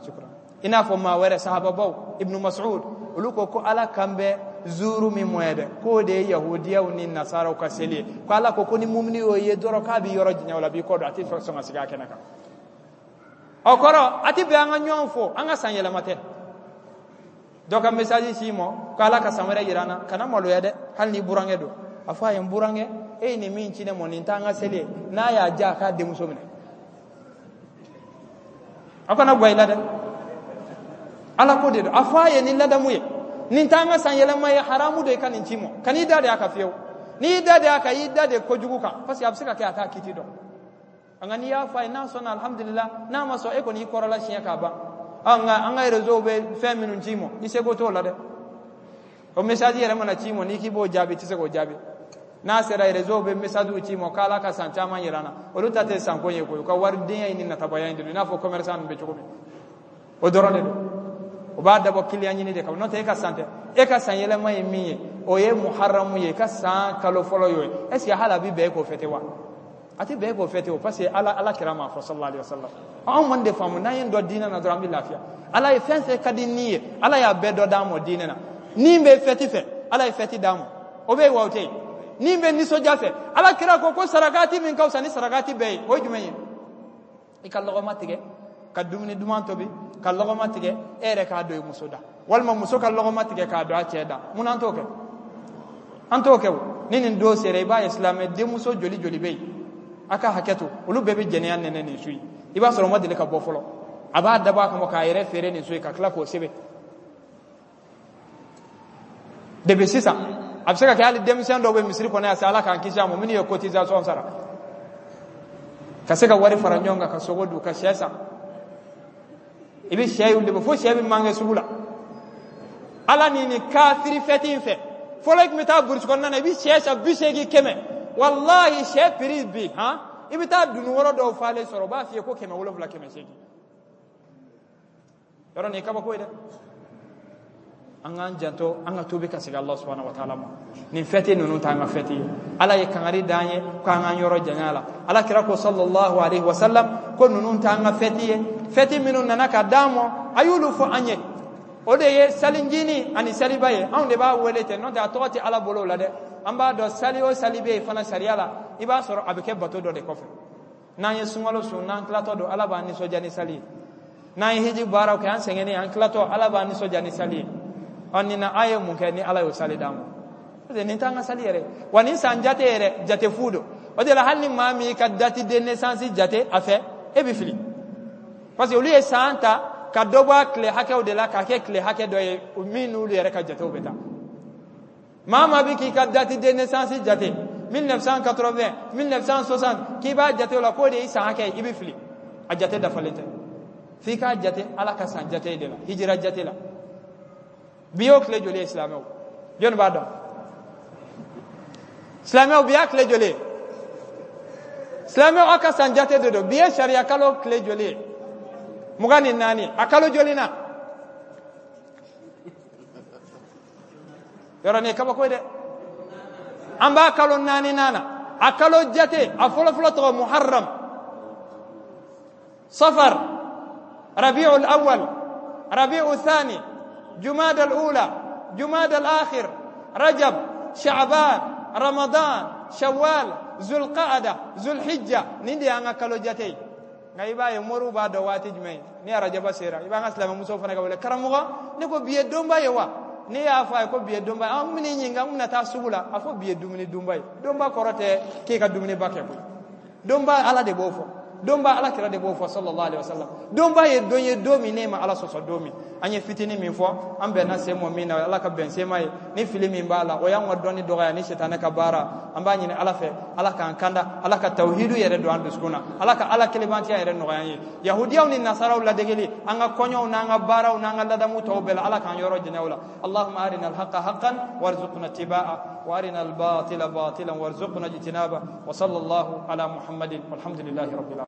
shukran, i n'a fɔ maa wɛrɛ, sahababaw, Ibnu Mas'ud, olu ko ko Ala kan bɛ zuru min mɔ ye dɛ, k'o de ye yahudiyaw ni nasaraw ka seli ye, ko Ala ko ko ni mumini y'o ye dɔrɔn, k'a b'i yɔrɔ janya o la, a b'i kɔ don, a tɛ sɔn ka sigi a kɛnɛ kan. O kɔrɔ, a tɛ bɛn an ka ɲɔgɔn fo, an ka san yɛlɛma tɛ. Dɔ ka message ci ma ko Ala ka san wɛrɛ yira an na, kana maloya dɛ, hali n'i burankɛ don, a fɔ a ye, n burankɛ, e ye nin min ci ne ma, nin t'an ka seli ye. N'a y'a diya, a k'a denmuso minɛ, aw kana gwa i la dɛ, Ala ko de don. A fɔ a ye ni ladamu ye, nin t'an ka san yɛlɛma ye, haramu don i ka nin ci ma. Kan'i da de a kan fiyewu. N'i y'i da de a kan, i y'i da de kojugu kan, parce que a bɛ se ka kɛ a t'a kiti dɔn. Nka n'i y'a fɔ a ye, n'a sɔnna, alhamdulillah, n'a ma sɔn, e kɔni y'i kɔrɔla siɲɛ k'a ban. Nka an ka réseau bɛ fɛn minnu ci ma, i seko t'o la dɛ. O message yɛrɛ mana ci ma, n'i k'i b'o jaabi, i tɛ se k'o jaabi. N'a sera, réseau bɛ message ci ma k'Ala ka san caman yira an na, olu ta tɛ sanko ye koyi, u ka waridenya in ni natabaya in de don, i n'a fɔ commerçant ninnu bɛ cogo min, o dɔrɔn de don. O b'a dabɔ client ɲini de kama, n'o tɛ e ka san tɛ. E ka san yɛlɛma ye min ye, o ye muharamu ye, i ka san kalo fɔlɔ y'o ye. Est ce que hali a bɛ bɛn e k'o fêter wa? A tɛ bɛn e k'o fêter o, parce que Ala kira m'a fɔ, sallallahu alaihi wasallam. Anw man de faamu, n'an ye dɔ diinɛ na dɔrɔn, an bɛ lafiya. Ala ye fɛn fɛn ka di ni ye, Ala y'a bɛɛ dɔ d'an ma diinɛ na. Ni bɛ fête fɛ, Ala ye fête d'an ma, o bɛ yen wa? O tɛ yen. Ni bɛ nisɔndiya fɛ, Ala kira ko ko sarakati min ka fisa ni sarakati bɛɛ ye, o ye jumɛn ye? I ka lɔgɔma tigɛ ka dumuni duman tobi, ka lɔgɔma tigɛ, e yɛrɛ k'a don i muso da, walima muso ka lɔgɔma tigɛ k'a don a cɛ da. Mun an t'o kɛ? An t'o kɛ o. Ni nin don sera, i b'a ye silamɛ denmuso joli joli bɛ yen, a ka hakɛ to, olu bɛɛ bɛ jɛnɛya nɛnɛ nin su ye. I b'a sɔrɔ o ma deli ka bɔ fɔlɔ, a b'a dabɔ a kama k'a yɛrɛ feere nin su ye, ka tila k'o sɛbɛn depuis sisan. A bɛ se ka kɛ hali denmisɛn dɔw bɛ misiri kɔnɔ yan sa, Ala k'an kisi a ma, minnu ye cotisation sara ka se ka wari fara ɲɔgɔn kan ka sogo dun, ka sɛ san. I bɛ sɛ y'olu de bɔ fo sɛ bɛ manquer sugu la. Ala ni nin kafiri fête in fɛ, Fɔlɔ i tun bɛ taa burusi kɔnɔna na, i bɛ sɛ san 80, 100. Walahi sɛ prix bi han, i bɛ taa dunukɔrɔ dɔw falen sɔrɔ, u b'a f'i ye ko 700, 800. Yɔrɔ nin ye kabako ye dɛ. An k'an janto, an ka tuubi ka segin Allah subhanahu wa ta'ala ma. Nin fɛti ninnu t'an ka fɛti ye. Ala ye kangari d'an ye k'an k'an yɔrɔ janya la. Ala kira ko sallallahu alaihi wa sallam ko ninnu t'an ka fɛti ye. Fɛti minnu nana ka d'an ma, a y'olu fɔ an ye. O de ye salijini ani saliba ye. Anw de b'a wele ten, n'o tɛ a tɔgɔ tɛ Ala bolo o la dɛ. An b'a dɔn sali o sali bɛ yen fana sariya la, i b'a sɔrɔ a bɛ kɛ bato dɔ de kɔfɛ. N'an ye sunkalo sun, n'an tilatɔ don, Ala b'an nisɔndiya ni sali ye. N'an ye hiji baaraw kɛ, an sɛgɛnnen, an tilatɔ, Ala b'an nisɔndiya ni sali ye. Ɔ nin na, a ye mun kɛ ni Ala y'o sali d'an ma? Parce que nin t'an ka sali yɛrɛ. Wa nin san jate yɛrɛ, jate fu don. O de la hali ni maa min y'i ka date de naissance jate a fɛ, e bɛ fili. Parce que olu ye san ta ka dɔ bɔ a tile hakɛw de la k'a kɛ tile hakɛ dɔ ye min n'olu yɛrɛ ka jatew bɛ taa. Maa maa bɛ k'i ka date de naissance jate 1980, 1960, k'i b'a jate o la k'o de y'i san hakɛ ye, i bɛ fili. A jate dafalen tɛ. F'i k'a jate Ala ka san jate de la, hijira jate la. Bi y'o tile joli ye silamɛw? Jɔnni b'a dɔn? Silamɛw, bi y'a tile joli ye? Silamɛw, aw ka san jate de don. Bi ye sariya kalo tile joli ye? 24. A kalo joli na? Yɔrɔ nin ye kabako ye dɛ. An b'a kalo naaninan na. A kalo jate, a fɔlɔfɔlɔ tɔgɔ Muharram, Safar, Rabiul Awwal, Rabiul Thani, Jumada al-Ula, Jumada al-Akhir, Rajab, Sha'ban, Ramadan, Shawwal, Zulqa'ada, Zulhijja. Nin de y'an ka kalo jate ye. Nka i b'a ye moriw b'a dɔn waati jumɛn ni arajaba sera, i b'an ka silamɛmusow fana ka wele, karamɔgɔ, ne ko bi ye donba ye wa? Ne y'a fɔ a ye ko bi ye donba ye. An bɛn'i ɲininka, n bɛna taa sugu la, a fɔ bi ye dumuni dunba ye. Donba kɔrɔ tɛ k'e ka dumuniba kɛ koyi. Donba Ala de b'o fɔ, donba Ala kira de b'o fɔ sallallahu alaihi wasallam. Donba ye don ye, don min ne ma Ala sɔsɔ don min. An ye fitinin min fɔ, an bɛnna sen mɔ min na, Ala ka bɛn sen ma ye. Ni fili min b'a la, o y'an ka dɔnni dɔgɔya ni sitanɛ ka baara. An b'a ɲini Ala fɛ, Ala k'an kanda, Ala ka tawhidu yɛrɛ don an dusukun na, Ala ka Ala kelebantiya yɛrɛ nɔgɔya an ye. Yahudiyaw ni nasaraw ladegeli an ka kɔɲɔw n'an ka baaraw n'an ka ladamu tɔw bɛɛ la, Ala k'an yɔrɔ janya o la. Allahumma arina alhaqa haqqan warzuqna ittibaa wa arina albatila batilan warzuqna ijtinaba wa sallallahu ala Muhammadin walhamdulillahi rabbil alamin.